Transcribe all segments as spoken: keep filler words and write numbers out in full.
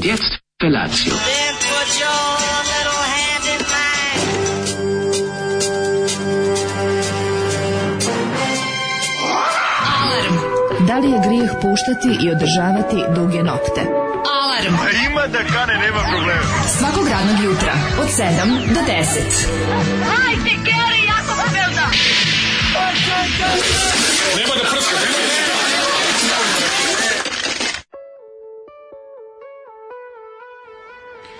Und jetzt Felatio. Da li je grijeh puštati i održavati duge nokte? Alarm! A ima da kane, nema problema. Svakog radnog jutra, od sedam do deset. Hajde, Geri, jako se velda! Nema da prska, nema da prska!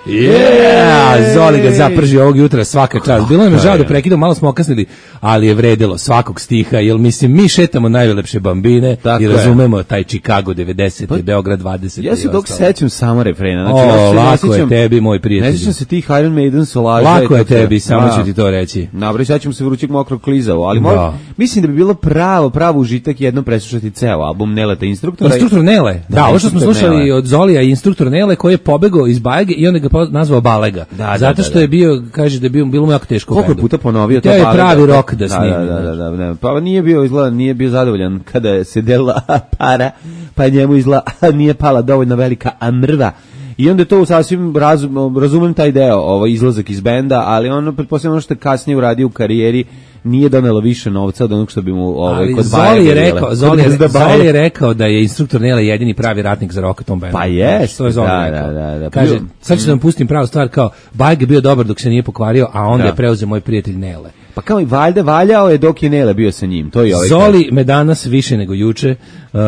Yeah! Zoli ga zaprži ovog jutra svaka čast. Bilo nam je žao da prekidamo, malo smo okasnili, ali je vredilo svakog stiha, jer mislim, mi šetamo najlepše bambine tako i razumemo je. Taj Chicago devedeset, pa, Beograd dvadeset. Ja se dok sećam samo refrena. Znači, o, ja lako sećam, je tebi, moj prijatelj. Ne sećam se tih Iron Maiden solaža. Lako je tebi, samo ću ti to reći. Dobro, sećam se vrućeg mokrog klizavo, ali moj, mislim da bi bilo pravo, pravo užitak jednom preslušati ceo album Neleta Instruktora. Instruktor Nele, da, da ovo što smo slušali Nele. Od Zolija i Instruktor Nele koji je pobegao iz Bajage i onda ga nazvao Balega. Da, zato da, što je bio, kaže da je bio bilo mu jako teško. Koliko puta ponovio to Balega. To je pravi rok da snimi. Da, da, da, da, da. Pa nije bio izgleda, nije bio zadovoljan kada se delila para, pa njemu izgleda nije pala dovoljno velika mrva. I onda to sasvim razum, razumem taj deo, ovaj izlazak iz benda, ali ono pretpostavljam ono što je kasnije uradio u karijeri nije donelo više novca od onog što bi mu ovaj kod Baja. Zoli je rekao, Zoli je, Zoli je rekao da je Instruktor Nele jedini pravi ratnik za rock tom bendu. Pa jest. To je Zoli da, rekao. Da, da, da. Kaže, sad ću da vam pustim pravu stvar, kao Baja je bio dobar dok se nije pokvario, a onda da. je preuzeo moj prijatelj Nele. Pa kao i valjda valjao je dok je Nele bio sa njim. To je ovaj. Zoli me danas više nego juče. Uh,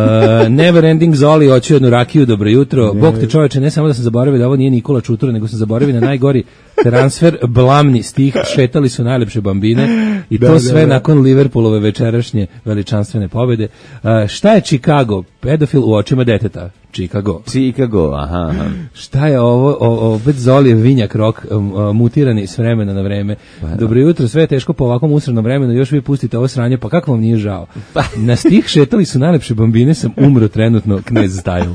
never ending Zoli, hoću jednu rakiju, dobro jutro. Ne. Bog te čoveče, ne samo da sam zaboravio da ovo nije Nikola Čutura, nego sam zaboravio na najgori transfer, blamni stih, šetali su najlepše bambine i to da, sve da, da. nakon Liverpoolove večerašnje veličanstvene pobede. Uh, šta je Chicago? Pedofil u očima deteta. Chicago. Chicago, aha, aha. Šta je ovo? O, opet Zolijev vinjak rok, um, mutirani s vremena na vreme. Pa, dobro jutro, sve je teško po ovakvom usrednom vremenu, još vi pustite ovo sranje, pa kako vam nije žao? Na stih šetali su najlepše bambine, sam umro trenutno, knez Stajl.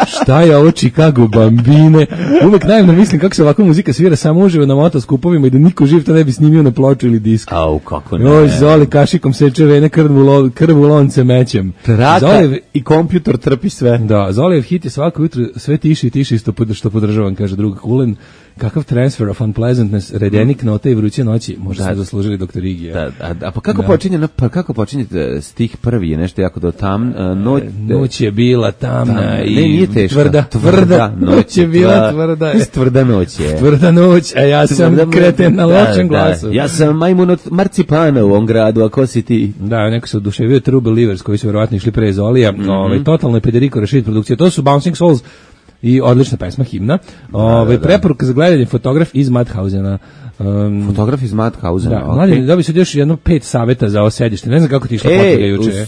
Šta je ovo Chicago bambine? Uvek naivno mislim kako se ovakva muzika svira samo uživo na motoskupovima i da niko živ to ne bi snimio na ploču ili disk. Au, kako ne. Oj, Zoli kašikom seče vene, krvu, krvu lonce mećem. Traka Zolijev, i kompjutor trpi sve. Da, Zolijev hit je svako jutro sve tiši i tiši isto što podržavam, kaže drug Kulen. Kakav transfer of unpleasantness, redenik note i vruće noći, možda da, smo zaslužili doktor Igija. Da, a, a pa kako da. počinje, pa kako počinje stih prvi je nešto jako do tam, noć, noć je bila tamna tam, i ne, nije teška, tvrda, tvrda, noć je bila tvrda, je. tvrda noć je. Tvrda noć, a ja sam tvrda kreten na lošem da, glasu. Da. Ja sam majmun od marcipana u ovom gradu, a ko si ti? Da, neko se oduševio True Believers koji su verovatno išli pre Zolija, mm-hmm. ovaj, totalno je Federico Rashid produkcija, to su Bouncing Souls, i odlična pesma, himna. Ove, da, da. Preporuka za gledanje, fotograf iz Madhausena. Um, fotograf iz Madhausena. Da, okay. Mladen, dobio se još jedno pet saveta za ovo sedište. Ne znam kako ti išla e, potraga juče.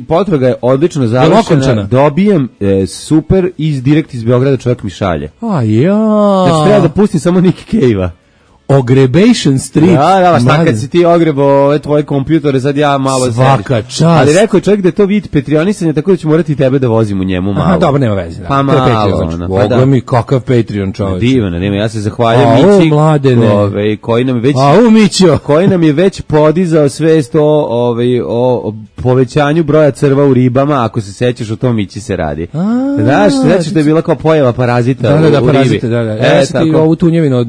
Potraga je odlično završena. Dobijem e, super iz direkt iz Beograda, čovjek mi šalje. A ja. Znači treba da pustim samo Nick Cave-a. Ogrebation Street. Da, da, šta kad si ti ogrebo ove tvoje kompjutore, sad ja malo svaka čast. Ali rekao je čovjek da je to vid Patreonisanja, tako da ću morati tebe da vozim u njemu malo. Aha, dobro, nema veze. Da. Pa malo. Ono, pa da. Mi kakav Patreon čovječ. Divno, nema, ja se zahvaljujem Mići, ove, koji nam je već, A, u, Mićo. koji nam je već podizao svest o, ove, o povećanju broja crva u ribama, ako se sećaš o tom Mići se radi. A, znaš, sećaš da je bila kao pojava parazita da, da, da, u, u parazite, ribi. Da, da. E, ja sam ti ovu tunjevinu,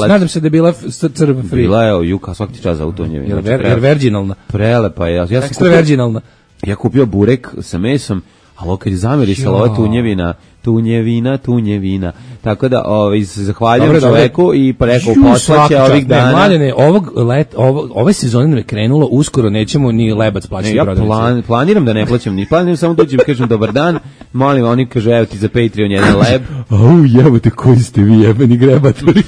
nadam se da je bila crv free. Bila je o juka svaki čas za utonjevinu. Jer, ver, jer virginalna. Prelepa je. Ja, ja sam Ekstra kupio, virginalna. Ja kupio burek sa mesom, ali kad je zamirisala ova tunjevina, tunjevina, tunjevina. Tako da ovaj, zahvaljujem dobre, čoveku dobre. I pa rekao poslaće ovih dana. Ne, mladene, ovog let, ovo, ove sezone nam je krenulo, uskoro nećemo ni lebac plaćati. Ne, ja plan, planiram da ne plaćam ni planiram, samo dođem kažem dobar dan, molim, oni kažu evo ti za Patreon jedan leb. Au, jebote, koji ste vi jebeni grebatori.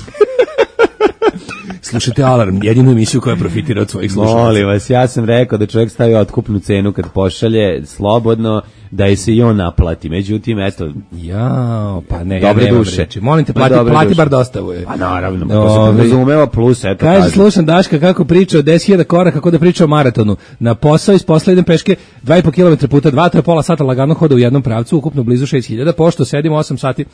Slušajte Alarm, jedinu emisiju koja profitira od svojih slušalaca. Molim vas, ja sam rekao da čovjek stavi otkupnu cenu kad pošalje slobodno, da je se i on naplati. Međutim, eto... Jao, pa ne, dobre ja duše. Reći. Molim te, plati, plati bar dostavu je. Pa naravno, pa se podrazumeva plus, eto. Kaže, kažem. Slušam Daška kako priča o deset hiljada koraka, kako da priča o maratonu. Na posao iz posla idem peške dva i po kilometra puta dva, to je pola sata lagano hoda u jednom pravcu, ukupno blizu šest hiljada, pošto sedim osam sati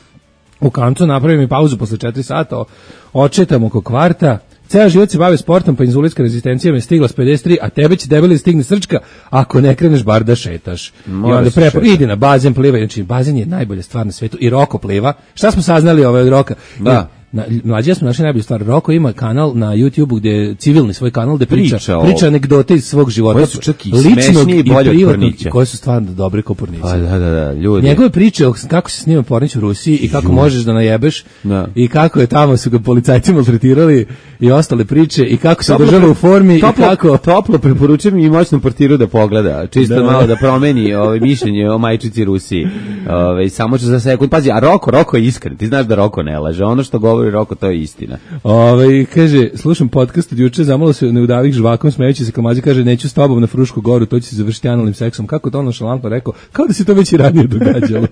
u kancu, napravim i pauzu posle četiri sata, očetam oko kvarta, Ceo život se bavio sportom, pa inzulinska rezistencija me stigla s pedeset tri, a tebe će debeli stigne srčka ako ne kreneš bar da šetaš. Moraš I onda prepo, šetaš. idi na bazen, plivaj, znači bazen je najbolja stvar na svetu i Roko pliva. Šta smo saznali ovaj od Roka? Da. Na, mlađe smo našli najbolju stvar. Roko ima kanal na YouTubeu gde je civilni svoj kanal gde priča, Priča priča, o- anegdote iz svog života. Koje su čak i ličnog smešnije i i bolje od privatnog, Pornića. koje su stvarno dobre kao Pornića. Pa da, da, da, ljudi. Njegove priče o kako se snima Pornić u Rusiji i kako možeš da najebeš Da. i kako je tamo su ga policajci maltretirali i ostale priče i kako se Toplo održava pre- u formi toplo, i kako toplo preporučujem i moćnom portiru da pogleda, čisto Da, da. malo da promeni ovaj mišljenje o majčici Rusiji. Ovaj samo će za sekund. Pazi, a Roko, Roko je iskren. Ti znaš da Roko ne laže. Ono što govori Roko, to je istina. Ovaj kaže, slušam podcast od juče, zamalo se ne udavih žvakom, smejući se Kamađi, kaže, neću s tobom na Frušku goru, to će se završiti analnim seksom. Kako to ono šalampa rekao? Kao da se to već i ranije događalo.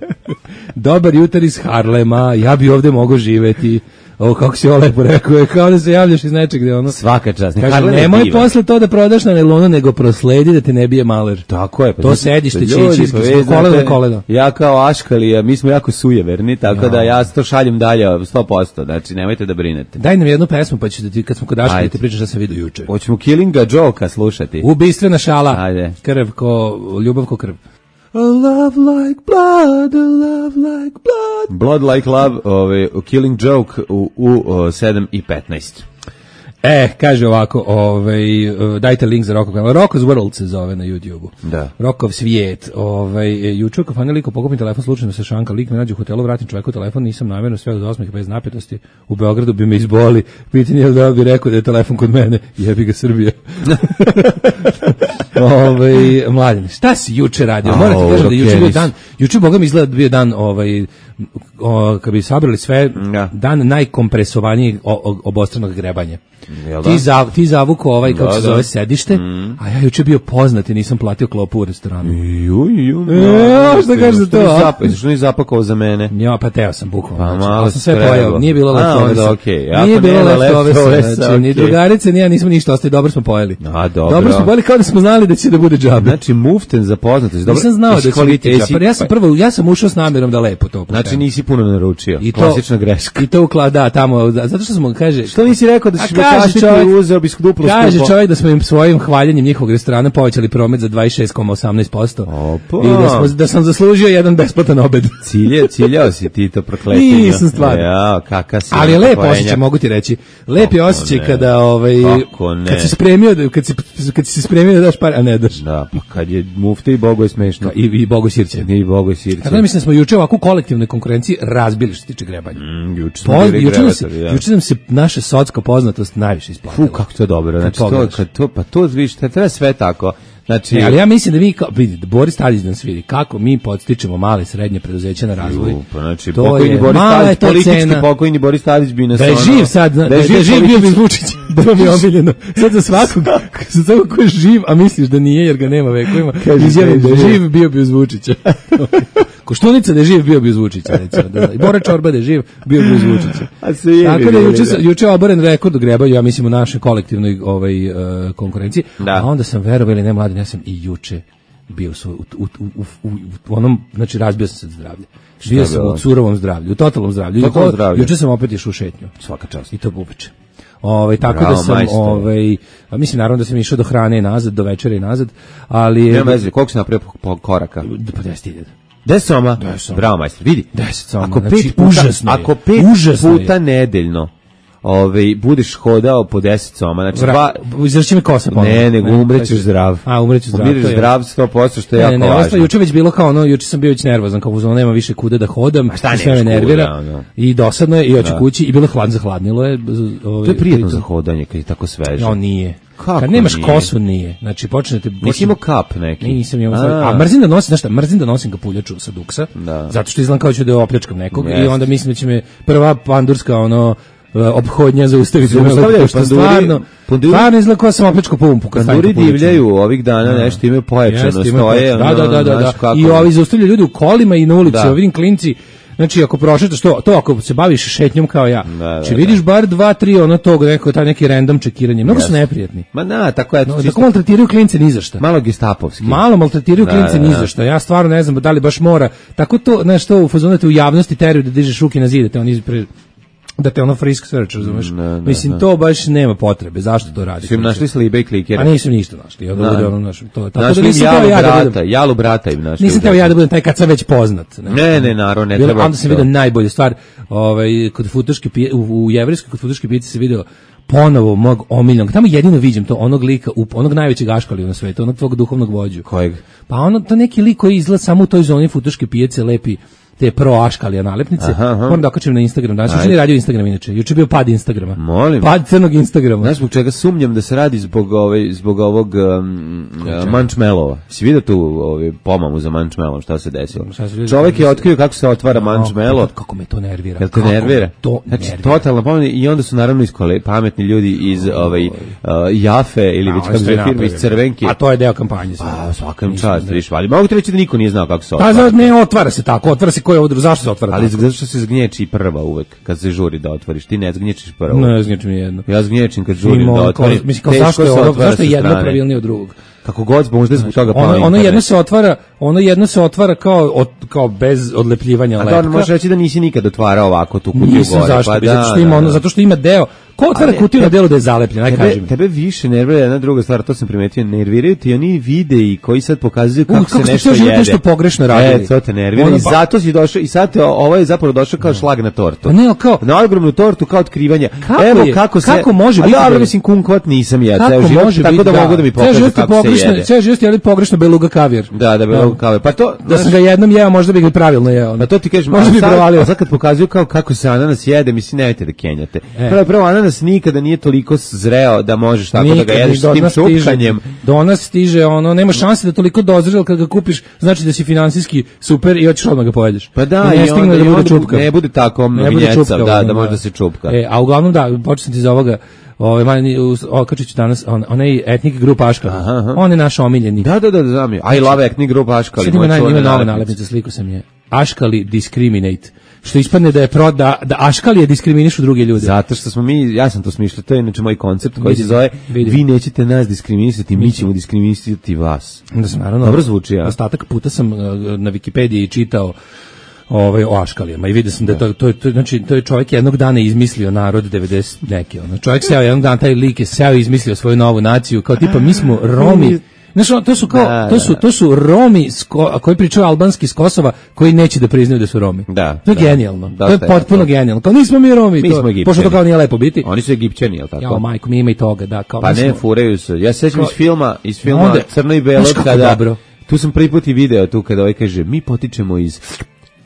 Dobar jutar iz Harlema, ja bi ovde mogao živeti. Ovo kako si ovo lepo rekao, je kao da se javljaš iz nečeg gde ono... Svaka čast. Kaže, Harlem je nemoj divan. posle to da prodaš na nelonu, nego prosledi da te ne bije maler. Tako je. Pa To znači, sedište će ljudi, ići pa iz vi kolena znate, do kolena. Ja kao Aškalija, mi smo jako sujeverni, tako da ja to šaljem dalje sto posto. Znači, nemojte da brinete. Daj nam jednu pesmu, pa ću da ti, kad smo kod Daška, da Ajde. ti pričam šta sam vidio juče. Hoćemo Killinga Joka slušati. Ubistvena šala. Ajde. Krv ko, ljubav ko krv. A love like blood, a love like blood. Blood Like Love, ovaj, Killing Joke u, u o, sedam i petnaest. E, kaže ovako, ovaj, uh, dajte link za Rokov kanal. Rokov's World se zove na YouTubeu. Da. Rokov svijet. Ovaj, juče kao fani liko pokupim telefon, slučajno se šanka, lik me nađe u hotelu, vratim čoveku telefon, nisam namjerno, sve od osmih bez napetosti. U Beogradu bi me izboli. Pitanje je da bi rekao da je telefon kod mene. Jebi ga Srbija. Ovaj, mladen, šta si juče radio? Moram ti kažem da juče bio dan, juče boga mi izgleda bio dan, ovaj, o, kad bi sabrali sve, Ja. dan najkompresovanijeg o- o- obostranog grebanja. Jel da? Ti, za, ti zavuko ovaj, kako Da, se da. zove, sedište, a ja juče bio poznat i nisam platio klopu u restoranu. Ju, ju, E, šta kažeš za to, a? Što nisi zapakovao za mene? Ja, pa teo sam bukvalno. Pa znači, malo ali sam sve trebalo. pojao, nije bilo A, leftoversa. onda okej. Ako Nije bilo nema leftoversa, leftoversa, znači, ni okej. drugarice, ni ja nismo ništa ostali, dobro smo pojeli. A, dobro. Dobro smo pojeli kao da smo znali da će da bude džabe. Znači, muften za poznatost. Dobro, Nisam znao jesi da će biti kvaliteti- džabe. Ja sam prvo, ja sam ušao s namjerom da lepo to pošteno. Znači, nisi puno naručio. I to- Klasična greška. I to ukla, da, tamo, da, zato što smo, kaže... Što nisi rekao da A ćeš me kaže kašiti čovjek- i uzeo bi duplo Kaže skupo? čovjek da smo im svojim hvaljenjem njihovog restorana povećali promet za dvadeset šest zarez osamnaest posto. Opa. I da, smo, da sam zaslužio jedan besplatan obed. Cilje, ciljao si ti to prokletinja. Nisam stvarno. Ja, kaka si. Ali je lep poenja. osjećaj, mogu ti reći. Lep je Kako osjećaj ne? kada ovaj Kako ne? kad si spremio da kad si kad si se spremio da daš par, a ne daš. Da, pa kad je mufte i Bogo je smešno. I i Bogo sirće. I Bogo je sirće. Kada mislim da smo juče ovako u kolektivnoj konkurenciji razbili što se tiče grebanja. Mm, juče smo Po, bili juče, nam se, grevatori, da. juče nam se naša socka poznatost najviše isplatila. Fu, kako to dobro. Znači, to, pogledaš. kad to, pa to, viš, to treba sve tako. Znači, Ne, ali ja mislim da mi, kao, vidi, Boris Tadić nam sviri, kako mi podstičemo male i srednje preduzeća na razvoj. ju, pa znači, To pokojni je- Boris mala je Tadić, to politički cena. pokojni Boris Tadić bi nas Da je ono- živ sad, da, da je živ bio bi politički- Vučić, da mi je omiljeno. Sad za svakog, za svakog ko je živ, a misliš da nije jer ga nema vekovima, Kaže, izjavim da je da je živ, bio bi uz Vučića. Koštunica da je živ, bio bi uz Vučića, recimo. Da, I Bora Čorba da je živ, bio bi uz Vučića. A se jebi Tako da bili, juče, da. juče je oboren rekord u grebanju, ja mislim u našoj kolektivnoj ovaj, uh, konkurenciji, Da. a onda sam verovao ili ne mladen, ja sam i juče bio u, svoj- u, u, u, u, u onom, znači razbio sam se od zdravlja. Bio je sam bilo? u surovom zdravlju, u totalnom zdravlju. Totalnom Juče- zdravlju. Juče sam opet išao u šetnju. Svaka čast. I to uveče. Ovaj tako Bravo, da sam majstore. ovaj a mislim naravno da sam išao do hrane i nazad, do večere i nazad, ali je Nema veze, koliko si napravio po- po koraka? pa deset hiljada. Deset soma? Deset soma. Bravo, majstor, vidi. Deset soma, Ako znači, pet puta, užasno je. ako pet Užasno puta nedeljno ovaj, budeš hodao po deset soma, znači Vra, dva... izrači mi kosa ponovno. Ne, nego umrećeš zdrav. A, umrećeš zdrav. Umireš to je- zdrav sto posto, što je Ne, jako ne, ne, ovo važno. stvar, juče već bilo kao ono, juče sam bio već nervozan, kao uzmano nema više kuda da hodam, šta i sve me nemaš nervira, kuda, ono? i dosadno je, i hoću Da. kući, i bilo hlad, zahladnilo je. z- Ovaj, To je prijetno pritom- za hodanje, kad je tako sveže. No, nije. Kako Kad nemaš nije? kosu, nije. Znači, počnete... Nisi imao kap neki? Nisam imao A. svoj... A mrzim da nosim, znaš šta, mrzim da nosim kapuljaču sa duksa, Da. zato što izgledam kao ću da opljačkam nekog, i Jeste. onda mislim da će me prva pandurska, ono, e, ophodnja zaustaviti. Zaustavljaju, što panduri- stvarno, panduri- stvarno izgleda kao sam opljačkao pumpu. kad stavim Panduri kapuljaču. divljaju ovih dana, nešto imaju pojačano, Jeste, ima stoje. to. Da, ono, da, da, da, znaš da. kako- I ovi zaustavljaju ljudi u kolima i na ulici, Da. ja vidim klinci. Znači, ako prošetaš to, to ako se baviš šetnjom kao ja, Da, da, znači vidiš bar dva, tri ono tog, neko, taj neki random čekiranje. Mnogo su Jeste. neprijatni. Ma na, tako je. No, čisto- tako maltretiraju klince ni za šta. Malo gestapovski. Malo maltretiraju Da, klince da, ni da. za šta. Ja stvarno ne znam da li baš mora. Tako to, znaš, to u fazonu te u javnosti teraju da dižeš ruke na zid, da te oni pre da te ono frisk search, razumeš? Ne, ne, Mislim, ne. to baš nema potrebe. Zašto to radi? Su im našli slibe i klikere. A nisam ništa našli. Ja da bude ono naš, to, tako našli da im nisam jalu teo ja da brata, budem. jalu brata im našli. Nisam teo ja da budem taj kad sam već poznat. Ne, ne, naravno, ne Bilo, treba. onda sam vidio najbolju stvar, ovaj, kod futoške pije, u, u jevrejskoj kod futoške pijaci se video ponovo mog omiljenog, tamo jedino vidim to, onog lika, onog najvećeg aškalija na svetu, onog tvog duhovnog vođu. Kojeg? Pa ono, to neki lik koji izgleda samo u toj zoni futoške pijace lepi te pro aškalija nalepnice. Aha, aha. Moram da okačim na Instagram. Danas juče nije radio Instagram inače. Juče je bio pad Instagrama. Molim. Pad crnog Instagrama. Znaš zbog čega sumnjam da se radi zbog ovaj zbog ovog um, mančmelova. Si vidio tu ovaj pomamu za mančmelom šta se desilo? Šta se vidio? Čovjek je otkrio kako se otvara mančmelo. Kako me to nervira. Jel te Kako nervira? me To znači, nervira. totalno pomeni i onda su naravno iskole pametni ljudi iz ovaj uh, Jafe ili A, već oni kako su se i firme iz napravili. Crvenke. A to je deo kampanje. sve. Pa svakam Nisam čast, da- viš, ali mogu ti reći da niko nije znao kako se Pa otvara. za ne otvara se tako, otvara se ko je odru, zašto se otvara? Ali tako? zato što se zgnječi prva uvek kad se žuri da otvoriš. Ti ne zgnječiš prva. Ne znači mi jedno. Ja zgnječim kad žurim Ima da ono kao- otvorim. mislim kao Teško zašto je se ono, otvara zašto je sa jedno strane. pravilnije od drugog? Kako god, možda zbog toga Ono, pao ono internet. jedno se otvara, ono jedno se otvara kao od, kao bez odlepljivanja A lepka. da, možeš reći da nisi nikad otvarao ovako tu kutiju Nisam gore. zašto, pa bi, da, zato što ima da, ono, da. zato što ima deo. Ko otvara Ali kutiju na te- delu da je zalepljena, aj kaži Tebe, mi. tebe više nervira jedna druga stvar, to sam primetio, nerviraju ti oni videi koji sad pokazuju U, kako, kako se ste nešto ceo život jede. nešto pogrešno radili. E, to te nervira Ono, i pa- zato si došao, i sad te, ovo je zapravo došao kao šlag na tortu. Pa ne, ali kao- Na ogromnu tortu kao otkrivanje. Kako Evo je- kako se... kako može A biti da dobro, je- mislim, kumkvat nisam ja, ceo Kako život, može tako biti, da mogu da mi Ceo pokaže život je kako se pogrešno, jede. ceo život je jeli pogrešno beluga kavijer. Da, da, bilo kao. Pa to, Da sam ga jednom jeo, možda bih ga pravilno jeo. Pa to ti kažeš, možda a bi sad, provalio. a sad kad pokazuju kao kako se ananas jede, mislim, nemojte da kenjate. E. Prvo, prvo, ananas nikada nije toliko zreo da možeš tako da ga Nikad jedeš ni s do tim nas stiže- čupkanjem. Do nas stiže ono, nema šanse da toliko dozrel kad ga kupiš, znači da si finansijski super i hoćeš odmah ga pojedeš. Pa da, I ne i stigne onda, da i bude onda čupkav. ne bude tako Ne bude vinjecav, čupkav, da, ono, da može da se čupka. E, a uglavnom da, počeo sam ti za ovoga, ovaj mani okačit ću danas on, onaj etnik grup Aškali. Aha, aha. On je naš omiljeni. Da, da, da, znam je. I love ethnic group Aškali. Sad ima moj naj, ima čuvena nova nalepnica. nalepnica, sliku sam je. Aškali discriminate. Što ispadne da je pro, da, da Aškali je diskriminišu druge ljude. Zato što smo mi, ja sam to smišljao, to je inače moj koncept koji se Vidim, zove vidim. vi nećete nas diskriminisati, mi ćemo diskriminisati vas. Da sam naravno. Dobro zvuči, ja. Ostatak puta sam uh, na Wikipediji čitao ovaj o Aškalijama i vidio sam da je to to je to je- znači to je čovjek jednog dana izmislio narod devedeset neki ono. Čovjek seo jednog dana, taj lik je seo i izmislio svoju novu naciju kao tipa mi smo Romi. Znaš, ono, to su kao Da, to su da. to su Romi s Ko- koji pričaju albanski s Kosova koji neće da priznaju da su Romi. Da, To je da. genijalno. Dosta To je je potpuno to. genijalno. Kao nismo mi Romi, Mi to, smo Egipćani. pošto to kao nije lepo biti. Oni su Egipćani, jel tako? Jao, majko, mi ima i toga, da, kao Pa mi ne, smo- furaju se. Ja se sećam Kao- iz filma, iz filma Onda- Crno i Belo, Znaš kako kada, dobro? tu sam prvi put i video tu kada ovaj kaže, mi potičemo iz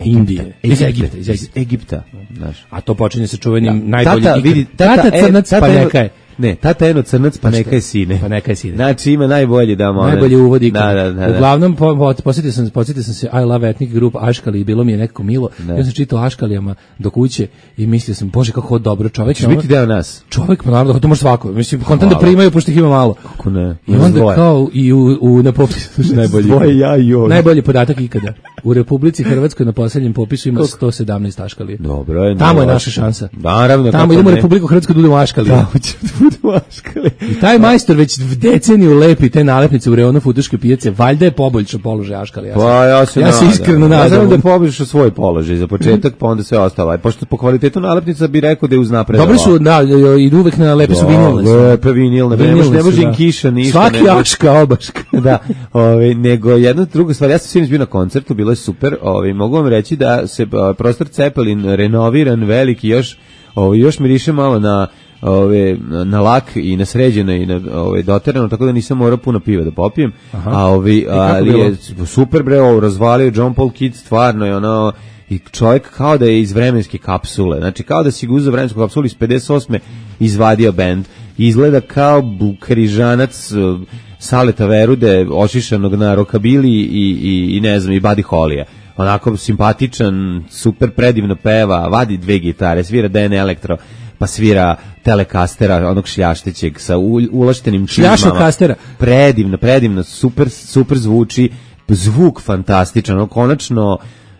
Indije. Iz Egipta, Egipta, iz iz Egipta. Egipta, znaš. A to počinje sa čuvenim Da. najboljim Tata, ikad. vidi, tata, tata, e, crnac, tata pa eno- neka je. Ne, tata eno crnac, pa šta? neka je sine. Pa neka je sine. Znači ima najbolji da mo- Najbolji uvod ikad. Da, da, da. da. Uglavnom, po, po, posjetio, sam, posjetio sam se I Love Ethnic Group Aškali i bilo mi je nekako milo. Ja sam čitao Aškalijama do kuće i mislio sam, bože, kako ovo dobro čovjek. Ćeš biti deo nas. Čovjek, pa naravno, to može svako. Mislim, kontent da Hvala. primaju, pošto ih ima malo. Kako ne? I onda kao i u, u na popisu najbolji. Dvoje ja i on. Najbolji podatak ikada. U Republici Hrvatskoj na posljednjem popisu ima sto sedamnaest Aškalija. Dobro je. Tamo je ne, naša šansa. Naravno. Tamo kako idemo u ne. Republiku Hrvatsku da budemo Aškali. Tamo ćemo da budemo Aškali. I taj majstor već deceniju lepi te nalepnice u reonu futuške pijace, valjda je poboljšao položaj Aškali. Ja se, Pa ja se ja se nadam. iskreno Ja nadam. znam da je poboljšao svoj položaj za početak, pa onda sve ostalo. A pošto po kvalitetu nalepnica bi rekao da je uznapredovao. Dobri su, da, idu uvek na lepe su vinilne. su. Lepe vinilne, ne može, ne može im da. kiša, ništa. Svaki ne može. Aška, obaška. Da, ovaj nego jedna druga stvar, ja sam sinoć bio na koncertu, bilo je super, ovaj mogu vam reći da se a, prostor Cepelin renoviran, veliki, još ovaj još miriše malo na ove na lak i na sređeno i na ovaj doterano, tako da nisam morao puno piva da popijem. Aha. A ovi ali bilo? je super bre, ovo razvalio John Paul Kid, stvarno je ono i čovjek kao da je iz vremenske kapsule, znači kao da si ga uzeo vremensku kapsulu iz pedeset osme izvadio bend, izgleda kao bu- križanac uh, Saleta Verude, ošišanog na rokabili i, i, i ne znam, i Buddy Holly-a. Onako simpatičan, super predivno peva, vadi dve gitare, svira D N Elektro, pa svira Telekastera, onog šljaštećeg sa u, ulaštenim čizmama. Šljašokastera. Predivno, predivno, super, super zvuči, zvuk fantastičan, ono konačno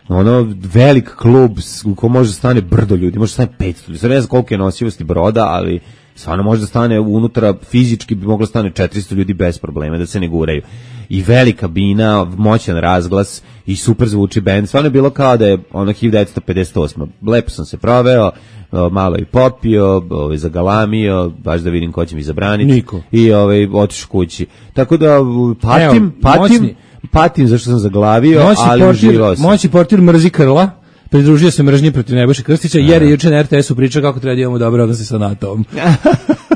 ono velik klub s- u kom može da stane brdo ljudi, može da stane petsto ljudi. Sad ne znam koliko je nosivosti broda, ali stvarno može da stane unutra, fizički bi moglo da stane četiristo ljudi bez problema, da se ne guraju. I velika bina, moćan razglas i super zvuči bend. Stvarno je bilo kao da je ono hiljadu devetsto pedeset osma. Lepo sam se proveo, o, malo i popio, ovaj, zagalamio, baš da vidim ko će mi zabraniti. Niko. I ovaj, otišao kući. Tako da patim, Evo, patim, moćni. patim zašto sam zaglavio, Moćni ali portir, uživao sam. moćni portir mrzi Krla, pridružio se mržnji protiv Nebojše Krstića, jer je juče na er te esu pričao kako treba da imamo dobre odnose sa NATO-om.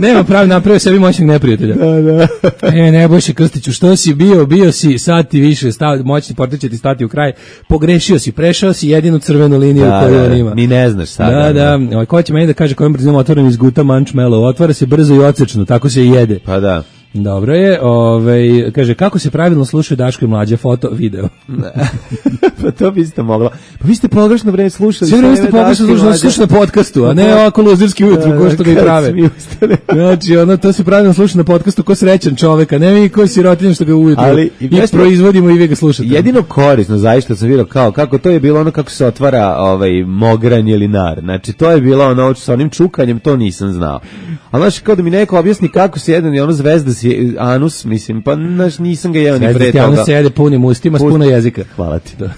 Nema pravi, napravio sebi moćnog neprijatelja. Da, da. E, Nebojše Krstiću, što si bio, bio si, sad ti više, stav, moćni portir će ti stati u kraj, pogrešio si, prešao si jedinu crvenu liniju Da, koju da, on ima. ni ne znaš sad. Da, da, ovaj, ko će meni da kaže kojom brzinom otvoren iz guta mančmelo, otvara se brzo i ocečno, tako se i jede. Pa da. Dobro je, ovaj, kaže, kako se pravilno slušaju Daško i Mlađe, foto, video. Pa to bi ste mogla. Pa vi ste pogrešno vreme slušali. Sve vreme ste pogrešno slušali, slušali na podcastu, a ne ovako luzirski ujutru, ko što ga i prave. Znači, ono, to se pravilno sluša na podcastu ko srećan čoveka, ne mi ko sirotinja što ga ujutru ali, i, i proizvodimo i vi ga slušate. Jedino korisno, zaista sam vidio kao, kako to je bilo ono kako se otvara ovaj, mogranj ili nar. Znači, to je bilo ono sa onim čukanjem, to nisam znao. A znaš, kao da mi neko objasni kako se jedan i ono zvezda si anus, mislim, pa znaš, nisam ga jeo ni pre toga. Zvezda anus se jede punim ustima, s puno jezika. Hvala ti. Da.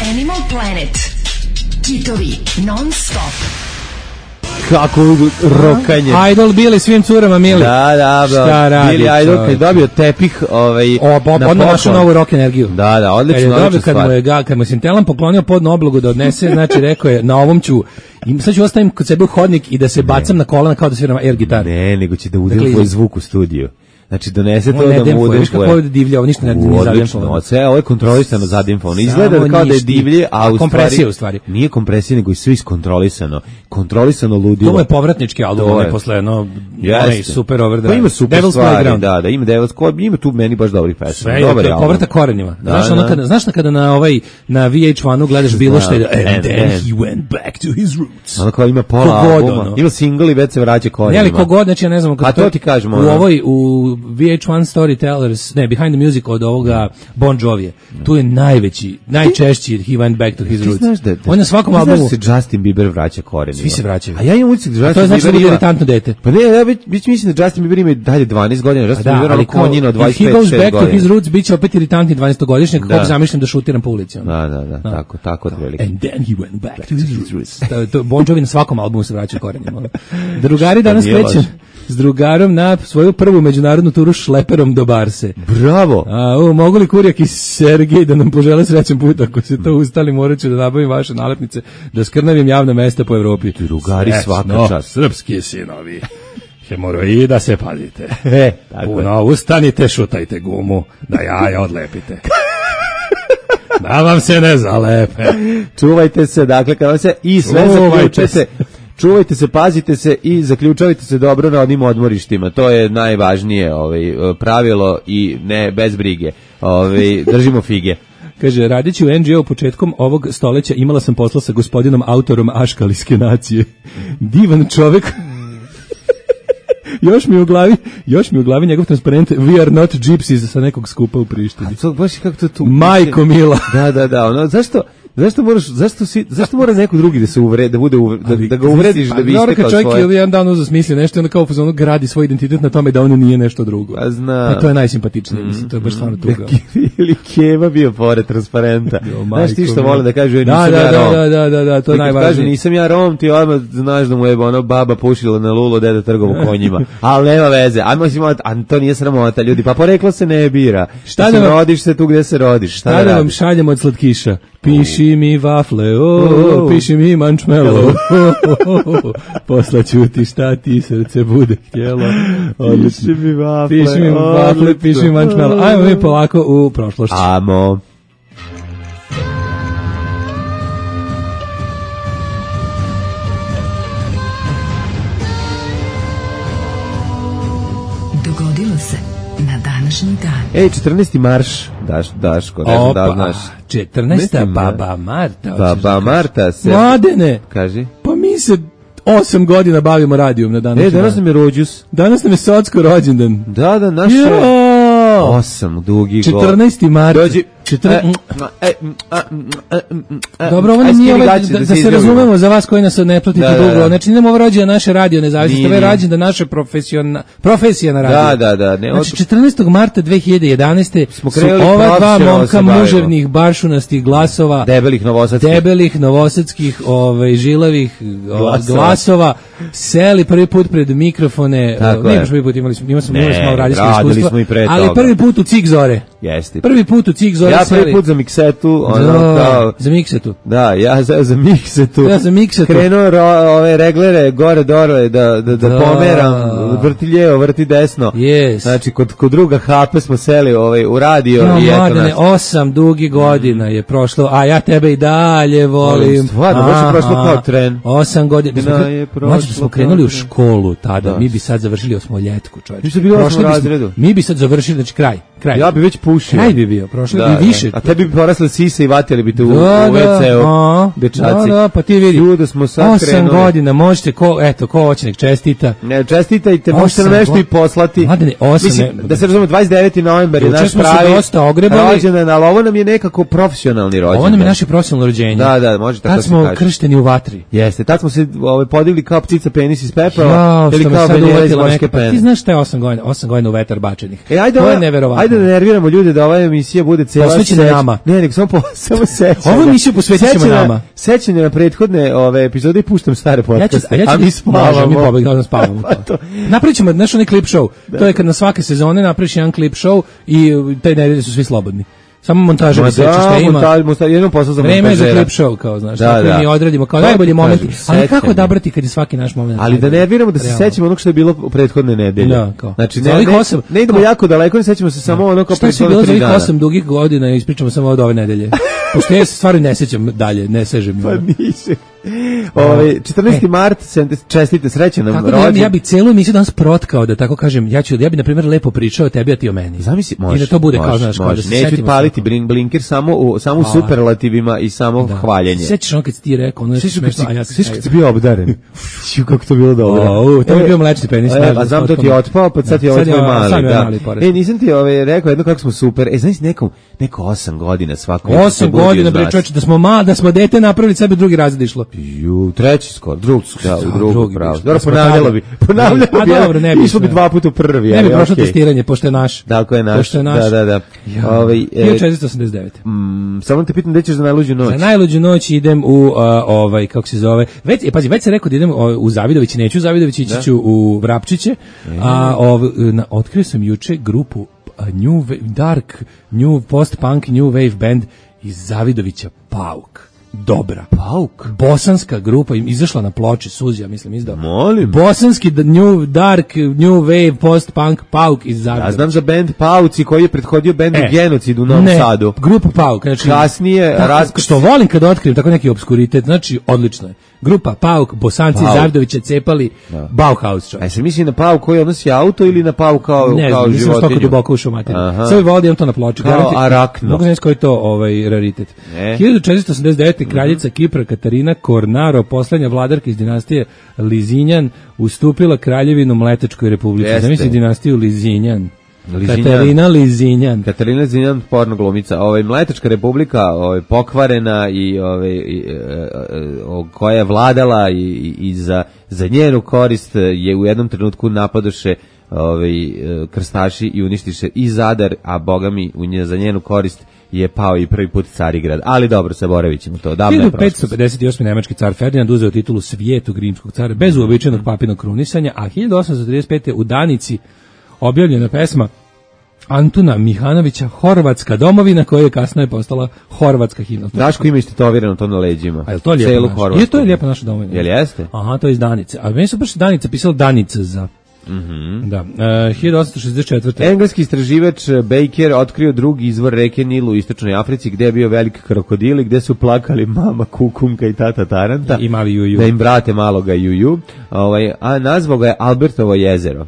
Animal Planet. Kitovi non stop. Kako rokanje. Idol bili svim curama mili. Da, da, Šta da. radi, Bili Idol kad je čovječe? dobio tepih, ovaj, O, bo, na odmah našu poklon. novu rock energiju. Da, da, odlično, Kad je odlična dobio, kad mu stvar. je ga, kad mu Sintelan poklonio podnu oblogu da odnese, znači rekao je, na ovom ću, i sad ću ostavim kod sebe u hodnik i da se bacam na kolana kao da sviram air gitar. Ne, nego će da udem Dakle, tvoj zvuk u studiju. Znači, donese to On ne da mu demfuje, udem viš kako tvoje. ovdje divlja, ovo ništa ne, ne Odlično, zademfovano. sve ovo je kontrolisano zadimfovano. Izgleda Samo kao da je ništa. divlje, a u Kompresija stvari, u stvari. nije kompresija, nego je sve iskontrolisano. Kontrolisano ludilo. To mu je povratnički album, To ne je. posle, no, Jeste. onaj super overdrive. Pa ima super Devil's stvari, Playground. da, da, ima Devil's Playground, ima tu meni baš dobrih pesama. Sve je, Dobar to je album. povratak korenima. Da, Znaš, ono da. kada, znaš na kada na ovaj, na V H jedanu gledaš bilo što je, and and then then. he went back to his roots. Ono kao ima pola Kogod, albuma, ono. ima single i već se vraća Ne, korenima. ali kogod, znači ja ne znam, Pa to ti kažem, u ono. ovoj, u V H jedan Storytellers, ne, Behind the Music od ovoga Bon Jovije, tu je najveći, najčešći he went back to his Ti roots. znaš da, da On je na svakom ti znaš albumu, da se Justin Bieber vraća korenima. Svi se vraćaju. A ja imam utisak da to je Justin znači da Bieber bude ima... iritantno dete. Pa ne, ja već, već mislim da Justin Bieber ima i dalje dvanaest godina, Justin Da, Bieber ali ali kao, konjino if he dvadeset pet goes šest back to his godina. roots, bit će opet iritantni dvanaestogodišnjak, Da. kako zamišljam da šutiram po ulici. ono. Da, da, da, tako, tako otprilike. And then he went back to his roots. To, to, Bon Jovi na svakom albumu se vraća korenima. ono. Drugari danas nije krećem loše. s drugarom na svoju prvu međunarodnu turu šleperom do Barse. Bravo! A, o, mogu li Kurjak i Sergej da nam požele srećan put, ako se to ustali, morat ću da nabavim vaše nalepnice, da skrnavim javna mesta po Evropi. Drugari, svaka Srećno, čast. srpski sinovi. Hemoroida se pazite. E, tako je. Puno ustanite, šutajte gumu, da jaja odlepite. Da vam se ne zalepe. Čuvajte se, dakle, kada se i sve Čuvajte zaključujete, se. čuvajte se, pazite se i zaključavajte se dobro na onim odmorištima. To je najvažnije ovaj, pravilo i ne bez brige. Ovaj, držimo fige. Kaže, radići u N G O početkom ovog stoleća imala sam posla sa gospodinom autorom Aškaliske nacije. Divan čovek. još mi u glavi, još mi u glavi njegov transparent We are not gypsies sa nekog skupa u Prištini. To baš kako to tu. Majko mila. Da, da, da, ono, zašto Zašto moraš, zašto si, zašto mora neko drugi da se uvre, da bude uvre, da, da ga uvrediš da bi istekao svoje? Čovjek je jedan dan uzeo smisli nešto i onda kao u fazonu gradi svoj identitet na tome da on nije nešto drugo. Pa znam. Pa to je najsimpatičnije, mislim, to je baš stvarno tuga. Ili Keva bio pored transparenta. Jo, Znaš ti majko što mila. vole da kažu, nisam Da, da, ja Rom. da, da, da, da, to je Ti kad najvažnije. Kažu, nisam ja Rom, ti odmah znaš da mu je ono baba pušila na lulo, deda trgovo konjima. Ali nema veze. Ajmo si malo, a to nije sramota, ljudi. Pa poreklo se ne bira. Šta Mislim, da vam- rodiš se tu gde se rodiš. Šta, Šta da vam radiš? šaljem od slatkiša? Piši mi vafle, o, Oh. piši mi mančmelo, poslaću ti šta ti srce bude htjelo. Odlično. Piši mi vafle, Piši mi vafle, odlično. piši mi mančmelo. Ajmo mi polako u prošlošću. Amo. Dogodilo se na današnji dan. Ej, četrnaesti marš, daš, Daško, ne znam da li znaš. četrnaesta Mislim, baba Marta. hoćeš Baba da kažeš. Marta se... Mladene, Kaži. pa mi se osam godina bavimo radijom na današnji E, danas dan. nam je rođus. Danas nam je socko rođendan. Da, da, naše... Jo! Osam dugi god. četrnaesti marta. Dođi, Dobro, ovo nije ovaj, da, da se razumemo za vas koji nas ne pratite da, dugo. Da, da. Znači, idemo ovo rođe naše radio nezavisnosti, ovo je rođen da naše profesija na radio. Da, da, da. Ne, znači, četrnaestog marta dve hiljade jedanaeste smo su ova dva momka muževnih, baršunastih glasova, debelih novosadskih, debelih novosadskih ovaj, žilavih glasova, glasova seli prvi put pred mikrofone. Ne baš prvi put, imali smo, imali smo, imali smo radijsko iskustvo, ali prvi put u Cik Zore. Jeste. Prvi put u Cik Zore. Ja prvi put za miksetu, ono da, kao za miksetu. Da, ja za za miksetu. Ja za miksetu. Krenuo ro, ove reglere gore dole da da da, da pomeram, vrti lijevo, vrti desno. Yes. Znači kod kod druga Hape smo seli ovaj u radio no, i eto nas. osam dugi godina je prošlo, a ja tebe i dalje volim. Stvarno, baš je prošlo kao tren. osam godina. Znači smo krenuli u školu tada, da. Mi bi sad završili osmoljetku, čoveče. Mi smo bili u osmom razredu. Mi bi sad završili, znači kraj. Kraj. Ja bi već pušio. Kraj bi bio, prošlo da, bi više. Da. A tebi bi porasle sise i vatili bi te u, da, u ve ce-u, dečaci. Da, da, pa ti vidi. Ljude smo sad osam krenuli. godina, možete, ko, eto, ko hoće nek čestita. Ne, čestitajte, možete nam nešto i poslati. Mladene, osam. Mislim, da se razumemo, dvadeset deveti novembar je naš pravi rođendan, ali ovo nam je nekako profesionalni rođendan. Ovo nam je naše profesionalno rođenje. Da, da, može tako se kaže. Tad smo kršteni u vatri. Jeste, tad smo se ovaj, podigli kao ptica penis iz pepela, ili kao Venera iz morske pene. Ti znaš šta je osam godina, osam godina u vetar bačenih. E, ajde, to je neverovatno. Ajde da nerviramo ljude da ova emisija bude cela posvećena nama. Ne, nek samo po, samo sećanja. Ovu emisiju posvećujemo nama. Sećanje na prethodne ove epizode i puštam stare podcaste. Ja ću, ja ću, a mi spavamo. Mi pobegamo, spavamo. Napravit ćemo naš onaj klip show. Da. To je kad na svake sezone napraviš jedan klip show i taj nedelje su svi slobodni. Samo montaža da, sve što ima. Montaž, montaž, jednom posao za montažera. Vreme je za klip show, kao, znaš, da, tako da. mi odradimo kao najbolji moment. Ali kako odabrati kad je svaki naš moment? Ali da nerviramo da se sećamo onog što je bilo u prethodne nedelje. Da, kao. Znači, ne, ne, osam, ne idemo kao, jako daleko, ne sećamo se samo ono kao prethodne tri dana. Što je bilo za ovih osam dugih godina i ispričamo samo od ove nedelje. Pošto ja se stvarno ne sećam dalje, ne sežem. Pa nisi. Ovaj četrnaesti mart, čestite, srećan nam rođendan. Ja bih celu emisiju danas protkao, da tako kažem. Ja ću ja bih na primjer lepo pričao o tebi, a ti o meni. Zamisli, može. I da to bude kao znaš, kao da se neću paliti blink blinker samo u samo u superlativima i samo da. Hvaljenje. Sećaš ono kad ti rekao, ono je smešno, a ja se sećam kad si bio obdaren. Ju kako to bilo dobro. O, to je bio mlečni penis. A znam da ti je otpao, pa sad je ovaj tvoj mali, da. E, nisam ti ovaj rekao jedno kako smo super. E, znaš nekom neko osam godina svako. osam godina bre čoveče da smo ma da smo dete napravili sebi drugi razred išlo. Ju, treći skoro, drugi, da, u drugi pravo. Dobro, ponavljalo bi, ponavljalo bi, a dobro, ne bi. Išlo bi dva puta u prvi. Ne bi prošlo testiranje, pošto je naš. Tako je naš, da, da, da. hiljadu četiristo osamdeset devete. Samo te pitam gde ćeš za najluđu noć. Za najluđu noć idem u, ovaj, kako se zove, već, pazi, već se rekao da idem u Zavidović, neću u Zavidović, ići ću u Vrapčiće, a otkrio sam juče grupu New Dark, New Post-Punk, New Wave Band iz Zavidovića, Pauk. Dobra. Pauk. Bosanska grupa im izašla na ploči, Suzija, mislim, izdao. Molim. Bosanski New Dark, New Wave, Post-Punk, Pauk iz Zagreba. Ja znam za band Pauci koji je prethodio bendu e, Genocid u Novom ne, Sadu. Grupa Pauk. Znači, kasnije... Tako, raz... Što volim kad otkrijem tako neki obskuritet, znači, odlično je. Grupa Pauk, Bosanci, Zavidovića cepali, da. Bauhaus čovjek. A se misli na Pauk koji odnosi auto ili na Pauk kao, ne, kao životinju? Ne, nisam stoko duboko ušao materiju. Sve volim to na ploči. Kao arakno. Mogu znači koji je to ovaj, raritet. Ne. hiljadu četiristo osamdeset devete. kraljica mm-hmm. Kipra Katarina Kornaro, poslednja vladarka iz dinastije Lizinjan, ustupila kraljevinu Mletačkoj republici. Zamisli dinastiju Lizinjan. Lizinjan. Katarina Lizinjan. Katarina Lizinjan, porno glumica. Ovaj Mletačka republika, ovaj pokvarena i ovaj i, e, e, koja je vladala i, i, i za za njenu korist je u jednom trenutku napadoše ovaj krstaši i uništiše i Zadar, a bogami u nje za njenu korist je pao i prvi put Carigrad. Ali dobro, zaboravit ćemo to. hiljadu petsto pedeset osme. nemački car Ferdinand uzeo titulu Svijetog rimskog cara bez uobičajenog papinog krunisanja, a hiljadu osamsto trideset pete. u Danici objavljena pesma Antuna Mihanovića Horvatska domovina, koja je kasnije postala Horvatska himna. Daško ima istetovirano to na leđima. A je to lijepo naša? Je to je lijepo naša domovina. Jel jeste? Aha, to je iz Danice. A meni su baš Danica pisalo Danica za... Mm-hmm. Da. Uh, hiljadu osamsto šezdeset četvrte. Engleski istraživač Baker otkrio drugi izvor reke Nil u istočnoj Africi, gde je bio veliki krokodil i gde su plakali mama Kukumka i tata Taranta. I mali Juju. Da im brate maloga Juju. Ovaj, a nazvao ga je Albertovo jezero.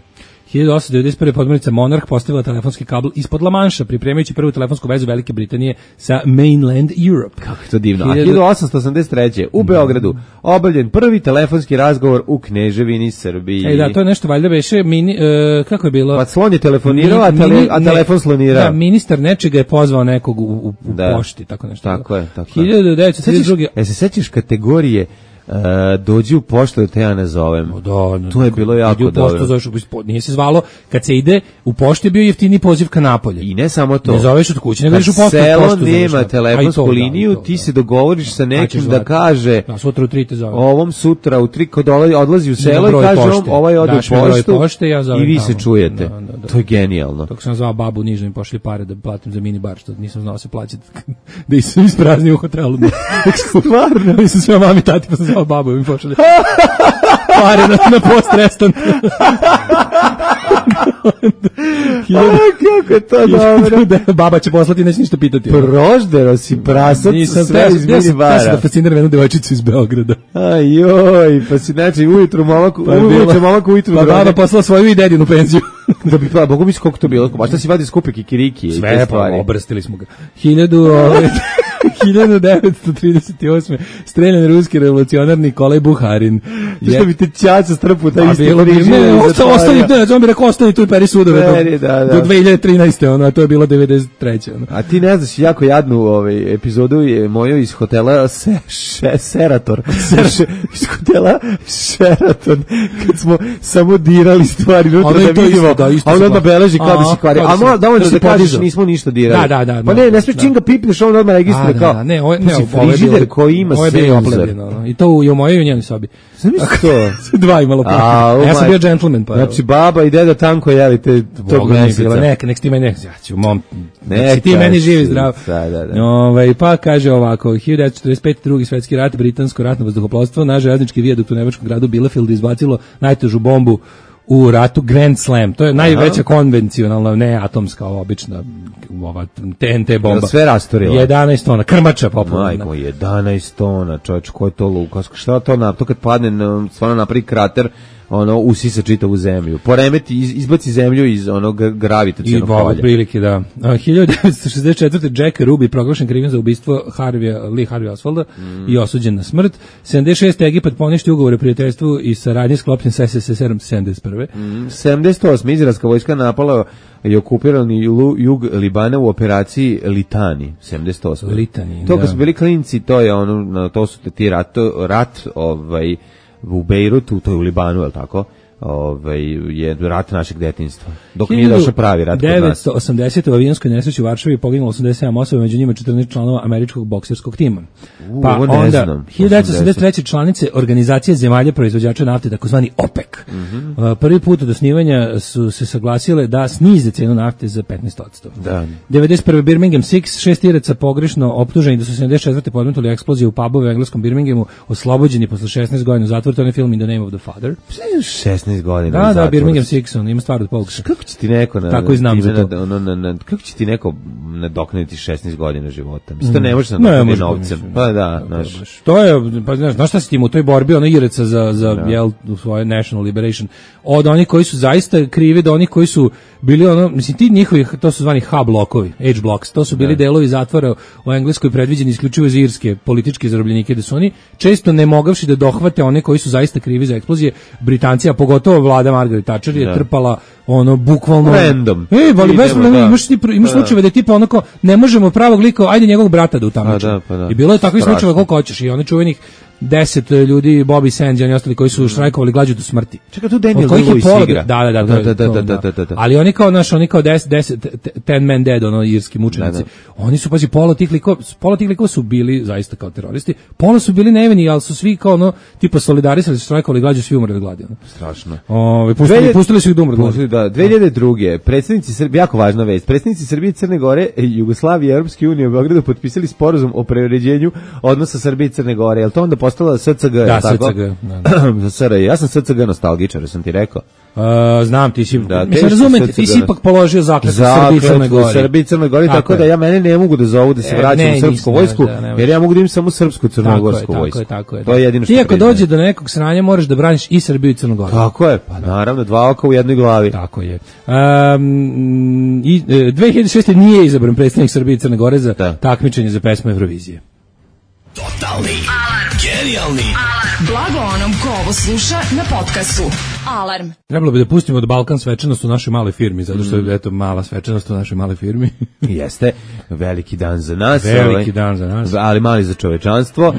hiljadu osamsto devedeset prve podmornica Monarch postavila telefonski kabl ispod La Manša, pripremajući prvu telefonsku vezu Velike Britanije sa mainland Europe. Kako je to divno. A hiljadu osamsto osamdeset treće u Beogradu obavljen prvi telefonski razgovor u Kneževini Srbiji. Ej, da, to je nešto valjda beše mini, uh, kako je bilo? Pa slon je telefonirao, a, tele, a telefon slonirao. Da, ministar nečega je pozvao nekog u, u, u da. pošti, tako nešto. Tako je, tako je. hiljadu devetsto trideset druge E se sećaš kategorije Uh, dođi u poštu da te ja ne zovem. O, da, da, to je bilo jako u dobro. Poštu, zoveš, nije se zvalo, kad se ide u pošti je bio jeftini poziv ka napolje. I ne samo to. Ne zoveš od kuće, nego ideš u poštu. Selo poštu nema telefonsku liniju, da, ti se dogovoriš sa nekim da kaže da, sutra u tri te zove. Ovom sutra u tri kod odlazi u selo i kaže on, ovaj ode u poštu pošte, ja i vi se čujete. Da, da, da. To je genijalno. Dok sam zvao babu nižno mi pošli pare da platim za mini bar, što nisam znao se plaćati da se isprazni u hotelu. Stvarno, nisam sve mami tati pa sam zvao babu mi pošli pare na, na post-restant. Kako je to dobro. Baba će poslati, neće ništa pitati. Proždero si prasac sve iz minibara. Ja sam da fasciniram jednu devojčicu iz Beograda. Ajoj, pa si znači ujutru momak, ujutru momak ujutru pa baba poslala svoju i dedinu penziju. Da bi pa, Bogu mi koliko to bilo. Baš da si vadi skupe kikiriki. Sve, pa obrstili smo ga. Hiljadu... hiljadu devetsto trideset osme streljan ruski revolucionar Nikolaj Buharin. Što bi te čaca strpu taj isti križ. Ne, ostani, ne, on bi rekao, ostani tu i peri sudove Peri, do, da, da. do dve hiljade trinaeste. Ono, a to je bilo devedeset treće. Ono. A ti ne znaš, jako jadnu ovaj, epizodu je moju iz hotela se, še, Serator. Iz hotela Sheraton, kad smo samo dirali stvari, nutra da vidimo, da, a on odmah beleži kao da si kvari. A mo, da da kažeš, nismo ništa dirali. Da, da, da. Pa ne, ne smiješ čim ga pipneš, on odmah registruje kao. Da, ne, ovo, ne, frižider koji ima senzor. I to u, i u mojoj i u njenoj sobi. Zamisli to. Dva imalo pipnje. A ja sam bio džentlmen. Pa, znači, baba i deda tanko jeli te tog meseca. Nek, nek ti meni, ja ću, mom, nek ti meni živi zdrav. Da, da, da. Ove, pa kaže ovako, hiljadu devetsto četrdeset pete. drugi svetski rat, britansko ratno vazduhoplovstvo, na železnički vijadukt u nemačkom gradu Bielefeld izbacilo najtežu bombu u ratu, Grand Slam. To je najveća konvencionalna, ne atomska, obična ova T N T bomba. Sve rastorila. jedanaest tona, krmača popularna. Majko, jedanaest tona, čovječ, ko je to Lukas? Šta to na to kad padne, stvarno napravi krater, ono usisa čitavu zemlju. Poremeti, iz, izbaci zemlju iz onog gravitacionog polja. I prilike, da. hiljadu devetsto šezdeset četvrte. Jack Ruby proglašen krivim za ubistvo Harvija, Lee Harvey Oswalda mm. i osuđen na smrt. sedamdeset šeste. Egipat poništi ugovor o prijateljstvu i saradnji sklopljen sa S S S R sedamdeset prve. Mm. sedamdeset osme. Izraelska vojska napala i okupirani jug Libana u operaciji Litani. sedamdeset osme. Litani, to kad su bili klinci, to je ono, to su ti rat, rat ovaj, u Bejrutu, to je u Libanu, je li tako? Ove, je rat našeg detinjstva. Dok nije došao pravi rat kod nas. devetsto osamdesete. u avionskoj nesreći u Varšavi poginulo osamdeset sedam osoba, među njima četrnaest članova američkog bokserskog tima. U, pa onda znam, hiljadu devetsto osamdeset treće. članice organizacije zemalja proizvođača nafte, takozvani OPEC. Mm-hmm. Uh, prvi put od osnivanja su se saglasile da snize cenu nafte za petnaest posto. Da. devedeset prve. Birmingham Six, šest iraca pogrešno optuženi da su sedamdeset četvrte podmetnuli eksploziju u pubove u engleskom Birminghamu, oslobođeni posle šesnaest godina zatvora. To je film In the Name of the Father. šesnaest godina. Da, da, Birmingham Six, on ima stvar od Polksa. Kako će ti neko na, tako i znam za to. Ono, na, na, kako će ti neko nadoknaditi šesnaest godina života? Mislim, to ne može se nadoknaditi novcem. Pa da, znaš. To je, pa znaš, znaš šta si tim u toj borbi, ono Iraca za, za da. Jel, u svoje National Liberation, od onih koji su zaista krivi do onih koji su bili ono, mislim, ti njihovi, to su zvani H blokovi, H blocks, to su bili da. Delovi zatvora u Engleskoj predviđeni isključivo za irske političke zarobljenike, da su oni često ne mogavši da dohvate one koji su zaista krivi za eksplozije. Britanci, a pogotovo vlada Margaret Thatcher je da. Trpala ono bukvalno random. Ej, vali bez problema, da. imaš ti imaš da. slučajeve da tipa onako ne možemo pravog lika, ajde njegovog brata da utamničimo. Da, pa da. I bilo je takvih slučajeva koliko hoćeš i oni čuvenih deset ljudi, Bobby Sands i oni ostali koji su štrajkovali glađu do smrti. Čekaj, tu Daniel Day-Lewis igra. Da, da, da, da, da, da, da, da. Ali oni kao naš, oni kao deset, deset, ten man dead, ono, irski mučenici. Da, da. Oni su, pazi, pola tih likova, pola tih likova su bili zaista kao teroristi, pola su bili nevini, ali su svi kao ono, tipa solidarisali, štrajkovali glađu, svi umrli od gladi. Ono. Strašno. Ove, pustili, pustili su ih da umre od gladi. Da, dve hiljade druge. Predstavnici Srbije, jako važna vest, predstavnici Srbije, Crne Gore, Jugoslavije i Europske unije u Beogradu potpisali sporazum o preuređenju odnosa Srbije i Crne Gore. Jel to onda postala S C G, Da, tako? S C G, da, da. Za S R J. Ja sam S C G nostalgičar, sam ti rekao. Uh, znam, ti si, Da, mislim, razumete, ti si ipak položio zakletvu Srbiji i Crnoj Gori. Srbiji i Crnoj Gori, tako, tako da ja mene ne mogu da zovu da se e, vraćam ne, u srpsku ne, vojsku, da, jer ja mogu da imam samo srpsku crnogorsku tako vojsku. Je, tako je, to je jedino što ti ako priznajem. dođe do nekog sranja moraš da braniš i Srbiju i Crnu Goru. Tako je, pa naravno, dva oka u jednoj glavi. Tako je. Um, i, e, dve hiljade šeste. nije izabran predstavnik Srbije i Crne Gore za da. takmičenje za pesmu Eurovizije. Totalni alarm. Genijalni alarm. Blago onom ko ovo sluša na podcastu. Alarm. Trebalo bi da pustimo od Balkan svečanost u našoj maloj firmi, zato što je eto mala svečanost u našoj maloj firmi. Jeste, veliki dan za nas. Veliki ovaj, dan za nas. Ali mali za čovečanstvo.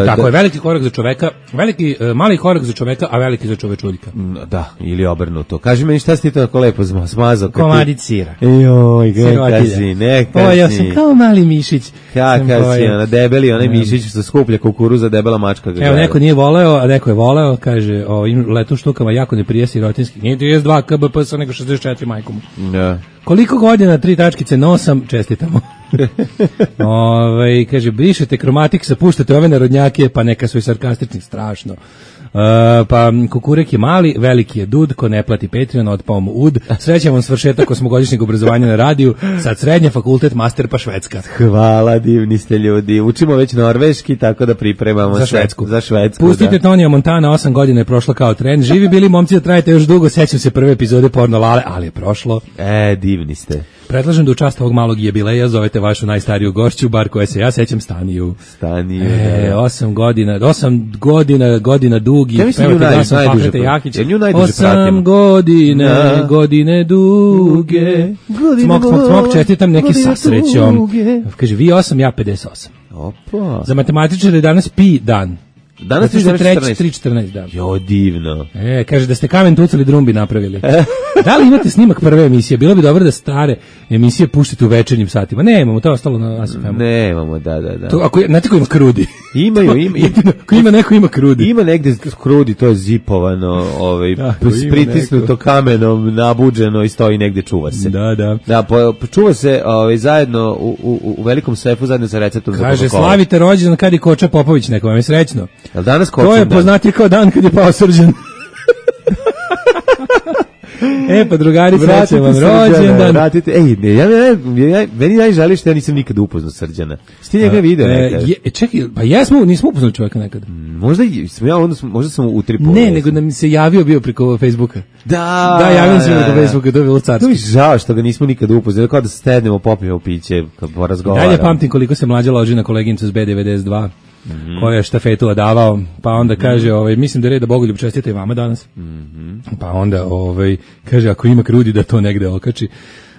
Tako da, je, veliki korak za čoveka, veliki, mali korak za čoveka, a veliki za čovečuljka. Da, ili obrnuto. Kaži meni šta si ti to tako lepo smazao? Komadić sira. Joj, neka si, neka si. O, ja sam kao mali mišić. Kaka si, ona debeli, onaj mišić što skuplja kukuruza, debela mačka. Evo, neko nije voleo, a neko je voleo, kaže, o, letu štukama jako ne prije sirotinski. Nije trideset dva K B P S, nego šezdeset četiri majkom. Da. Koliko godina, tri tačkice, nosam, čestitamo. Ove, kaže, brišete kromatik, puštate ove narodnjake, pa neka su i sarkastični, strašno. Uh, pa kukurek je mali, veliki je dud, ko ne plati Patreon, otpao mu ud. Srećan vam svršetak osmogodišnjeg obrazovanja na radiju, sad srednja, fakultet, master, pa Švedska. Hvala, divni ste ljudi. Učimo već norveški, tako da pripremamo za Švedsku. Za Švedsku, pustite da. Tonija Montana, osam godina je prošla kao trend. Živi bili momci da trajete još dugo, sećam se prve epizode Porno Lale, ali je prošlo. E, divni ste. Predlažem da u čast ovog malog jubileja zovete vašu najstariju gošću, bar koje se ja sećam, Staniju. Staniju, e, da. Osam godina, osam godina, godina dugi. Ja mislim nju naj, najduže, Jakić. Ja nju najduže osam pratim. godine, da. godine duge. Godine smok, smok, smok, čestitam neki sa srećom. Kaže, vi osam, ja pedeset osam. Opa. Za matematičare danas pi dan. Danas je tri četrnaest, da. Jo, divno. E, kaže da ste kamen tucali, drumbi napravili. Da li imate snimak prve emisije? Bilo bi dobro da stare emisije puštite u večernjim satima. Ne, imamo, to je ostalo na A S F M-u. Ne, imamo, da, da, da. To, ako, znate ko ima krudi? Imaju, ima. Ako ima neko, ima krudi. Ima negde krudi, to je zipovano, ovaj, pritisnuto kamenom, nabuđeno i stoji negde, čuva se. Da, da. Da, po, čuva se ovaj, zajedno u, u, u velikom sefu, zajedno sa receptom za Kaže, slavite rođendan kad je Koča Popović, neko vam je srećno. Jel danas to je poznati kao dan kad je pao Srđan. E, pa drugari, srećan vam rođendan. Vratite, ej, ne, ja, ja, ja, meni najžali što ja nisam nikad upoznao Srđana. Sti njega video nekad? E, čekaj, pa jesmo, nismo upoznali čovjeka nekad. Možda, sam ja, onda sam, možda sam utripovao. Ne, nego da mi se javio bio preko Facebooka. Da, da, javio sam preko Facebooka, to je bilo carski. To mi žao što ga nismo nikad upoznali, kao da stednemo, popijemo piće, kad porazgovaramo. Dalje pamtim koliko se mlađa loži na koleginicu s B devedeset dva. Mm-hmm. Koja je štafetu odavao, pa onda kaže, ovaj, mislim da je red da Bogoljub čestita i vama danas. Mm-hmm. Pa onda ovaj, kaže, ako ima krudi da to negde okači.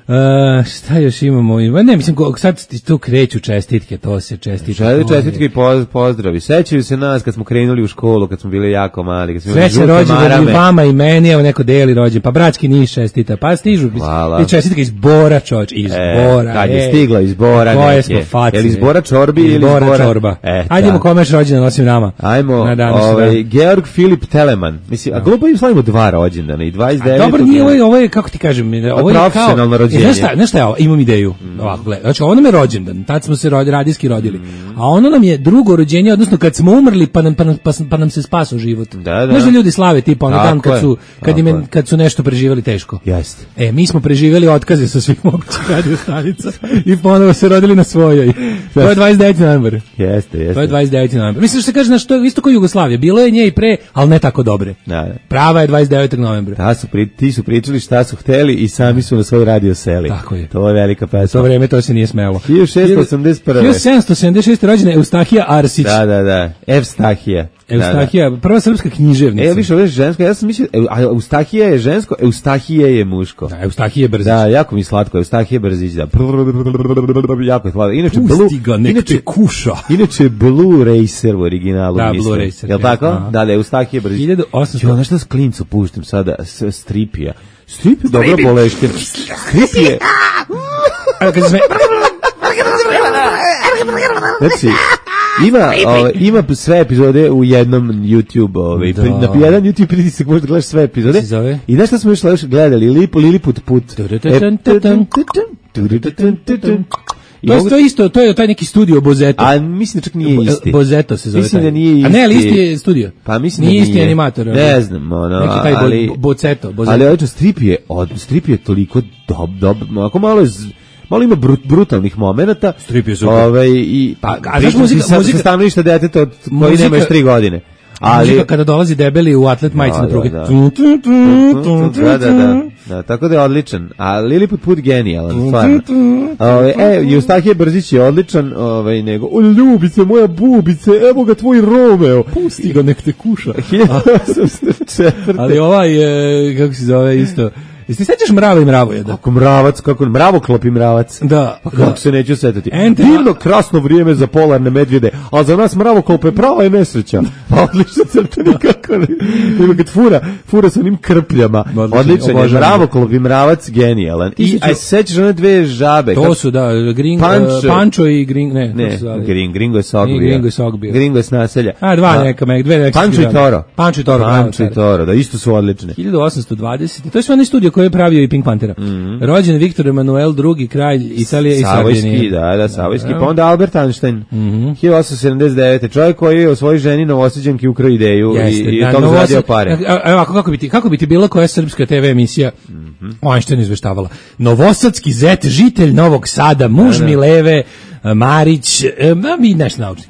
Uh, šta još imamo? Ne, mislim, sad tu kreću čestitke, to se čestitke. Žele čestitke i pozdravi. Sećaju se nas kad smo krenuli u školu, kad smo bili jako mali. Kad smo Sreće rođendan i vama i meni, evo neko deli rođendan, pa bratski Niš čestita, pa stižu i čestitke iz Bora, čoč, iz e, Bora. Kad je stiglo iz Bora neke. Je li iz Bora čorbi ili iz Bora? Bora čorba. E, Ajdemo komeš rođendan, nosim nama. Ajmo, ovaj, Georg Filip Telemann. Mislim, a glupo im slavimo dva rođendana i dvadeset devet. Dobro, nije ovo, ovo je, kako ti kažem, ovo je profesionalno rođenje. Znaš šta, znaš šta je ovo? Imam ideju. Mm. Ovako, gledaj. Znači, ono nam je rođendan, tad smo se rodi, radijski rodili. Mm. A ono nam je drugo rođenje, odnosno kad smo umrli, pa nam, pa nam, pa, pa nam se spasao život. Da, da. Znaš da ljudi slave tipa ono dan kad su, kad, im, kad su nešto preživjeli teško. Jeste. E, mi smo preživjeli otkaze sa svih mogućih radio stanica i ponovo se rodili na svojoj. To je dvadeset deveti novembar. Jeste, jeste. To je dvadeset deveti novembar. Mislim što se kaže, znaš, to je isto kao Jugoslavija. Bilo je nje i pre, ali ne tako dobre. Da, da. Prava je dvadeset devetog novembra. Ta su pri, ti su pričali šta su hteli i sami su na svoj radio seli. Tako je. To je velika pesma. To vreme to se nije smelo. hiljadu šessto osamdeset prve. hiljadu sedamsto sedamdeset šeste rođena Eustahija Arsić. Da, da, da. Evstahija. Eustahija, prva srpska književnica. E, više ovo je žensko, ja sam mislio, a Eustahija je žensko, Eustahije je muško. Da, Eustahije Brzić. Da, jako mi slatko, Eustahije Brzić, da. Jako je slatko. Inače, Pusti ga, nek te kuša. Inače, Blue Racer u originalu. Da, Blue Racer. Jel tako? Da, da, Eustahije Brzić. hiljadu osamsto Jo, nešto s klincu puštim sada, stripija. Strip je dobro boleške. Strip je... Evo, kad se sme... Znači, ima, ove, ima sve epizode u jednom YouTube, ove, da. Na jedan YouTube pritisak možda gledaš sve epizode. I znaš šta smo još gledali? Lip, Liliput put. To je, to je isto, to je taj neki studio Bozeto. A mislim da čak nije isti. Bozeto se zove. Mislim taj. da nije isti. A ne, ali isti je studio. Pa mislim nije da nije. isti animator. Ne znam, ono, neki taj ali... bo, Bozeto, Bozeto. Ali ovaj strip je, od, strip je toliko dob, dob, ako malo je... Z, malo ima brut, brutalnih momenata. Strip je super. Ovaj, i, pa, a znaš muzika... Sa, muzika, sa stanovišta deteta od koji nema još tri godine. Ali muzika kada dolazi debeli u atlet majici na pruge. Da, da, da, da, da, tako da je odličan. A Liliput Put genijalan, stvarno. Ove, e, Eustahije Brzić je odličan, ovaj, nego, o ljubice, moja bubice, evo ga tvoj Romeo. Pusti ga, nek te kuša. hiljadu Ali ovaj, je, kako se zove isto... Jesi ti sećaš Mrava i Mravojeda? Kako mravac, kako mravoklop i mravac. Da. Pa kako se neću setati. Ente, divno krasno vrijeme za polarne medvjede, a za nas mravoklop je prava je nesreća. Pa odlično crta nikako. Ima kad fura, fura sa onim krpljama. Odličan je mravoklop i mravac genijalan. I aj sećaš one dve žabe. To su da, Gring, Pančo, uh, Pančo i Gring, ne, ne, Gring, Gringo je Sog bio. Gringo je Sog bio. Gringo je s naselja. A dva a, neka, dve neka. Pančo i Toro. Pančo i Toro. Pančo i Toro, da isto su odlične. hiljadu osamsto dvadesete. To je sve onaj studio koji je pravio i Pink Pantera. Mm -hmm. Rođen Viktor Emanuel drugi kralj Italije i Savojski, da, da, Savojski, pa onda Albert Einstein. Mm -hmm. hiljadu osamsto sedamdeset devete. Čovjek koji je o svojoj ženi Novosađanki ukrao ideju. Jeste, i, i da, tom zaradio pare. Evo, kako bi ti, kako bi ti bilo koja srpska te ve emisija mm -hmm. Einstein izveštavala. Novosadski zet, žitelj Novog Sada, muž da, da. Mileve, Marić, a mi naš naučnik.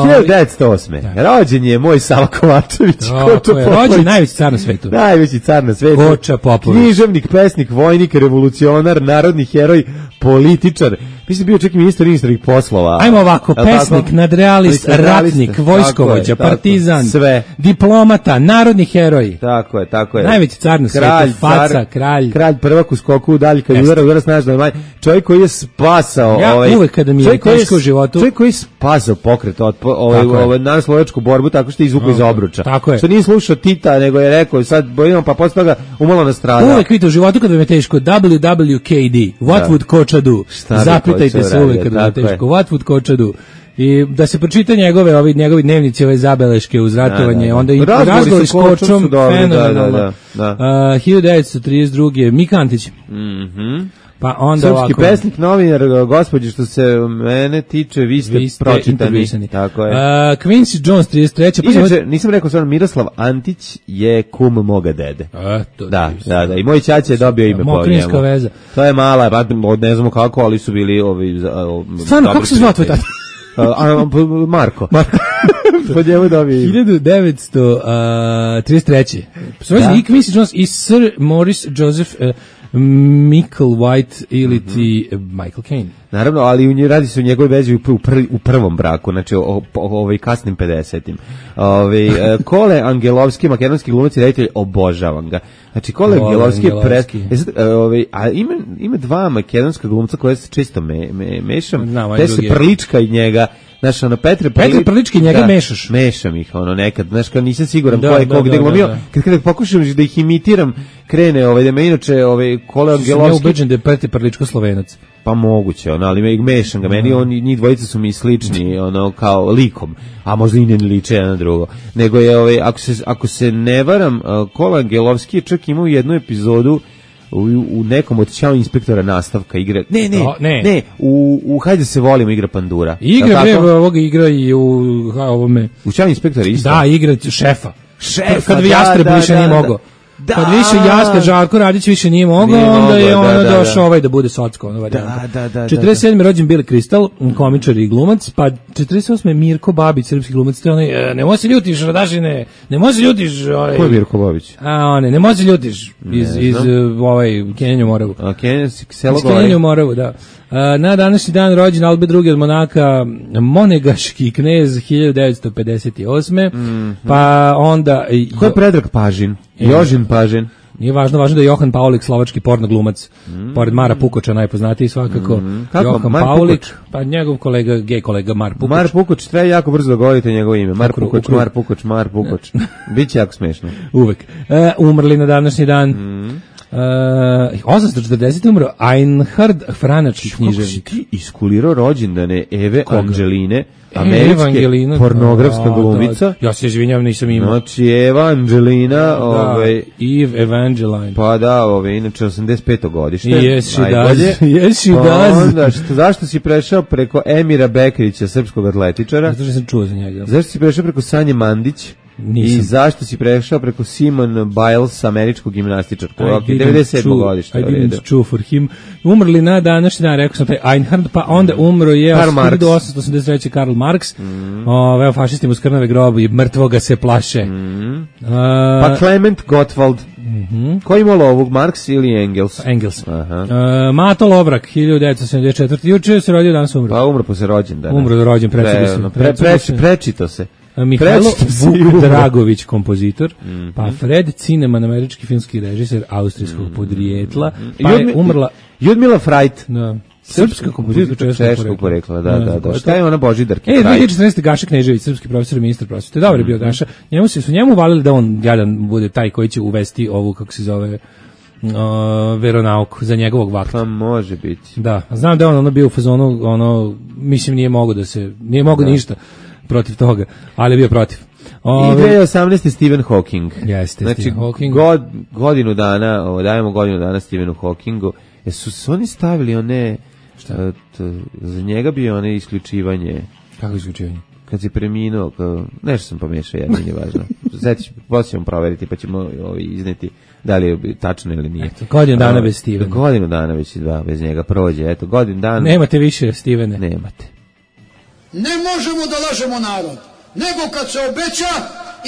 hiljadu devetsto osme. Rođen je moj Sava Kovačević. Koča Popović. Rođen najveći car na svetu. Najveći car na svetu. Koča Popović. Književnik, pesnik, vojnik, revolucionar, narodni heroj, političar. Mislim bio čak i ministar inostranih poslova. Ajmo ovako, pesnik, tako? Nadrealist, ratnik, vojskovođa, partizan, sve. Diplomata, narodni heroj. Tako je, tako je. Najveći car na svetu, faca, car, kralj. Kralj prvak u skoku, dalje kad udara, udara snažno. Maj. Čovjek koji je spasao... Ja ovaj, uvek kada mi je teško u životu... Čovjek koji je spasao pokret od ovaj, ovaj, nanoslovačku borbu tako što je izvukao iz obruča. Tako je. Što nije slušao Tita, nego je rekao, sad bojimo, pa posle toga umalo nastradao. Uvek vidite u životu kada mi je teško, W W K D, what da. would Koča do? Zapitajte se uvek kada mi je teško, what would Koča do? I da se pročita njegove, ovi, njegovi dnevnici, ove zabeleške uz ratovanje, da, da, da. Onda i razgovori s Kočom, fenomenalno. Da, da, da. Uh, hiljadu devetsto trideset druge. Mika Antić. Mhm. Pa onda srpski ovako, pesnik, novinar, gospođi, što se mene tiče, vi ste, vi ste pročitani. Tako je. Uh, Quincy Jones, trideset treće. Pa inače, nisam rekao stvarno, Miroslav Antić je kum moga dede. A, to da, da, da, i moj ćaća je dobio ime po njemu. Veza. To je mala, ba, ne znamo kako, ali su bili ovi... Stvarno, kako se zvao tvoj tata? Marko. Marko. Po njemu dobio ime. hiljadu devetsto trideset treće. Svojeći i Quincy Jones i Sir Maurice Joseph uh, Michael White ili ti mm -hmm. Michael Caine. Naravno, ali u njoj radi se o njegovoj vezi u, prvi, u prvom braku, znači o, o, o ovaj kasnim pedesetim. Ovaj Kole Angelovski, makedonski glumac i reditelj, obožavam ga. Znači Kole Angelovski je pre, ovaj a ima ima dva makedonska glumca koje se često me, me, mešam. Te se Prlička i njega. Znaš, ono, Petre Prlički... Petre Prlički njega da, mešaš. Mešam ih, ono, nekad. Znaš, kad nisam siguran da, ko je da, kog da, gde glumio. Da, da. Kad, kada pokušam da ih imitiram, krene, ovaj, da me inače, ovaj, Kole Angelovski... Sam ja ubeđen da je Petre Prličko Slovenac. Pa moguće, ono, ali me ih mešam ga. Meni oni, njih dvojica su mi slični, ono, kao likom. A možda i ne liče jedan na drugo. Nego je, ovaj, ako se, ako se ne varam, Kole Angelovski je čak imao jednu epizodu U, u nekom od Ćao inspektora nastavka igra. Ne, ne, o, ne, ne, u, u Hajde se volimo igra Pandura. Igra, bre, ovoga igra i u ha, ovome. U Ćao inspektora isto. Da, igra šefa. Šefa, kad vi Jastreb da, više da, nije da, mogao. Da. Kad više Jastreb, Žarko Radić više nije mogao, nije onda je ono da, da, došao da. ovaj da bude socko. Ono da, da, da, četrdeset sedme. rođen Billy Crystal, komičar i glumac, pa četrdeset osme. Mirko Babić, srpski glumac, to onaj, ne može se ljutiš, Radašine, ne može se ljutiš. Ovaj, ko je Mirko Babić? A, one, ne može se ljutiš iz, iz uh, ovaj, Kenjanju Moravu. A, Kenjanju, selo Iz Kenjanju Moravu, da. Uh, na današnji dan rođen Albert drugi od Monaka, monegaški knez hiljadu devetsto pedeset osme. Mm -hmm. Pa onda... Ko je Predrag Pažin? Jožin Pažin? Nije važno, važno da je Johan Paulik, slovački porno glumac, mm. pored Mara Pukoča najpoznatiji svakako. Mm. Johan Mar Paulik, Pukoč? Pa njegov kolega, gej kolega Mar Pukoč. Mar Pukoč, treba jako brzo da govorite njegovo ime. Mar Pukoč, Mar Pukoč, Mar Pukoč. Biće jako smešno. Uvek. E, umrli na današnji dan. Mm. Uh, osamsto četrdeset umro Einhard Franački književnik. Kako si ti iskulirao rođendane Eve Koga? Angeline, Eva američke Angelina, pornografska da, glumica? da. Ja se izvinjam, nisam imao. Znači, Eva Angelina, Da, ovaj, Eve Evangeline. pa da, ovaj, inače osamdeset peto godište. Yes, she najbolje. does. Yes, she Pa does. onda, što, zašto si prešao preko Emira Bekrića, srpskog atletičara? Zato što sam čuo za njega. Zašto si prešao preko Sanje Mandić? Nisam. I zašto si prešao preko Simon Biles, američkog gimnastičarku? I Ok, didn't devedeset sedmo chew- godište. I u redu. didn't chew for him. Umrli na današnji dan, rekao sam taj Einhard, pa onda umro je Karl Marx. hiljadu osamsto osamdeset treće Karl Marx. Mm. Ove, evo, fašisti mu skrnave grob i mrtvoga se plaše. Mm. A, Pa Clement Gottwald. mm-hmm. Ko ima ovog, Marx ili Engels? Engels. Aha. A, Mato Lovrak, hiljadu devetsto sedamdeset četvrte Juče se rodio, danas umro. Pa umro posle rođendana. Umro rođen, precugo se. Pre, pre, Precugo pre, se. prečito se. A, Mihajlo Prečito se i Vuk umro. Dragović, kompozitor, Mhm. pa Fred Cineman, američki filmski režiser austrijskog podrijetla, I pa je Ljudmi- umrla... Ljudmila Frajt. Da. Srpska kompozitorka češkog češkog porekla, da, Ne da, znam da. ko je Šta to. je ona Božidarka E, Frajt? dve hiljade četrnaeste. Gaša Knežević, srpski profesor i ministar prosvete. Dobar je bio Gaša. Njemu se su njemu valili da on jadan bude taj koji će uvesti ovu, kako se zove, uh, veronauku za njegovog vakta. Pa može biti. Da, znam da je on ono bio u fazonu, ono, mislim nije mogo da se, nije mogo ništa protiv toga, ali je bio protiv. I Ove, dve hiljade osamnaeste. Stephen Hawking. Jeste, Znači, Stephen Hawking. God, godinu dana, ovo, dajemo godinu dana Stephenu Hawkingu. Jesu su oni stavili one, šta? Za njega bio one isključivanje, kako isključivanje? kad si preminuo, kao, nešto sam pomešao, jedno nije važno. Zeti, poslije ćemo proveriti, pa ćemo ovi, izneti da li je tačno ili nije. Eto, godinu dana A, bez Stevena. Godinu dana već dva, bez njega prođe, eto, godinu dana. Nemate više, Stevene. Nemate. Ne možemo da lažemo narod, nego kad se obeća,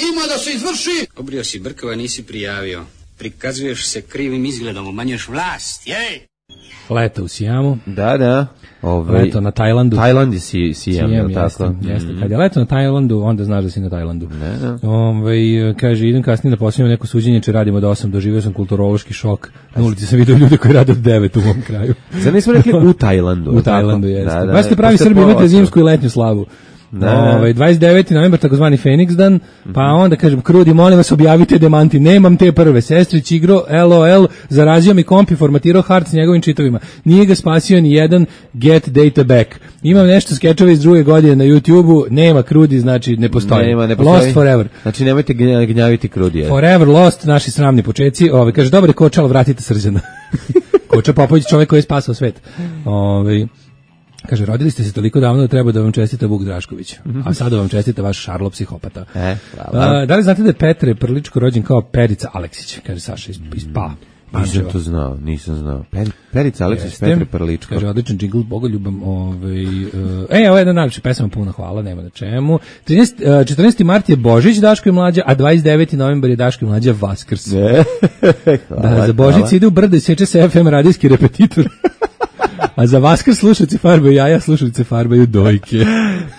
ima da se izvrši. Obrio si brkova, nisi prijavio. Prikazuješ se krivim izgledom, umanjuješ vlast, jej! Leto u Sijamu. Da, da. Ovaj, Leto na Tajlandu. Tajland je si, Sijam, Sijem, je jeste, tako? jeste. Mhm. Kad je leto na Tajlandu, onda znaš da si na Tajlandu. Ne, ne. Ovaj, kaže, idem kasnije da posljednjem neko suđenje, če radimo do osam, doživio sam kulturološki šok. Na ulici sam vidio ljude koji rade od devet u mom kraju. Zar nismo rekli u Tajlandu? U Tajlandu, tako? jeste. Da, da, Baš ste pravi posle Srbi, imate pola zimsku i letnju slavu. Da. Ovaj, dvadeset deveti novembar, takozvani Feniks dan, pa onda kažem, Krudi, molim vas, objavite demanti, nemam te prve, sestrić igro, LOL, zarazio mi komp i formatirao hard s njegovim čitovima, nije ga spasio ni jedan get data back. Imam nešto skečeva iz druge godine na YouTubeu, nema Krudi, znači ne postoji. Nema, ne postoji. Lost forever. Znači nemojte gnja- gnjaviti Krudija. Forever lost, naši sramni počeci. Ovaj kaže, dobar je Koča, ali vratite Srđana. Koča Popović, čovjek koji je spasao svet. Ovaj kaže, rodili ste se toliko davno da treba da vam čestita Vuk Drašković. A sada vam čestita vaš Šarlo psihopata. E, hvala. A, da li znate da je Petre Prličko rođen kao Perica Aleksić? Kaže Saša iz, iz Pa. Nisam to znao, nisam znao. Peri, Perica Aleksić, Jeste. Petre Prličko. Kaže, odličan džingl, bogoljubam. Ovaj, uh, e, ovo je jedna najljepša pesma, puno hvala, nema na čemu. trinaesti, uh, četrnaesti mart je Božić, Daško i Mlađa, a dvadeset deveti novembar je Daško i Mlađa Vaskrs. Ne. Hvala, Da, za Božić hvala. ide u brdo i seče se F M radijski repetitor. A za Vaskrs slušalci farbaju jaja, slušalci farbaju dojke.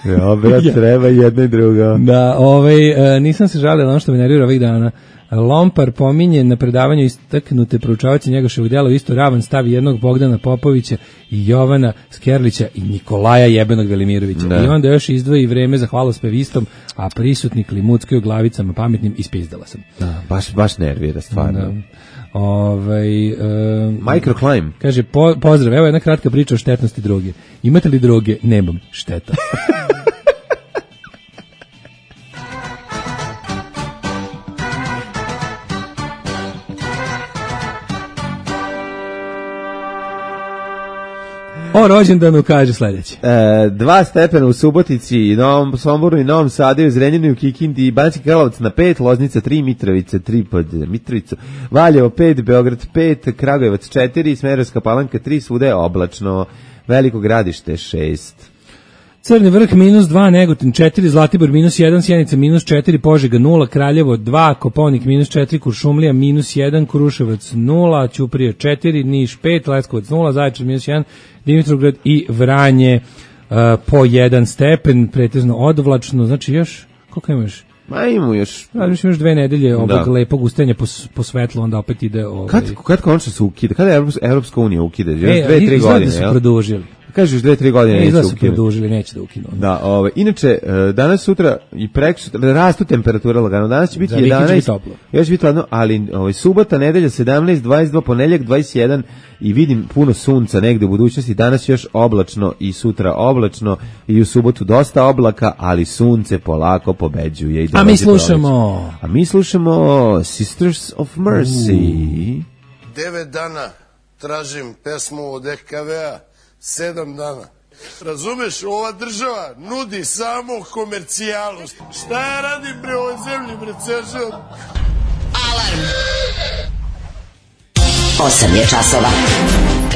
Ja, brat, treba jedno i drugo. Da, ovaj, e, nisam se žalio na ono što me nervira ovih dana. Lompar pominje na predavanju istaknute proučavaoci Njegoševog dela u isto ravan stavi jednog Bogdana Popovića i Jovana Skerlića i Nikolaja Jebenog Velimirovića. Da. I onda još izdvoji vreme za hvalospevistom, a prisutni klimuckaju glavicama pametnim, ispizdala sam. Da, baš, baš nervira, stvarno. Da. Ovaj, e, Microclimb. kaže, po, pozdrav, evo jedna kratka priča o štetnosti droge. Imate li droge? Nemam. Šteta. O rođendanu kaže sledeće. E, dva stepena u Subotici, i Novom Somboru i Novom Sadu, i Zrenjaninu, u Kikindi, i Banski Karlovac na pet, Loznica tri, Mitrovica tri pod Mitrovicu, Valjevo pet, Beograd pet, Kragujevac četiri, Smederevska Palanka tri, svuda je oblačno, Veliko Gradište šest. Crni vrh minus dva, Negotin četiri, Zlatibor minus jedan, Sjenica minus četiri, Požega nula, Kraljevo dva, Koponik minus četiri, Kuršumlija minus jedan, Kruševac nula, Ćuprija četiri, Niš pet, Leskovac nula, Zaječar minus jedan, Dimitrovgrad i Vranje uh, po jedan stepen, pretežno odvlačno, znači još, koliko imaš? Ma imamo još... Razmišljam još dve nedelje ovog Da. lepog ustajanja po, s- po svetlu, onda opet ide... Ovaj, Kad, kad končno se ukida? Kada je Evropska, Evropska unija ukida? Još e, dve, tri izgleda godine, da su jel? produžili. kažeš dve, tri godine neće ukinuti. ukinuti. Produžili, neće da ukinu. Da, ovaj, inače, danas, sutra i prekosutra rastu temperature lagano. Danas će biti jedanaest, još će biti ladno, ali ovaj, subota, nedelja sedamnaest, dvadeset dva, ponedeljak dvadeset jedan i vidim puno sunca negde u budućnosti. Danas još oblačno i sutra oblačno i u subotu dosta oblaka, ali sunce polako pobeđuje. I A mi slušamo... A mi slušamo Sisters of Mercy. Devet dana tražim pesmu od E K V-a, sedam dana. Razumeš, ova država nudi samo komercijalu. Šta ja radim pre ovoj zemlji, bre, cežem? Alarm! Osam je časova.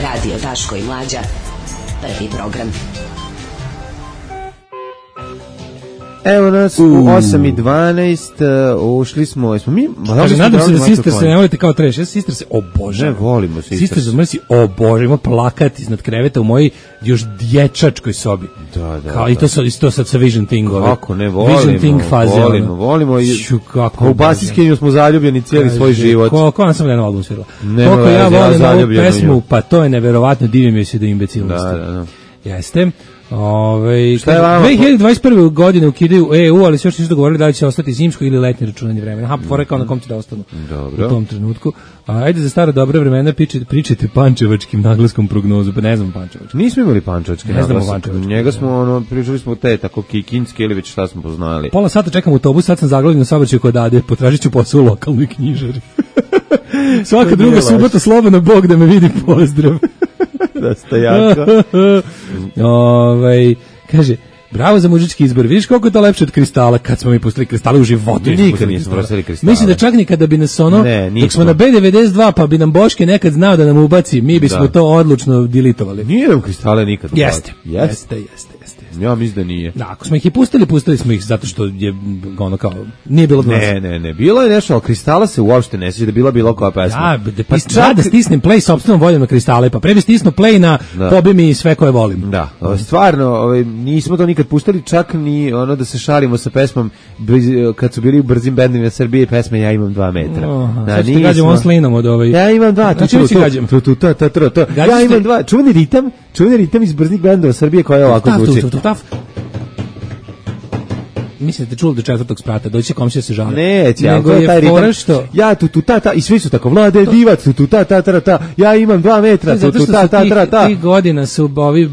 Radio Daško i Mlađa. Prvi program. Evo nas u osam i dvanaest, uh, ušli smo, smo mi... Kaže, nadam se da Sister se ne volite kao treš, ja Sister se obožavam. Ne volimo Sister. Sister se Mercy obožavam, ima plakat iznad kreveta u mojoj još dječačkoj sobi. Da, da. Kao, i to, sa, to sad sa Vision Thing. Kako ne, volimo, Vision Thing faze, volimo, volimo. I, Ču, kako u Basiskinju smo zaljubljeni cijeli svoj život. Ko, ko nam sam jedan album svirala. Nema Koliko ja volim ja ovu pesmu, pa to je neverovatno, divim joj se do imbecilnosti. Da, da, da. Jeste. Ove, šta je vama? dve hiljade dvadeset prve. godine ukidaju E U, ali se još nisu dogovorili da li će ostati zimsko ili letnje računanje vremena. Ha, fora kao na kom će da ostanu. Dobro. U tom trenutku. A, ajde za stara dobra vremena pričajte, pričajte pančevačkim naglaskom prognozu, pa ne znam pančevački. Nismo imali pančevački naglasak. Pančevački. Njega smo, ono, pričali smo te tako kikinski ili već šta smo poznali. Pola sata čekam autobus, sad sam zaglavljen na saobraćaju kod Ade, potražit ću posao u lokalnoj knjižari. Svaka druga subota slobodno, Bog da me vidi, pozdrav. Da ste jako. Ovaj, kaže, bravo za mužički izbor. Vidiš koliko je to lepše od kristala kad smo mi pustili kristale u životu. Nikad nismo pustili kristale. Mislim da čak nikada bi nas ono, ne, dok smo na B devedeset dva pa bi nam Boške nekad znao da nam ubaci, mi bismo da. to odlučno dilitovali. Nije nam kristale nikad ubaci. Jeste, jeste, jeste, jeste. Ja mislim da nije. Da, ako smo ih i pustili, pustili smo ih zato što je ono kao, nije bilo glas. Ne, ne, ne, bilo je nešto, ali kristala se uopšte ne sjeća da bila bilo koja pesma. Ja, da, pa čak... da stisnem play sopstvenom voljom na kristale, pa pre bi stisnuo play na da. Pobi mi sve koje volim. Da, stvarno, ovaj, nismo to nikad pustili, čak ni ono da se šalimo sa pesmom, kad su bili u brzim bendovima Srbije, pesme Ja imam dva metra. Oha, da, sad ćete gađam on slinom od ovaj... Ja imam dva, tu, tu, tu, tu, tu, tu, tu, tu, ja imam dva, čuveni ritam, čuveni ritam iz brznih bendova Srbije koja je ovako zvuči. Mislim da ste čuli do četvrtog sprata, doći komšija se žale. Neće, nego je taj ritam, što... ja tu tu ta ta i svi su tako Vlade divac tu tu ta ta ta ta, ja imam dva metra tu tu ta ta ta ta. Tih godina su ovi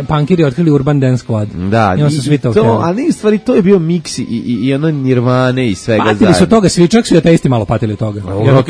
punkiri otkrili Urban Dance Squad. Da, i on su svi to, to ali u stvari to je bio miks i i, i ono Nirvane i svega zajedno. Patili su toga, svi čak su ateisti malo patili toga. Jedno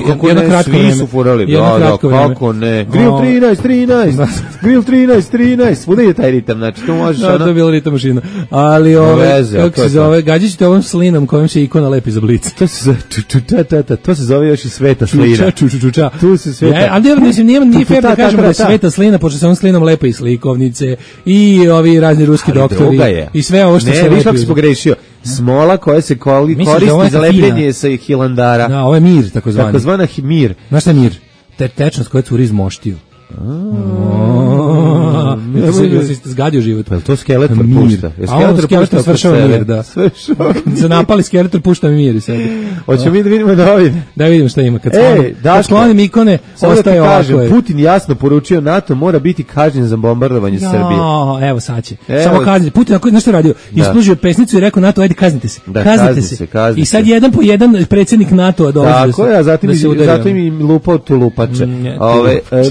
kratko vreme. Svi su furali, da, kako ne. Grill trinaest trinaest, Grill trinaest trinaest, svuda je taj ritam, znači to možeš ono. To je bilo ritam mašina. Ali ove, kako se zove, gađaćete ovom slinom kojom se ikona lepi za blic. To se zove čučuča, ta, ta, to se zove još i sveta slina. Čučuča. Tu se sveta. Ja, ali mislim, nije, nije fair da kažemo da je sveta slina, pošto se on slinom lepe i slikovnice, i ovi razni ruski ali doktori, i sve ovo što ne, se lepi. Ne, viš kako si pogrešio. Smola koja se koli, koristi za lepljenje sa Hilandara. Da, ovo je mir, takozvani. Takozvana mir. Znaš šta je mir? Te tečnost koja curi iz moštiju. Jesi ste zgadio život? Pa to Skeletor pušta. A Skeletor svršava mir, da. Se napali Skeletor, pušta mi mir i sebi. Hoćemo mi da vidimo da ovdje. Da vidimo šta ima. Kad sklonim ikone, ostaje ovako. Putin jasno poručio NATO mora biti kažnjen za bombardovanje Srbije. Evo sad će. Samo kazniti. Putin, znaš što radio? Ispružio pesnicu i rekao NATO, ajde kaznite se. Kaznite se. I sad jedan po jedan predsjednik NATO-a dolazi. Tako je, a zatim im lupao tu lupače.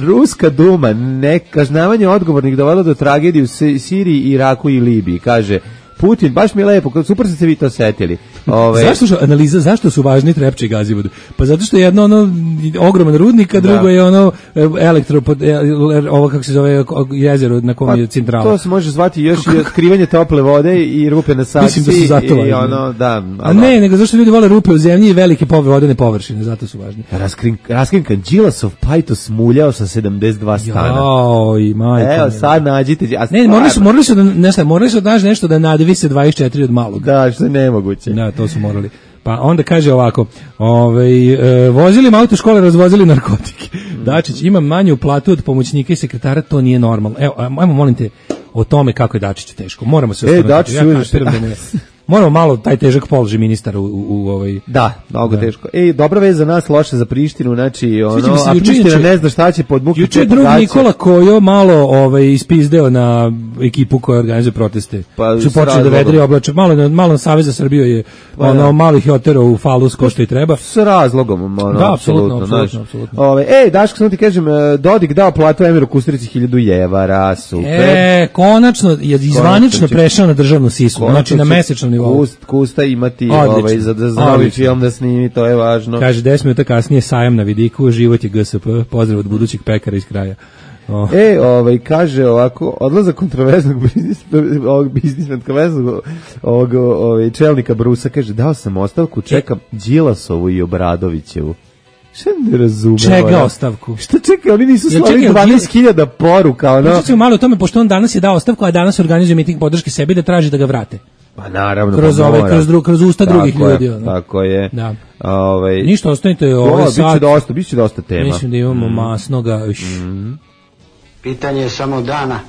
Ruska Duma, nekažnavanje odgovornih dovelo do tragedije u Siriji, Iraku i Libiji, kaže Putin, baš mi je lepo, super ste se vi to setili. Ove... Zašto su, analiza, zašto su važni Trepča i Gazivod? Pa zato što je jedno ono ogroman rudnik, a drugo da. je ono elektro, ovo kako se zove jezero na kom pa, je centrala. To se može zvati još i otkrivanje tople vode i rupe na saksiji. Mislim da su zato i ono, da. A ne, nego zašto ljudi vole rupe u zemlji i velike vodene površine, zato su važni. Raskrin, raskrinkan Đilasov pajtos muljao sa sedamdeset dva stana. Joj, majka. Evo, sad nađite. A ne, morali su, morali su da, nešto, morali su da naći nešto da nadivi se dvadeset četiri od malog. Da, što je nemoguće. Da, to su morali. Pa onda kaže ovako, ovaj, e, vozili auto škole, razvozili narkotike. Dačić, imam manju platu od pomoćnika i sekretara, to nije normalno. Evo, ajmo, molim te, o tome kako je Dačiću teško. Moramo se ostaviti. E, Dačić, ja kapiram da ne... moramo malo taj težak položaj ministara u, u, u ovaj... Da, mnogo da. teško. Ej, dobra vez za nas, loša za Prištinu, znači, ono, Sviđa mi se, a juče- Priština juče- ne zna šta će pod muke. Juče je drug Nikola Kojo malo ovaj, ispizdeo na ekipu koja organizuje proteste. Pa, Su s počeli da razlogom. vedri oblače. Malo, na- malo na Savez za Srbiju je Pa, ono, da. malih je oterao u falus ko što i treba. S razlogom, ono, Da, apsolutno, apsolutno, apsolutno, znaš. apsolutno. Ove, ej, Daško, samo ti kažem, e, Dodik dao platu Emiru Kusturici hiljadu jevara, super. E, konačno je izvanično će- prešao na državnu sisu, znači na će mesečnom nivou. Kust, Kusta imati Odlično, ovaj, za, za, za novi odlično. film da snimi, to je važno. Kaže, deset minuta kasnije sajam na vidiku, život je G S P, pozdrav od budućeg pekara iz kraja. O. E, ovaj, kaže ovako, odlazak kontroverznog biznis, ovog biznismena, kontroverznog ovog, ovaj, čelnika Brusa, kaže, dao sam ostavku, čekam Đilasovu i Obradovićevu. Šta ne razumem? Čega ono? ostavku? Šta čekaj, oni nisu Jel slali čekaj, dvanaest hiljada poruka, ono? Pričat ćemo malo o tome, pošto on danas je dao ostavku, a danas organizuje miting podrške sebi da traži da ga vrate. Pa naravno, Kroz pa ove, mora. kroz, dru, kroz usta Tako drugih je, ljudi. Ono. Tako je. Da. Ovaj, Ništa, ostanite o, ovaj biće sat. dosta, biće dosta tema. Mislim da imamo masnoga. Mm. Pitanje je samo dana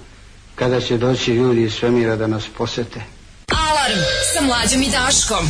kada će doći ljudi iz svemira da nas posete. Alarm sa Mlađom i Daškom.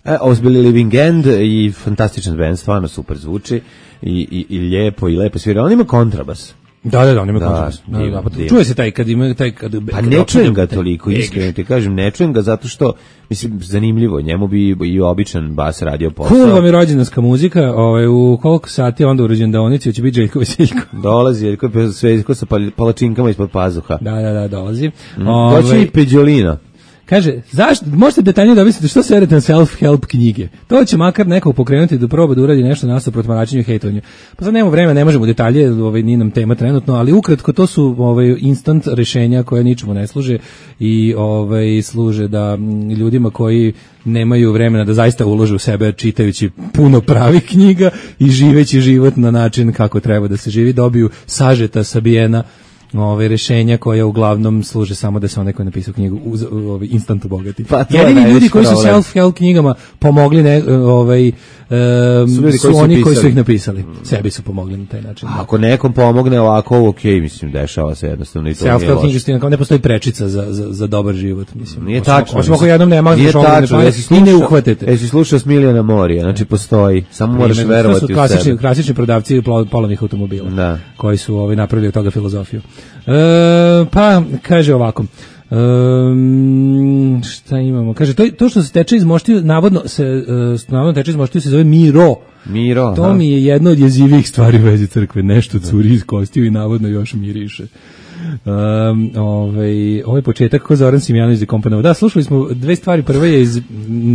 E, ovo su bili Living End i fantastičan band, stvarno super zvuči i, i, i lijepo, i lepo svira. On ima kontrabas. Da, da, da, on ima Da, kontrabas. Da, divno, da, pa divno. čuje se taj kad ima taj kad Pa kad ne opsade čujem ga taj toliko, egeš. iskreno ti kažem, ne čujem ga zato što, mislim, zanimljivo, njemu bi i običan bas radio posao. Cool vam je rođendanska muzika, ovaj, u koliko sati onda u rođendaonici će biti Željko Veseljko. Dolazi, jer je sve ko sa pal- palačinkama ispod pazuha. Da, da, da, dolazi. Mm, Ovaj, doći i Peđolina. Kaže, zašto, možete detaljnije da objasnite što se verite na self-help knjige. To će makar nekog pokrenuti da proba da uradi nešto nasuprot mračenju i hejtovanju. Pa sad nemamo vremena, ne možemo detalje, ovaj, nije nam tema trenutno, ali ukratko to su ovaj, instant rešenja koje ničemu ne služe i ovaj, služe da m, ljudima koji nemaju vremena da zaista ulože u sebe čitajući puno pravih knjiga i živeći život na način kako treba da se živi, dobiju sažeta, sabijena ove rešenja koja uglavnom služe samo da se onaj koji je napisao knjigu uz, ovaj instant obogati. Pa to je jedini ljudi najveći koji su problem. self-help knjigama pomogli ne, ovaj, um, Su ljudi su, koji su oni koji su pisali. ih napisali. Sebi su pomogli na taj način. Da. Ako nekom pomogne ovako, ok, mislim, dešava se jednostavno i to nije Self-help loše. knjiga stina, kao ne postoji prečica za, za, za dobar život, mislim. Nije Osim- tačno. Osim ako jednom nema Nije za šogove tačno, ne jesi pare i ne slušao- uhvatite. Jesi slušao Smiljana Morija, znači postoji, samo moraš Primjer, verovati to su u klasični, sebe. klasični prodavci plo- polovnih automobila, Da. koji su ovaj, napravili od toga filozofiju. E, pa, kaže ovako, Um, šta imamo? Kaže, to, to što se teče iz moštiju, navodno se, uh, navodno teče iz moštiju se zove Miro. Miro, To aha. mi je jedno od jezivih stvari u vezi crkve. Nešto curi iz kostiju i navodno još miriše. Um, ovaj, ovaj početak ko Zoran Simjanović zakomponovao. Da, slušali smo dve stvari. Prva je iz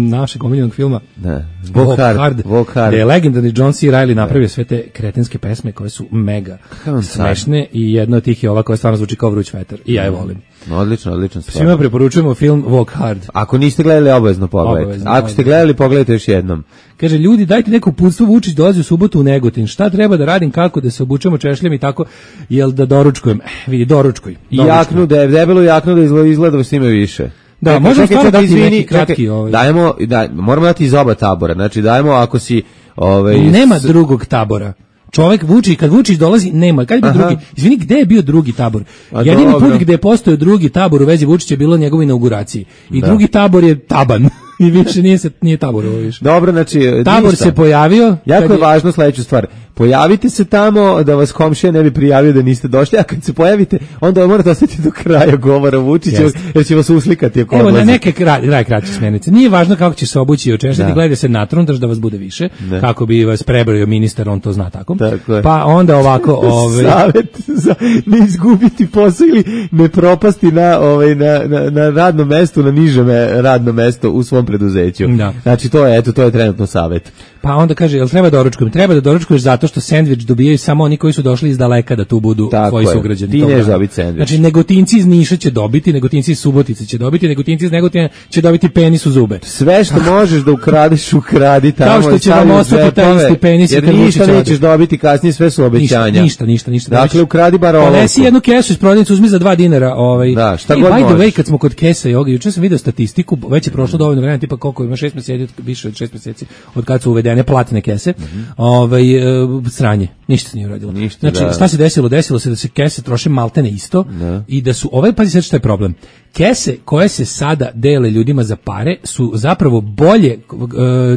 našeg omiljenog filma Da. Walk hard, walk hard. gde je legendarni John C. Reilly napravio sve te kretenske pesme koje su mega Kakav on car. smešne i jedna od tih je ova koja stvarno zvuči kao vruć vetar. I ja je volim. Odlično, odlično stvar. Svima preporučujemo film Walk Hard. Ako niste gledali, obavezno pogledajte. Obavezno, Ako ste obavezno. gledali, pogledajte još jednom. Kaže, ljudi, dajte neko uputstvo, Vučić dolazi u subotu u Negotin. Šta treba da radim, kako da se obučemo češljem i tako, jel da doručkujem? Eh, vidi, doručkuj. I doručkuj. jaknu, da je debelu jaknu da izgleda, izgleda da s njima više. Da, Čekaj, možemo čekaj, stvarno čekaj, dati izvini, neki kratki, čekaj, ovaj. Dajemo, da, moramo dati iz oba tabora. Znači, dajemo ako si... Ovaj, Nema s- drugog tabora. Čovjek Vučić, kad Vučić dolazi, nema. Kad je bio Aha. drugi? Izvini, gde je bio drugi tabor? A Jedini dobro. put gde je postojao drugi tabor u vezi Vučića je bilo na njegovoj inauguraciji. I Da. drugi tabor je taban. I više nije, se, nije tabor ovo više. Dobro, znači... Tabor ništa. se pojavio. Jako kad je važno sledeću stvar. Pojavite se tamo da vas komšija ne bi prijavio da niste došli, a kad se pojavite, onda morate ostati do kraja govora Vučića, Jeste. jer će vas uslikati ako Evo, na odlazi. neke kraj, kraj kraće smjernice. Nije važno kako će se obući i očešati, Da. gledajte se natrontaš da vas bude više, Da. kako bi vas prebrojio ministar, on to zna tako. Tako je. Pa onda ovako... Ove, Savet za ne izgubiti posao ili ne propasti na, ovaj, na, na, na radnom mestu, na nižem radnom mestu u svom preduzeću. Da. Znači, to je, eto, to je trenutno savet. Pa onda kaže, jel treba doručkujem? Treba da doručkuješ zato što sendvič dobijaju samo oni koji su došli iz daleka da tu budu Tako tvoji je. sugrađani. Ti tog nećeš grada. dobiti sendvič. Znači, Negotinci iz Niša će dobiti, Negotinci iz Subotice će dobiti, Negotinci iz Negotina će dobiti penis u zube. Sve što možeš da ukradeš, ukradi tamo. Kao što i će stavi vam u ostati taj džepove, isti penis i jer kad ništa Vučić nećeš ode. dobiti kasnije, sve su obećanja. Ništa, ništa, ništa, ništa. Dakle, ukradi bar Ponesi olovku. jednu kesu iz prodavnice, uzmi za dva dinara. Ovaj. Da, šta I god by the way, možeš. kad smo kod kesa i ovoga, juče sam video statistiku, već je prošlo dovoljno vremena, tipa koliko ima šest mjeseci, više od šest mjeseci, od kad su uvedeni proizvedene platne kese, mm-hmm. ovaj, e, sranje, ništa se nije uradilo. Ništa, znači, da. šta se desilo? Desilo se da se kese troše maltene isto da. i da su, ovaj, pazi sad što je problem, kese koje se sada dele ljudima za pare su zapravo bolje, e,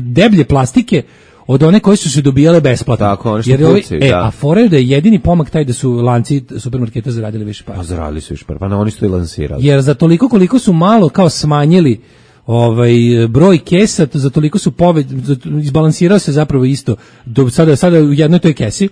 deblje plastike od one koje su se dobijale besplatno. Tako, one što jer ovi, pucaju, e, da. A fora je da je jedini pomak taj da su lanci supermarketa zaradili više para. Pa zaradili su više para, pa na oni su to i lansirali. Jer za toliko koliko su malo kao smanjili ovaj broj kesa, za toliko su pove, izbalansirao se zapravo isto. Do sada sada u jednoj toj kesi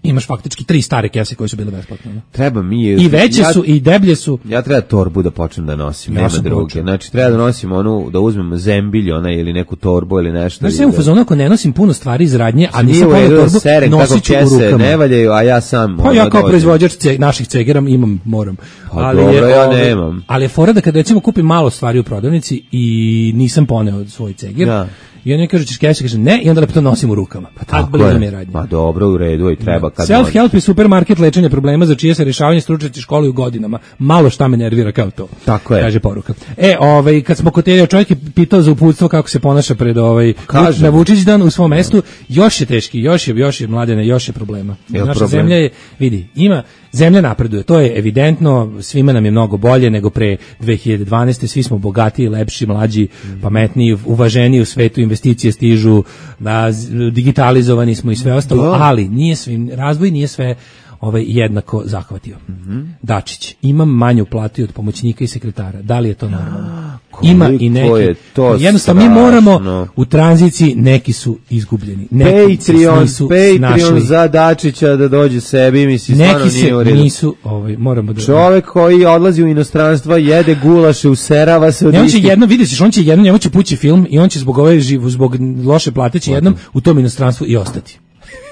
imaš faktički tri stare kese koje su bile besplatne. Treba mi I veće ja, su i deblje su. Ja treba torbu da počnem da nosim, ja nema druge. počeo. Znači treba da nosim onu, da uzmem zembilj ona ili neku torbu ili nešto. Znači ja u fazonu ako ne nosim puno stvari iz radnje, a nisam poneo torbu, seren, nosit ću u rukama. Ne valjaju, a ja sam. Pa ja kao dođem. Proizvođač ce, naših cegera imam, moram. Pa ali dobro, je, ja ove, nemam. Ali je fora da kad recimo kupim malo stvari u prodavnici i nisam poneo svoj ceger, ja. I on mi kaže, ćeš keše, kaže ne, i onda lepo to nosim u rukama. Pa tako je. Pa dobro, u redu, i treba kad self-help je supermarket lečenja problema za čije se rješavanje stručnjaci školuju godinama. Malo šta me nervira kao to. Tako je. Kaže poruka. E, ovaj, kad smo kod te, čovjek je pitao za uputstvo kako se ponaša pred ovaj, na Vučićdan u svom mestu, još je teški, još je, još je mladene, još je problema. Je Naša problem? zemlja je, vidi, ima, zemlja napreduje, to je evidentno, svima nam je mnogo bolje nego pre dve hiljade dvanaeste. Svi smo bogatiji, lepši, mlađi, pametniji, uvaženiji u svetu, investicije stižu, da, digitalizovani smo i sve ostalo, da. Ali nije svim, razvoj nije sve ovaj jednako zahvatio. Mm-hmm. Dačić, imam manju platu od pomoćnika i sekretara. Da li je to normalno? Ima i neki. Je to jednostavno strašno. Mi moramo u tranziciji, neki su izgubljeni. Neki Patreon, se Patreon za Dačića da dođe sebi, misli stvarno nije u redu. Neki se nisu, ovaj, moramo da... Čovek koji odlazi u inostranstvo, jede gulaše, userava se od istih. On će jedno, vidiš, on će jedno, njemu će pući film i on će zbog ove živu, zbog loše plate će jednom u tom inostranstvu i ostati.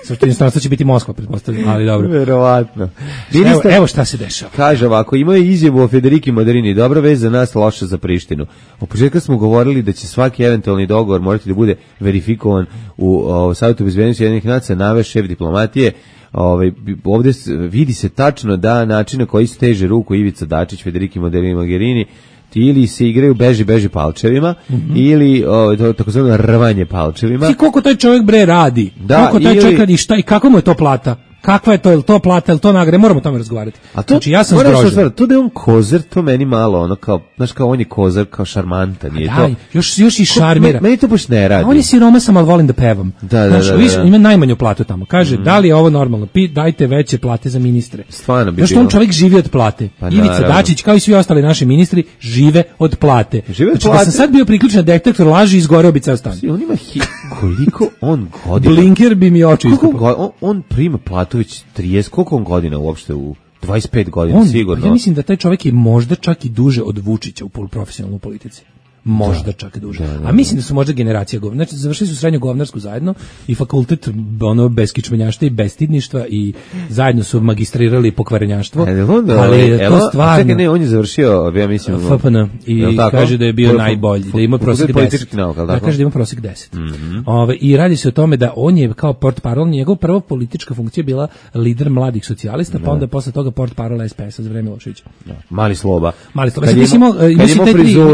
Zato inostranstvo će biti Moskva, pretpostavljam, ali dobro. Verovatno. Evo, evo šta se dešava. Kaže ovako, imao je izjavu o Federiki Mogherini, dobra vez za nas, loša za Prištinu. Od početka smo govorili da će svaki eventualni dogovor morati da bude verifikovan u o, Savjetu bezbednosti Ujedinjenih nacija, naveo šef diplomatije. Ovaj, ovdje vidi se tačno da način na koji steže ruku Ivica Dačić, Federiki Mogherini, ili se igraju beži beži palčevima, mm-hmm. ili o, to, takozvano rvanje palčevima. Ti koliko taj čovjek bre radi? Da, koliko taj ili... čovjek radi, šta i kako mu je to plata? Kakva je to, je li to plata, je li to nagrade? Moramo o tome razgovarati. A to, znači, ja sam zgrožen. To da je on kozer, to meni malo, ono kao, znaš kao on je kozer, kao šarmantan. Je daj, to, još, još i šarmira. Ko, meni to baš ne radi. A on je siromasan, ali volim da pevam. Da, da, znaš, da, viš, da. ima najmanju platu tamo. Kaže, mm. da li je ovo normalno? Pi, dajte veće plate za ministre. Stvarno bi znaš, on čovjek živi od plate. Pa, Ivica naravno. Dačić, kao i svi ostali naši ministri, žive od plate. Žive od znači, plate. da sam sad bio priključen na detektor laži i izgoreo bi ceo stan. On ima hi, koliko on godina. Blinker bi mi oči iskupao. On, on prima platu već trideset, koliko on godina uopšte u dvadeset pet godina on, sigurno. Ja mislim da taj čovjek je možda čak i duže od Vučića u profesionalnoj politici. Možda da, čak i duže. Da, da, a mislim da su možda generacija govna. Znači, završili su srednju govnarsku zajedno i fakultet ono, bez kičmenjaštva i bestidništva i zajedno su magistrirali pokvarenjaštvo. E, onda, ali je to stvarno... Čekaj, ne, on je završio, ja mislim... F P N i kaže da je bio najbolji, da ima prosjek deset. Da, kaže da ima prosjek deset. Mm-hmm. Ove, I radi se o tome da on je kao portparol, njegov prva politička funkcija bila lider mladih socijalista, pa onda posle toga portparol S P S-a za vreme Miloševića. Mali Sloba. Mali Sloba.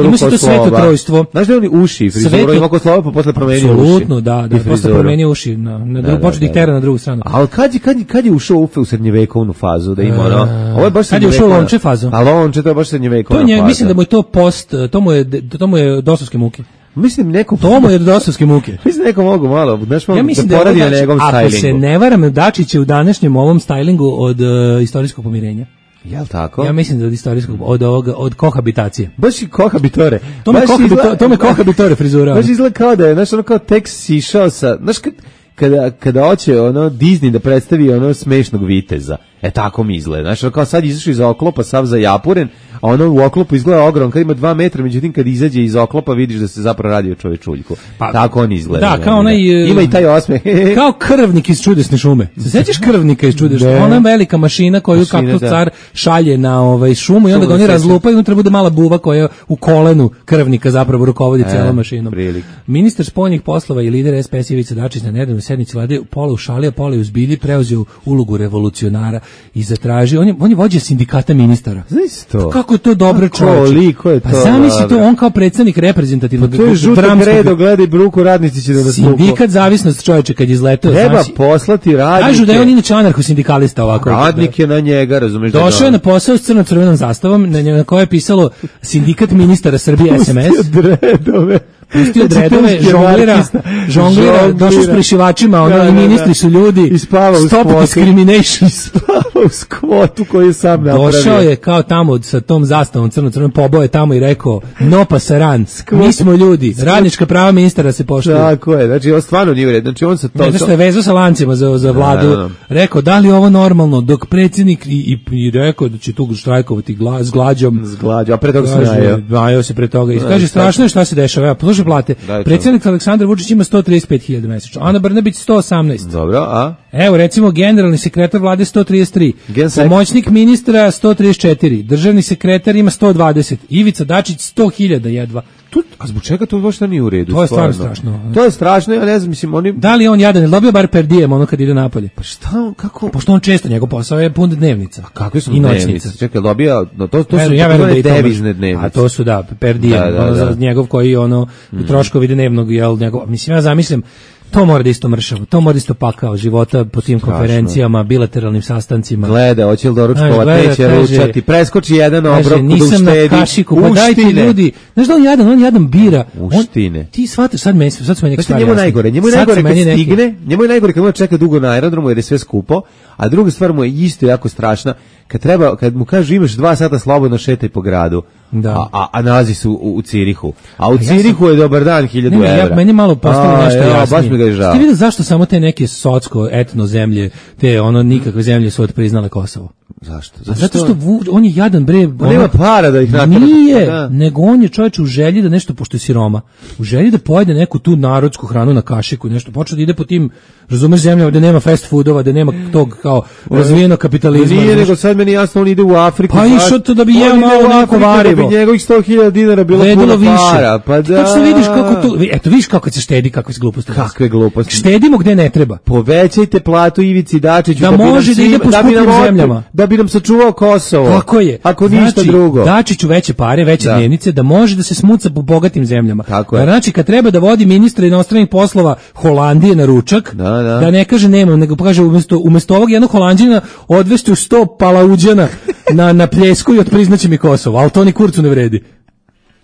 Ima se to sveto trojstvo. Znaš da je on uši, frizuru ima kod Slova, pa posle promenio uši. Apsolutno, da, da, posle promenio uši, na, na drugu, počeo da ih tera na drugu stranu. Ali kad je, kad je, kad je ušao u, u srednjevekovnu fazu, da ima ono, ovo je baš kad je ušao u Lonče fazu. A Lonče, to je baš srednjevekovna to je, faza. Mislim da mu je to post, to mu je, to mu je dosovske muke. Mislim neko to mu je dosovske muke. Mislim neko mogu malo, znaš malo ja mislim da poradi na njegovom ako stylingu. Ako se ne varam, Dačić je u današnjem ovom stylingu od uh, istorijskog pomirenja. Jel tako? Ja mislim da od istorijskog, od ovoga, od kohabitacije. Baš i kohabitore. To me kohabitore, to me kohabitore frizura. Baš izgleda kao da je, znaš, ono kao tek sišao sa, znaš, kad, kada, kada hoće ono Disney da predstavi ono smešnog viteza. E tako mi izgleda. Znaš, ono kao sad izašao iz oklopa, sav zajapuren, a ono u oklopu izgleda ogrom, kad ima dva metra, međutim kad izađe iz oklopa vidiš da se zapravo radi o čovečuljku. Pa, tako on izgleda. Da, kao onaj... Ima i taj osmeh. Kao krvnik iz Čudesne šume. Se sećaš krvnika iz Čudesne šume? Ona velika mašina koju kako car šalje na ovaj šumu i onda ga oni razlupaju, unutra bude mala buva koja u kolenu krvnika zapravo rukovodi e, celom mašinom. Prilik. Ministar spoljnih poslova i lider S P S Ivica Dačić na nedavnoj sednici vlade pola u šali, a pola u zbilji preuzeo ulogu revolucionara i zatražio, on je, on je vođa sindikata ministara. Znaš to? Kako kako je to dobro čovječe. Koliko je to? Pa zamisli to, on kao predsjednik reprezentativnog pa to je žuto gredo, gledaj bruku, radnici će da nas tuku. Sindikat zavisnost čovječe kad je izletao. Treba znači, poslati radnike. Kažu da je on inače anarcho-sindikalista ovako. Radnik je na njega, razumeš da. Došao je na posao s crno-crvenom zastavom, na, na kojoj je pisalo sindikat ministara Srbije S M S. Pustio dredove. Pustio dredove, žonglira, žonglira, došao s prešivačima, ono, i ministri su ljudi. I spava u Stop discrimination. Spava u skvotu koji je sam napravio. Došao je kao tamo sa tom zastavom crno-crvenom, pobao je tamo i rekao, no pasaran, mi smo ljudi, radnička prava ministara se poštuju. Tako je, znači on stvarno nije u redu. Znači on se to... Ne, znaš što je vezao sa lancima za, za vladu, da, da, da. Rekao, da li je ovo normalno, dok predsjednik i, i, i rekao da će tu štrajkovati gla, s glađom. S glađom, a pre toga se najao. Najao se pre toga. I kaže, strašno je šta se dešava. Ja, poslušaj plate. Predsjednik Aleksandar Vučić ima sto trideset pet hiljada mesečno, Ana Brnabić sto osamnaest. Dobro, a? Evo, recimo, generalni sekretar vlade sto trideset tri, pomoćnik ministra sto trideset četiri, državni sekretar ima sto dvadeset, Ivica Dačić sto hiljada jedva. Tu, a zbog čega to uopšte nije u redu? To je stvarno strašno. To je strašno, ja ne znam, mislim, oni... Da li on jadan, je dobio bar per diem ono kad ide napolje? Pa šta on, kako... Pošto on često, njegov posao je pun dnevnica. A kakve su dnevnice? Čekaj, dobija, no, to, to su ja ja devizne dnevnice. A to su, da, per diem, da, da, ono, da. Za njegov koji, ono, mm. troškovi dnevnog, jel, njegov, mislim, ja zamislim, to mora da isto mršavo, to mora isto pakao života po tim strašno. Konferencijama, bilateralnim sastancima. Gleda, hoće li doručkova, teće ručati, preskoči jedan obrok, nisam na kašiku, pa dajte ljudi, znaš da on jadan, on jadan bira. Uštine. On, ti shvataš, sad meni, sad su meni stvari njemu najgore, njemu je najgore kad stigne, njemu je najgore kad mu čeka dugo na aerodromu jer je sve skupo, a druga stvar mu je isto jako strašna, kad treba, kad mu kažu imaš dva sata slobodno šetaj po gradu, da. a, a, a nalazi se u, u Cirihu. A u a Cirihu ja sam... je dobar dan, hiljadu evra. Ja, meni malo postalo nešto ja, jasnije. Baš mi ga je žao. Ste vidio zašto samo te neke socko, etno zemlje, te ono nikakve zemlje su odpriznale Kosovo? Zašto? Zato, Zato što vu, on je jadan bre, on nema para da ih natrpa. Nije, da. Nego on je čovjek u želji da nešto, pošto je siroma, u želji da pojede neku tu narodsku hranu na kašiku, nešto počne da ide po tim, razumeš, zemljama gde nema fast foodova, da nema tog kao razvijenog kapitalizma. Nije, nego sad meni jasno, on ide u Afriku. Pa išao to da bi jeo malo neko varivo. Da bi njegovih sto hiljada dinara bilo puno para. Pa da. Tačno vidiš kako to, eto vidiš kako se štedi, kakve se gluposti. Kakve gluposti. Štedimo gde ne treba. Povećajte platu Ivici Dačiću da, da može da ide po skupim zemljama. Da bi nam sačuvao Kosovo. Tako je. Ako ništa znači, drugo. Dačiću veće pare, veće da. Dnevnice, da može da se smuca po bogatim zemljama. Tako je. Znači, kad treba da vodi ministra inostranih poslova Holandije na ručak, da, da. da ne kaže nema, nego kaže umjesto, umjesto ovog jednog Holanđina odvesti u sto palauđana na, na pljesku i otpriznaće mi Kosovo, ali to ni kurcu ne vredi.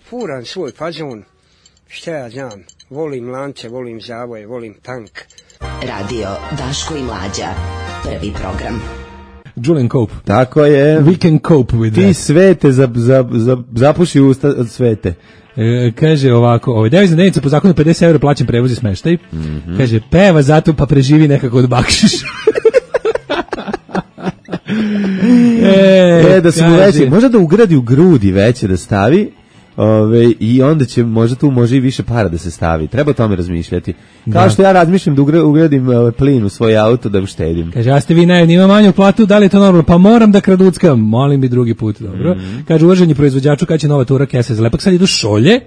Furan svoj fazon, šta ja znam, volim lance, volim zavoje, volim tank. Radio Daško i Mlađa, prvi program. Julian Cope. Tako je. We can cope with Ti that. svete, za, za, za, zapuši usta od svete. E, kaže ovako, ovaj devizna dnevnica po zakonu pedeset evra plaćen prevoz i smeštaj. Mm-hmm. Kaže, peva zato pa preživi nekako od bakšiša. e, e, da su mu veće, možda da ugradi u grudi veće da stavi, ove, i onda će, možda tu može i više para da se stavi. Treba o tome razmišljati. Kao da. Što ja razmišljam da ugradim uh, plin u svoj auto da uštedim. Kaže, a ste vi najedni, ima manju platu, da li je to normalno? Pa moram da kraduckam, molim bi drugi put, dobro. Mm-hmm. Kaže, uvaženi proizvođaču, kad će nova tura kese za lepak, sad idu šolje,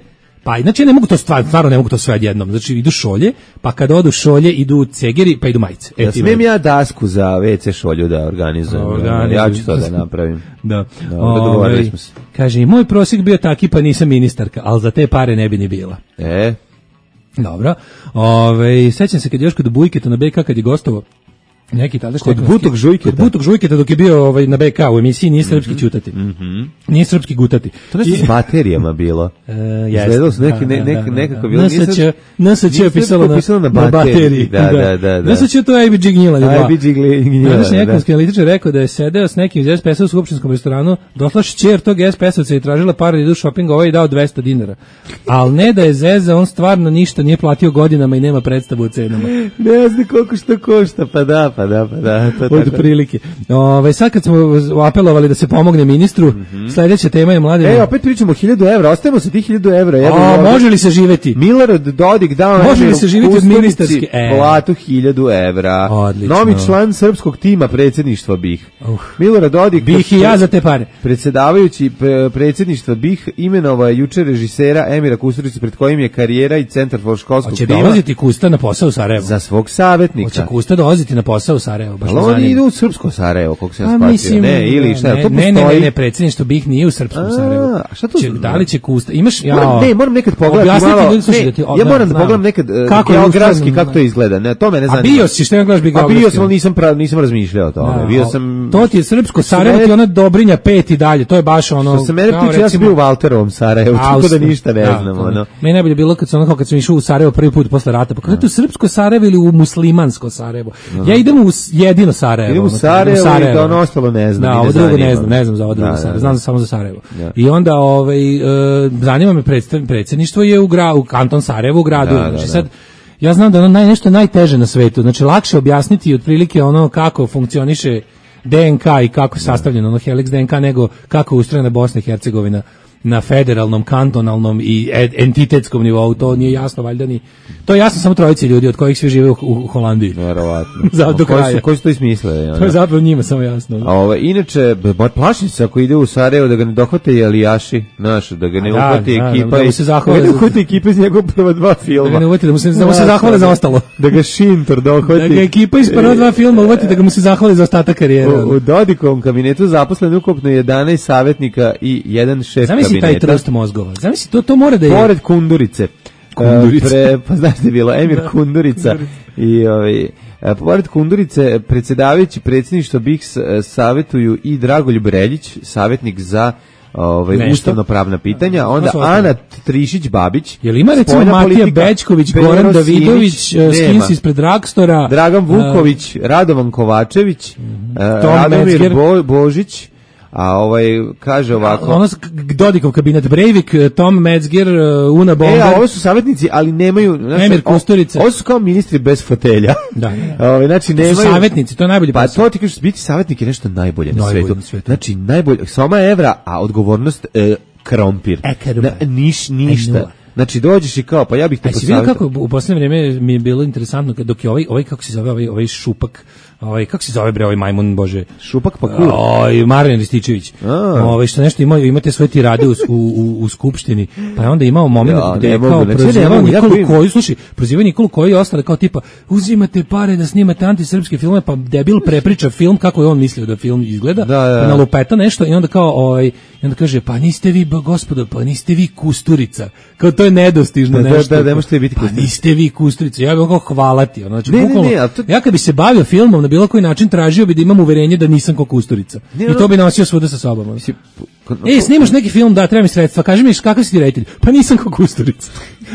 pa znači ne mogu to stvarno, stvarno ne mogu to sve odjednom. Znači idu šolje, pa kad odu šolje idu cegeri, pa idu majice. Ja smijem ja dasku za ve ce šolju da organizujem. Organizujem. Ja ću to da napravim. Da. da dogovorili smo se. Kaže, i moj prosjek bio taki, pa nisam ministarka, ali za te pare ne bi ni bila. E. Dobro. Ove, sećam se kad je još kod Bujketa na be ka kad je gostovao neki tada kod Butog Žujketa. Kod Butog Žujketa dok je bio ovaj na be ka u emisiji Nije srpski mm-hmm. ćutati. Mm-hmm. Nije srpski gutati. To nešto s baterijama bilo. E, Izgledalo su neki, ne, nek, nekako bilo. N S Č je pisalo na, na bateriji. Da, da, da. da. N S Č to je I B G gnjila. I B G gnjila. Današnji ekonomski analitičar rekao da je sedeo s nekim iz es pe es-a u skupštinskom restoranu, došla šćer tog es pe es-ovca i tražila para da idu šoping, ovaj i dao dvesta dinara. Al ne da je zeza, on stvarno ništa nije platio godinama i nema predstavu o cenama. Ne znam koliko što košta, pa da, pa da, pa da. Od prilike. Ove, sad kad smo apelovali da se pomogne ministru, mm-hmm. sljedeća tema je mladi. E, opet pričamo o hiljadu evra, ostajemo se ti hiljadu evra. A, može li se živeti? Milorad Dodik dao može li se živeti od ministarske? E. Platu hiljadu evra. Odlično. Novi član srpskog tima predsjedništva B I H. Uh. Milorad Dodik. B I H i ja za te pare. Predsjedavajući predsjedništva B I H imenovao je juče režisera Emira Kusturicu pred kojim je karijera i centar for školskog tima. Hoće dolaziti Kusta na posao u Sarajevo. Za svog savjetnika. Hoće Kusta dolaziti na posao posao u Sarajevo, baš ali me oni zanima. idu u srpsko Sarajevo, koliko se ja A, shvatio. mislim, Ne, ili šta, ne, to ne, postoji. ne, ne, ne, predsjedništvo B I H nije u srpskom Sarajevu. A, šta to Će, znači? da li će kusta? Imaš, ja, Moram, ne, moram nekad pogledati objasniti malo. ljudi, slušaj, Ne, da ti- o, ja da, moram da znam. pogledam nekad e, Kako je geografski ustrojen, kako to izgleda. Ne, to mene A zanima. bio si, šta gledaš bi A geografski? bio sam, ali nisam prav, nisam razmišljao o tome. Da, Bio o, sam to ti je srpsko Sarajevo, ti je ona Dobrinja pet i dalje, to je baš ono... Što se mene kao tiče, ja sam recimo- bio u Valterovom Sarajevu, tako da Austra- ništa ne da, znam. to ne. Ono. Meni najbolje bilo kad sam, onako, kad sam išao u Sarajevo prvi put posle rata, pa kako je to srpsko Sarajevo ili u muslimansko Sarajevo? Ja idem u s- jedino Sarajevo. Idem u ono, Sarajevo i da ono ostalo ne znam. Da, i ne ovo drugo zanima ne me. znam, ne znam za ovo drugo Da, Sarajevo, da, znam da. samo za Sarajevo. Da. I onda ovaj, e, zanima me predstav- predsjedništvo je u, gra, u kanton Sarajevo u gradu. Da, da, znači da. sad, ja znam da je ono naj, nešto najteže na svetu, znači lakše objasniti otprilike ono kako funkcioniše D N K i kako je sastavljeno ono Helix D N K nego kako je ustrojena Bosna i Hercegovina na federalnom, kantonalnom i ed- entitetskom nivou, to nije jasno valjda ni. To je jasno samo trojici ljudi od kojih svi žive u, u Holandiji. Verovatno. Za do Koji kraja. su, koji su to ismislili? To je zapravo njima samo jasno. A ovo, inače, moj plašim se ako ide u Sarajevo da ga ne dohvate i alijaši, znaš, da ga ne Da, uhvati da, ekipa da mu i se zahvale da ga ne za- uhvati ekipa iz njegova prva dva filma. Da ga ne uvati, da mu se, da mu se zahvale za ostalo. Da ga Šintor dohvati. Da ga ekipa iz prva dva filma uvati, da ga mu se zahvali za ostatak karijere. U, u Dodikovom kabinetu zaposleno ukupno jedanaest savjetnika i jedan šef Zamisli taj kabineta. trust mozgova. Zamisli, to, to mora da je... Pored Kundurice. Kundurice. E, Pre, pa znaš da je bilo Emir Kundurica. I ovaj, e, pored Kundurice, predsjedavajući predsjedništvo B I H S e, savjetuju i Dragoljub Reljić, savjetnik za ovaj Nešto. ustavno-pravna pitanja, onda su ostali? Ana Trišić-Babić. Jel ima recimo spoljna Matija politika, Bećković, Pero Goran Simić, Davidović, uh, nema. Skins ispred Dragstora, Dragan uh, Vuković, Radovan Kovačević, e, Tom Radomir Metzger. Bo, Božić, a ovaj kaže ovako. ono s- Dodikov kabinet Breivik, Tom Metzger, uh, Una E, Bomber. a ovo su savjetnici, ali nemaju... Znaš, Emir o- Kusturica. Ovo su kao ministri bez fotelja. Da, da. Ove, znači, To su nemaju... savjetnici, to je najbolji Pa posao. to ti kažeš, biti savjetnik je nešto najbolje na Najbolje svetu. na svetu. Znači, najbolje, soma evra, a odgovornost e, krompir. E, krompir. Na, niš, E, ništa. nula. Znači, dođeš i kao, pa ja bih te A si vidio posavjetao. kako u posljednje vrijeme mi je bilo interesantno kad- dok je ovaj, ovaj kako se zove, ovaj, ovaj šupak, ovaj, kako se zove bre ovaj majmun, bože, Šupak pa kur. Oj, Marijan Rističević. A. Ovaj što nešto imao, imate svoje tirade u, u, u, u skupštini. Pa je onda imao moment Ja, gde ne je mogu, kao znači, ne prozivao mogu, ja Nikolu vidim. Koju, slušaj, prozivao Nikolu Koju i ostale kao tipa uzimate pare da snimate antisrpske filmove, pa debil prepriča film kako je on mislio da film izgleda, Da, da, da. pa nalupeta nešto i onda kao ovaj i onda kaže pa niste vi ba, gospodo, pa niste vi Kusturica. Kao to je nedostižno Da, da, nešto. da, ne možete biti Pa Kusturica. niste vi Kusturica. Ja bih mogao hvalati, ono, znači Ne, ne, bukvalno, ne, ali to- ja kad bi se bavio filmom na bilo koji način tražio bi da imam uverenje da nisam ko Kusturica. Ne, I ono- to bi nosio svuda sa sobom. ono. Mislim, ko- E, snimaš neki film, da, treba mi sredstva, kaži mi kakav si ti reditelj? Pa nisam ko Kusturica.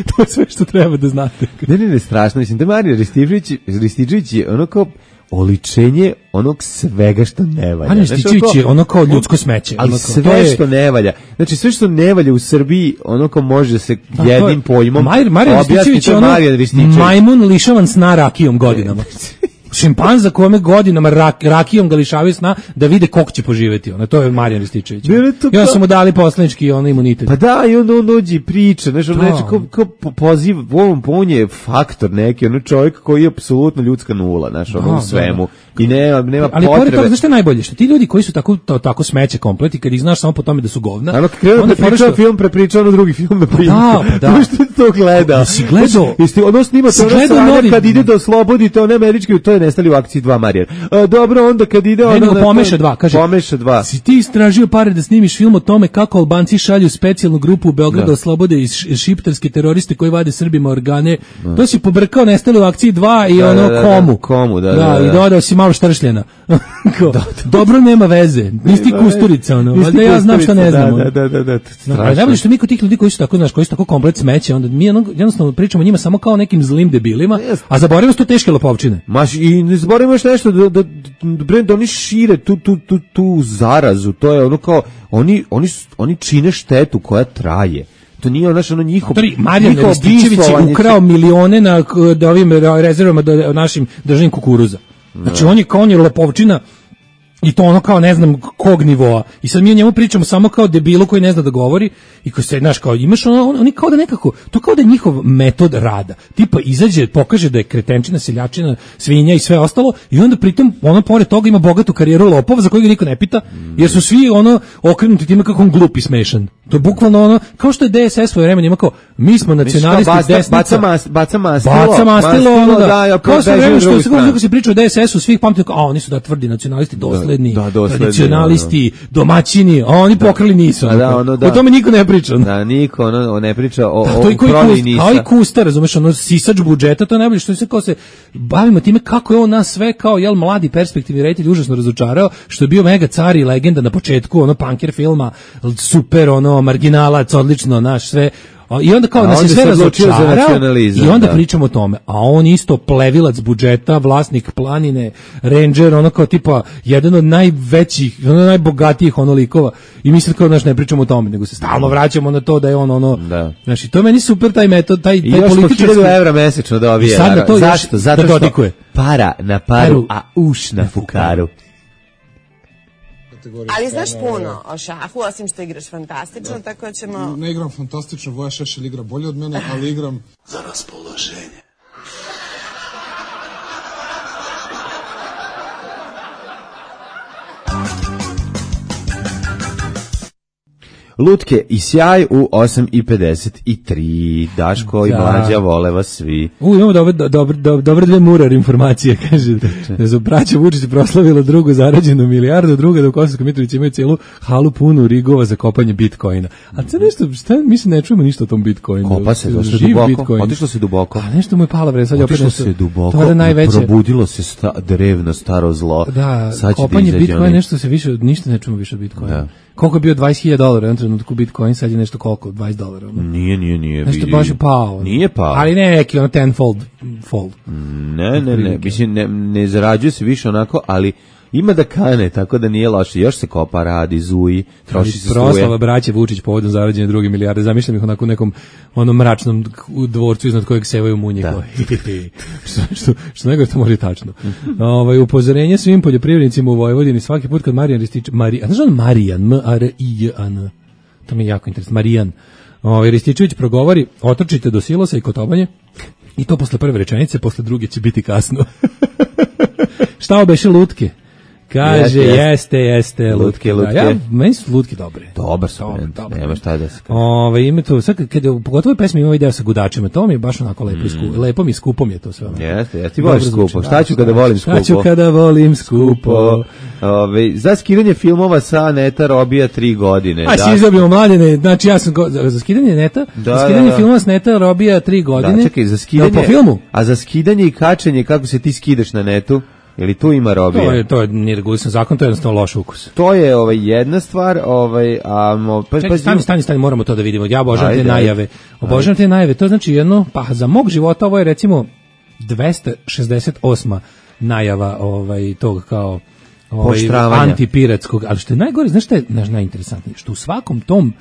To je sve što treba da znate. Ne, ne, ne, strašno. Mislim, da Marija Rističević, Rističević je ono kao oličenje onog svega što ne valja. Marijan Znaš, Rističević je ono kao ljudsko smeće. Ali ono kao, sve to je- što ne valja. Znači, sve što ne valja u Srbiji, ono kao može se Da, to je- jednim pojmom Mar- Marijan objasniti, Rističević to je je ono Marijan Rističević. majmun lišavan sna rakijom godinama. Šimpanza kome godinama rak, rakijom ga lišavaju sna da vide koliko će poživeti. Ono, to je Marijan Rističević. Ne, ne, to I onda kao- su mu dali poslanički ono imunitet. Pa da, i onda on dođe i priča, znaš, ono Da. neče, kao, kao po- poziv, u ovom on je faktor neki, ono čovjek koji je apsolutno ljudska nula, znaš, ono Da, u svemu. da, I nema, nema Ali pored potrebe. toga, znaš što je najbolje? Što ti ljudi koji su tako, to, tako smeće komplet i kad ih znaš samo po tome da su govna, Ano, kad krenuo onda da pričao fora što- film, prepričao ono drugi film na primjer. da, pa da. To što je to gledao. Jesi gledao? Jesi ono snimate Si ono gledao sranje novi- kad ide da oslobodite one američke, to je nestali u akciji dva Marijan. A, dobro, onda kad ide... Ne, ono nego na- pomeša dva, kaže. Pomeša dva. Si ti istražio pare da snimiš film o tome kako Albanci šalju specijalnu grupu u Beograd da Da. oslobode iz š- šiptarske teroriste koji vade Srbima organe. To si pobrkao nestali u akciji dva i Da, ono da, da, komu. komu, da, da, Da, da. i dodao si malo štršljena. Kao, dobro nema veze. Nisi ti Kusturica, ono. Nisi Valjda ja znam šta ne Kusturica, znam. ono. Da, da, da, da, No, strašno. ali najbolje što mi kod tih ljudi koji su tako, znaš, koji su tako komplet smeće, onda mi ono, jednostavno pričamo o njima samo kao nekim zlim debilima, a zaboravimo su to teške lopovčine. Maš, i ne zaboravimo još nešto, da, da, da, da oni šire tu, tu, tu, tu zarazu, to je ono kao, oni, oni, su- oni čine štetu koja traje. To nije ono, znaš, ono njihov... Matori, Marijan njihovo Rističević je bivstvovanje- ukrao milione na k- da ovim re- rezervama do našim državnim kukuruza. Znači on je kao on je lopovčina i to ono kao ne znam kog nivoa. I sad mi o njemu pričamo samo kao debilu koji ne zna da govori i koji se, znaš, kao imaš ono, on- oni kao da nekako, to kao da je njihov metod rada. Tipa izađe, pokaže da je kretenčina, seljačina, svinja i sve ostalo i onda pritom ono pored toga ima bogatu karijeru lopova za koju ga niko ne pita, jer su svi ono okrenuti time kako on glup i smešan. To je bukvalno ono, kao što je D S S svoje vremena ima kao, mi smo nacionalisti desnica. Baca, mas, baca mastilo. Baca mastilo, ono da. da kao sve vreme što se kako se priča o D S S-u, svih pamti kao, a oni su da tvrdi nacionalisti, dosledni, da, da, dosledni, tradicionalisti, domaćini, a oni da. Pokrali nisu. Da, da, ono, da. O tome niko ne priča. Da, niko ono, ne priča o, da, o prodaji Nisa. Kao i Kusta, razumeš, ono sisač budžeta, to je najbolje što se kao se bavimo time kako je on nas sve kao, jel, mladi perspektivni reditelj užasno razočarao, što je bio mega car i legenda na početku, ono, punker filma, super, ono, marginalac, odlično, naš, sve. I onda kao nas je sve razočarao i onda da. Pričamo o tome. A on isto plevilac budžeta, vlasnik planine, ranger, ono kao tipa jedan od najvećih, ono najbogatijih ono likova. I mi sad kao naš ne pričamo o tome, nego se stalno vraćamo na to da je on ono, da. Znači to je meni super taj metod, taj, taj politički. I još po hiljadu evra mesečno dobije. Zašto? Zato što da para na paru, a uš na fukaru. Ali znaš puno o šahu, osim što igraš fantastično, da. Tako ćemo... Ne igram fantastično, Voja Šešelj igra bolje od mene, ali igram... za raspoloženje. Lutke i sjaj u osam i pedeset tri. Daško da. I Mlađa vole vas svi. U, imamo dobre, dobre, dobre, dobre dve murar informacije, kaže. Da su braća Vučić proslavila drugu zarađenu milijardu, druga da u Kosovskoj Mitrovici imaju celu halu punu rigova za kopanje bitcoina. A to nešto, šta, mi se ne čujemo ništa o tom bitcoinu. Kopa se, došlo duboko, otišlo se duboko. A nešto mu je pala vred, sad je opet nešto. Otišlo se duboko, najveće... probudilo se sta, drevno, staro zlo. Da, sad kopanje da bitcoina, nešto se više, ništa ne čujemo više od bitcoina. Da. Koliko je bio dvadeset hiljada dolara u jednom trenutku Bitcoin, sad je nešto koliko, dvadeset dolara. Nije, nije, nije. Nešto baš je pao. Nije pao. Ali ne neki, ono tenfold fold. Ne, ne, ne, mislim, ne, ne zarađuje se više onako, ali ima da kane, tako da nije loše. Još se kopa, radi, zuji, troši se struje. Proslava braće Vučić povodom zarađene druge milijarde. Zamišljam ih onako u nekom onom mračnom dvorcu iznad kojeg sevaju munje. Da. što, što, što nego to može tačno. Ovaj, upozorenje svim poljoprivrednicima u Vojvodini svaki put kad Marijan Rističević... Marijan, znaš on Marijan? M A R I J A N. To mi je jako interesantno. Marijan. Ovaj, Rističević progovori, otrčite do silosa i kotobanje i to posle prve rečenice, posle druge će biti kasno. Šta obeše lutke? Kaže, jeste, jeste, jeste lutke, lutke. Ja, meni su lutke dobre. Dobar su, nema šta da se kaže. Ove, ima to, sad, kad je, pogotovo pesmi ima ideo sa gudačima, to mi je baš onako lepo, mm. Sku, lepo mi skupom je to sve. Jeste, jeste, ti voliš skupo. Šta ću kada volim skupo? Šta ću kada volim skupo? Ove, za skidanje filmova sa neta robija tri godine. A si izobimo mladine, znači ja sam, go, za, za skidanje neta, da, za skidanje da, da. filmova sa neta robija tri godine. Da, čekaj, za skidanje, po filmu? A za skidanje i kačenje, kako se ti skidaš na netu? Ili tu ima robije? To je, to je nije regulisan zakon, to je jednostavno loš ukus. To je ovaj, jedna stvar, ovaj, a... Mo, pa, Čekaj, pa, stani, stani, stani, moramo to da vidimo. Ja obožavam te najave. Obožavam te najave, to znači jedno, pa za mog života ovo je recimo dvesta šezdeset osma najava ovaj, tog kao ovaj, antipiratskog, ali što je najgore, znaš što je najinteresantnije? Što u svakom tom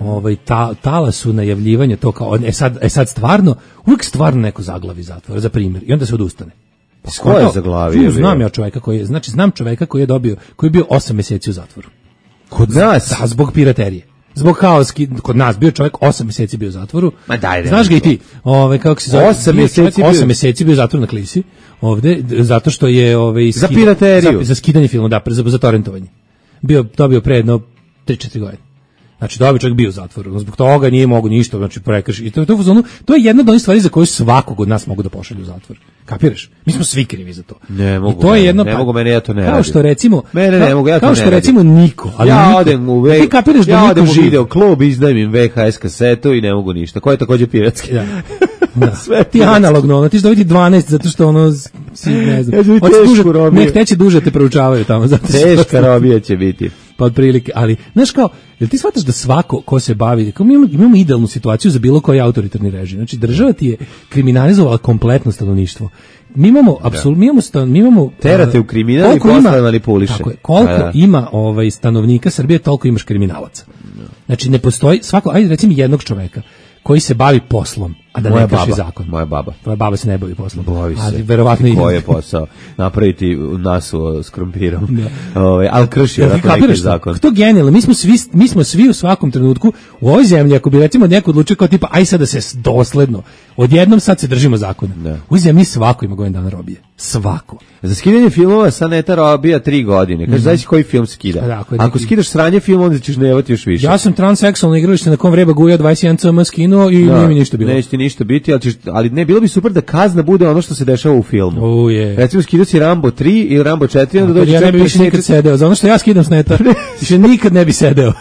ovaj ta, talasu najavljivanja to kao, e sad, e sad stvarno, uvijek stvarno neko zaglavi zatvora, za primjer, i onda se odustane. Ko je zaglavio? Znam ja čovjeka koji je, znači znam čovjeka koji je dobio, koji je bio osam mjeseci u zatvoru. Kod nas? Da, zbog piraterije. Zbog haoski, kod nas bio čovjek osam mjeseci bio u zatvoru. Ma daj, daj, znaš ga i ti? Ovaj kako se zove? osam mjeseci osam mjeseci bio u zatvoru na Klisi. Ovde zato što je ovaj za pirateriju, za, za skidanje filma, da, za, za torrentovanje. Bio dobio pre jedno tri četiri godine. Znači, dobio čovjek bio u zatvoru, zbog toga nije mogu ništa, znači prekrši. I to, to, to, to je jedna od onih stvari za koju svakog od nas mogu da pošalju u zatvor. Kapiraš? Mi smo svi krivi za to. Ne mogu, I to je jedno, ne, ne mogu, mene ja to ne kao radim. Što recimo, mene ne mogu, ja to kao ne što radim. recimo niko, ali ja niko. odem u ve, ti kapiraš da ja niko odem u živi. video klub, izdajem im ve ha es kasetu i ne mogu ništa. Ko je također piratski? Ja. Da. Sve ti analogno, ono, ti ćeš dobiti dvanaest zato što ono, si, ne znam, ja duže, nek teće duže te proučavaju tamo. Zato teška robija će biti. Pa otprilike, ali, znaš kao, jel ti shvataš da svako ko se bavi, kao mi imamo, imamo idealnu situaciju za bilo koji autoritarni režim, znači država ti je kriminalizovala kompletno stanovništvo. Mi imamo, apsolutno, mi imamo, stan, mi imamo... Terate u kriminal i posle manipuliše. Tako je, koliko a, ima ovaj, stanovnika Srbije, toliko imaš kriminalaca. Znači ne postoji, svako, ajde recimo jednog čoveka, koji se bavi poslom, a da moja ne krši baba, zakon. Moja baba. Tvoja baba se ne bavi poslom. Bavi se. Ali verovatno i koji je posao napraviti nasu s krompirom. Ovaj, al krši ja, neki zakon. To genijalno. Mi smo svi mi smo svi u svakom trenutku u ovoj zemlji, ako bi recimo neko odlučio kao tipa aj sad da se dosledno odjednom sad se držimo zakona. U ovoj zemlji svako ima godinu dana robije. Svako. Za skidanje filmova sa neta robija tri godine. Kaže, mm-hmm. znaš koji film skida? Da, ako, ako skidaš sranje film, onda ćeš nevati još više. Ja sam transseksualno igralište na kom vreba guja dvadeset jedan cm skinuo i da, nije mi ništa bilo. Neće ti ništa biti, ali, ćeš, ali ne, bilo bi super da kazna bude ono što se dešava u filmu. Oh, yeah. Recimo, skidao si Rambo tri ili Rambo četiri, onda dođe... Ja ne bi više nikad sedeo, za ono što ja skidam s neta, više nikad ne bi sedeo.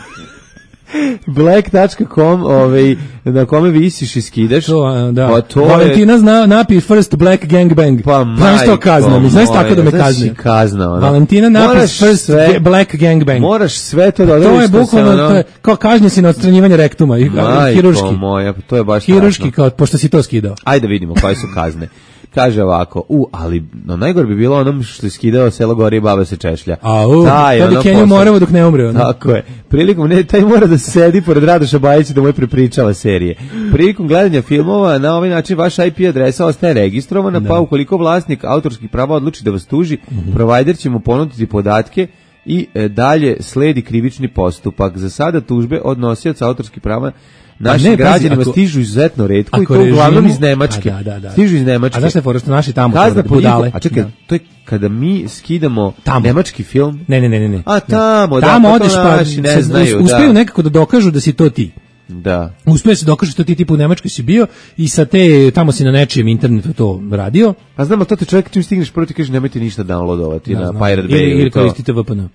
black dot com, ovaj, na kome visiš i skidaš. To, da. Pa to Valentina je... zna, napi first black gangbang. Pa majko, što kazna, mi znaš tako da me kazne. Kazna, ono. Valentina napi first sve, black gangbang. Moraš sve to da odrediš. To je bukvalno, ono... to je, kao kažnje si na odstranjivanje rektuma. I, majko hiruški. moja, to je baš hiruški, kao, pošto si to skidao. Ajde vidimo koje su kazne. Kaže ovako, u, ali no, najgore bi bilo onom što je skidao Selo gori i baba se češlja. A u, taj, to bi Kenju Morevo dok ne umre. Ono. Tako je. Prilikom, ne, taj mora da sedi pored Radoša Bajića da mu je prepričava serije. Prilikom gledanja filmova, na ovaj način vaša I P adresa ostaje registrovana, da. Pa ukoliko vlasnik autorskih prava odluči da vas tuži, mm-hmm. provider će mu ponuditi podatke i e, dalje sledi krivični postupak. Za sada tužbe od nosioca autorskih prava naši građanima ako, stižu izuzetno retko i to režimu, uglavnom iz Nemačke. Da, da, da. Stižu iz Nemačke. A znaš šta je fora što naši tamo kazna po budale? A čekaj, da. To je kada mi skidamo tamo. Nemački film. Ne, ne, ne, ne. A tamo, da, tamo pa odeš pa naši ne znaju. Uspeju da. nekako da dokažu da si to ti. Da. Uspeju se dokaže što ti tipu u Nemačkoj si bio i sa te, tamo si na nečijem internetu to radio. A znamo, to te čovjek čim stigneš prvo ti kaže nemojte ništa downloadovati da, na Pirate Bay. Ili, ili koristite V P N.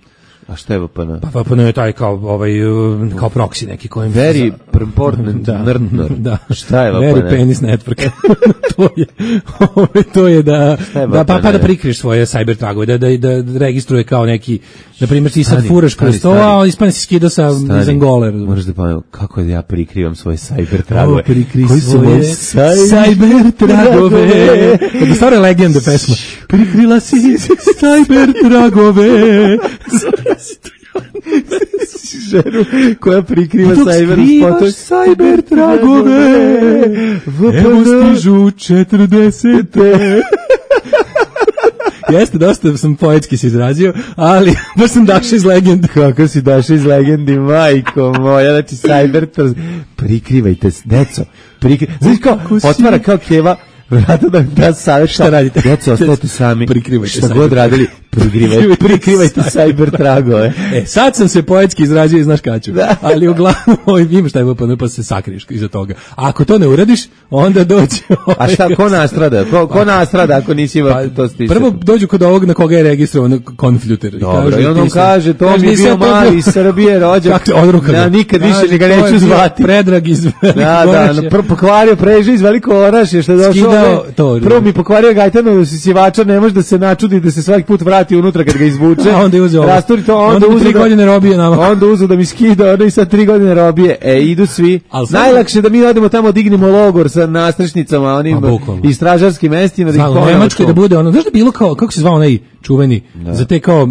A šta je V P N? Pa V P N je taj kao ovaj kao proxy neki kojim very important da, nerdner. Da. Šta je V P N? Very penis network. to je to je da je da pa, pa da prikriješ svoje cyber tragove, da, da da registruje kao neki, na primjer ti sad furaš kroz to, a ispane si skida sa iz Angole. Možeš da pa kako da ja prikrivam svoje cyber tragove? Koji su moje cyber tragove? To stare legende pesma. Prikrila si cyber tragove. Ženu koja prikriva cyber spotove. Cyber tragove. Evo stižu četrdesete. Jeste, dosta sam poetski se izrazio, ali baš sam dašao iz legendi. Kako si dašao iz legendi, majko moja, znači cyber, prikrivajte, deco, prikrivajte, znači kao, otvara kao keva, vrata da da savjet šta radite. Deco, ostavite sami, prikrivajte šta god radili, prikrivajte, prikrivajte cyber tragove. E, sad sam se poetski izrazio i znaš kaću, ali uglavnom imaš taj V P N pa se sakriješ iza toga. A ako to ne uradiš, onda dođe... A šta, ko nastrada? Ko, ko nastrada ako nisi ima to stisati? Prvo dođu kod ovog na koga je registrovan konfljuter. Dobro, i on nam kaže, to mi je bio mali iz Srbije rođak. Ja nikad više ga neću zvati. Predrag iz Da, da, prvo pokvario preže iz Veliko Orašje, što je došao. Prvo mi pokvario Gajtanovu sisivača, ne može da se načudi da se svaki put vrati unutra kad ga izvuče. A onda je uzeo. Rasturi to, onda, onda tri godine robije nama. Onda uzeo da mi skida, onda i sad tri godine robije. E, idu svi. Najlakše da mi odemo tamo, dignemo logor sa nastrešnicama, onim i stražarskim mestima. Da u Nemačkoj da bude ono, znaš da bilo kao, kako se zvao onaj čuveni, da. Za te kao uh,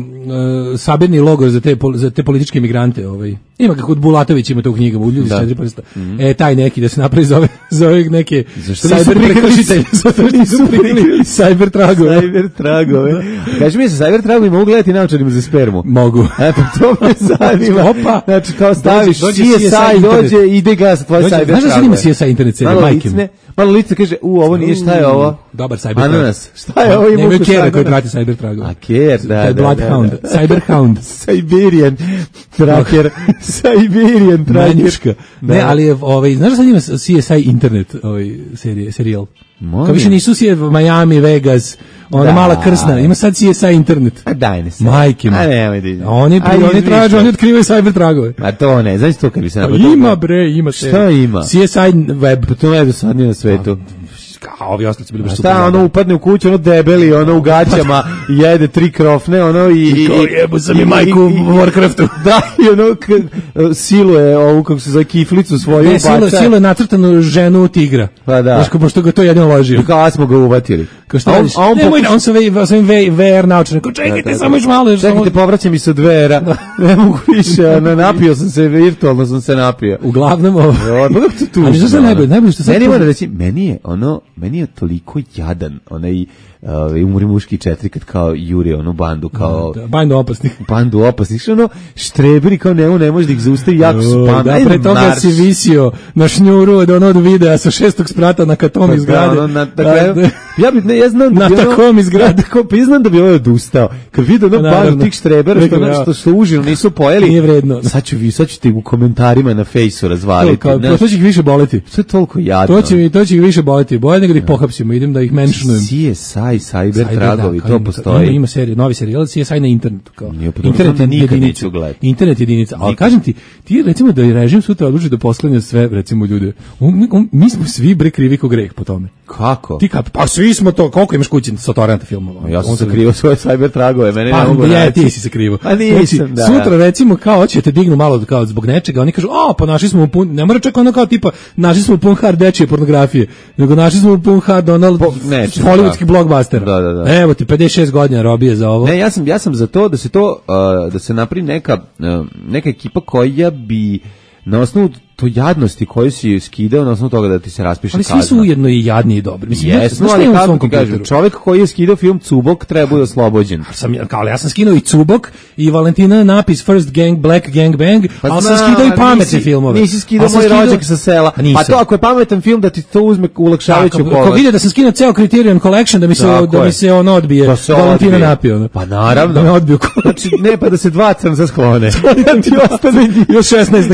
sabirni logor za te, za te političke imigrante. Ovaj. Ima kako Bulatović ima to u knjigama, u ljudi s četiri prsta. Mm-hmm. E, taj neki da se napravi za ove, za ove neke cyber prekršitelje. Zato nisu prikrili cyber tragove. Cyber tragove. Kaži mi se, cyber tragovi mogu gledati naočarima za spermu? Mogu. E, pa to me zanima. Opa. Znači, kao staviš C S I, dođe, ide ga sa tvoje cyber tragove. Znaš da se nima C S I internet serije, majke? Malo lice kaže, u, ovo nije, šta je ovo? Dobar cyber trag. Ananas. Šta je ovo? Nemaju kjera koji prati cyber tragove. A kjer, da, da. Bloodhound, Cyberhound. Siberian tracker. Siberian tracker. Manjuška. Ne, ali, ovaj, znaš da sad ima C S I internet, ovaj, serije, serijal? Kao više nisu si Miami, Vegas, ona da, mala krsna, ima sad C S I internet. A daj ne se. Majke mi. A nemoj da ide. Oni, pri, oni traže, oni otkrivaju cyber tragove. A to ne, znaš to kad bi se napravio. Ima bre, ima se. Šta ima? C S I web. Pa to je do sad nije na svetu. Kao ovi ostali su bili baš super. Šta, ono upadne u kuću, ono debeli, ono u gaćama, jede tri krofne, ono i... I kao jebu sam i majku u Warcraftu. Da, i ono siluje ovu, kako se zove, kiflicu svoju. Ne, siluje, siluje nacrtanu ženu tigra. Pa da. Znaš, ko pošto ga to jedino ložio. Kao smo ga uvatili. Kao šta radiš? On, on, Nemoj, on sa ovim V R naučenim. Kao čekajte, da, da, samo još malo. Čekajte, povraćam i se od V R-a. Ne mogu više, napio sam se, virtualno sam se napio. Uglavnom ovo. Ali što se najbolje, najbolje što sad... Meni je ono, meni je toliko jadan, onaj ovaj Umri muški četiri kad kao juri onu bandu kao da, bandu opasnih. Bandu opasnih, što ono štreberi kao ne, ne može da ih zaustavi, jako su pametni. Da, pre toga narš. Si visio na šnjuru od onog videa sa šestog sprata na katom iz zgrade. Da, ono, na, dakle, ja bi ne, ja znam da bi na takom iz zgrade. Tako priznam da bi ovaj odustao. Kad vidi ono bandu tih štrebera što nešto su užino nisu pojeli. Nije vredno. Sad ću vi, sad ću ti u komentarima na fejsu razvaliti. To, kao, to će ih više boleti. Sve toliko jadno. To će mi, to će ih više boleti. Bolje nego da ih pohapsimo, idem da ih mentionujem. C S I, Cyber tragovi, da, to ima, postoji. Ima, ima serija, novi serijal, C S I na internetu. Kao. Nije, internet je jedinica. Internet je jedinica. Ali kažem ti, ti recimo da je režim sutra odluči da posklanja sve, recimo ljude. On, on, mi smo svi bre krivi ko greh po tome. Kako? Ti kap, pa svi smo to, koliko imaš kući sa torrenta filmova? Ja sam sakrivo svoje Cyber tragove, mene pa, ne mogu ja, ti si sakrivo. Pa nisam, znači, da. Sutra recimo kao hoćete dignu malo kao zbog nečega, oni kažu, a pa našli smo pun, ne mora čak ono kao tipa, našli smo pun hard dečije pornografije, nego našli smo pun hard onal hollywoodski blockbuster. Da, da, da. Evo ti pedeset šest godina robije za ovo. Ne, ja sam ja sam za to da se to uh, da se napravi neka uh, neka ekipa koja bi na osnovu to jadnosti koju si skidao na osnovu toga da ti se raspiše kazna. Ali svi su ujedno i jadni i dobri. Mislim, Jesno, ali kako ti kažem, čovjek koji je skidao film Cubok treba bude oslobođen. Sam, kao, ja sam skinuo i Cubok i Valentina napis First Gang, Black Gang Bang, pa ali sam skidao i pametne nisi, filmove. Nisi skidao Moj rođak sa sela. Pa to ako je pametan film da ti to uzme ulakšavajuću okolnost. Ako vide da sam skinuo ceo Criterion Collection da mi se, da mi se on odbije, da se Valentina napio. Pa naravno. Da me odbiju. Znači, ne pa da se dva crnca sklone. Da ti ostane još šesnaest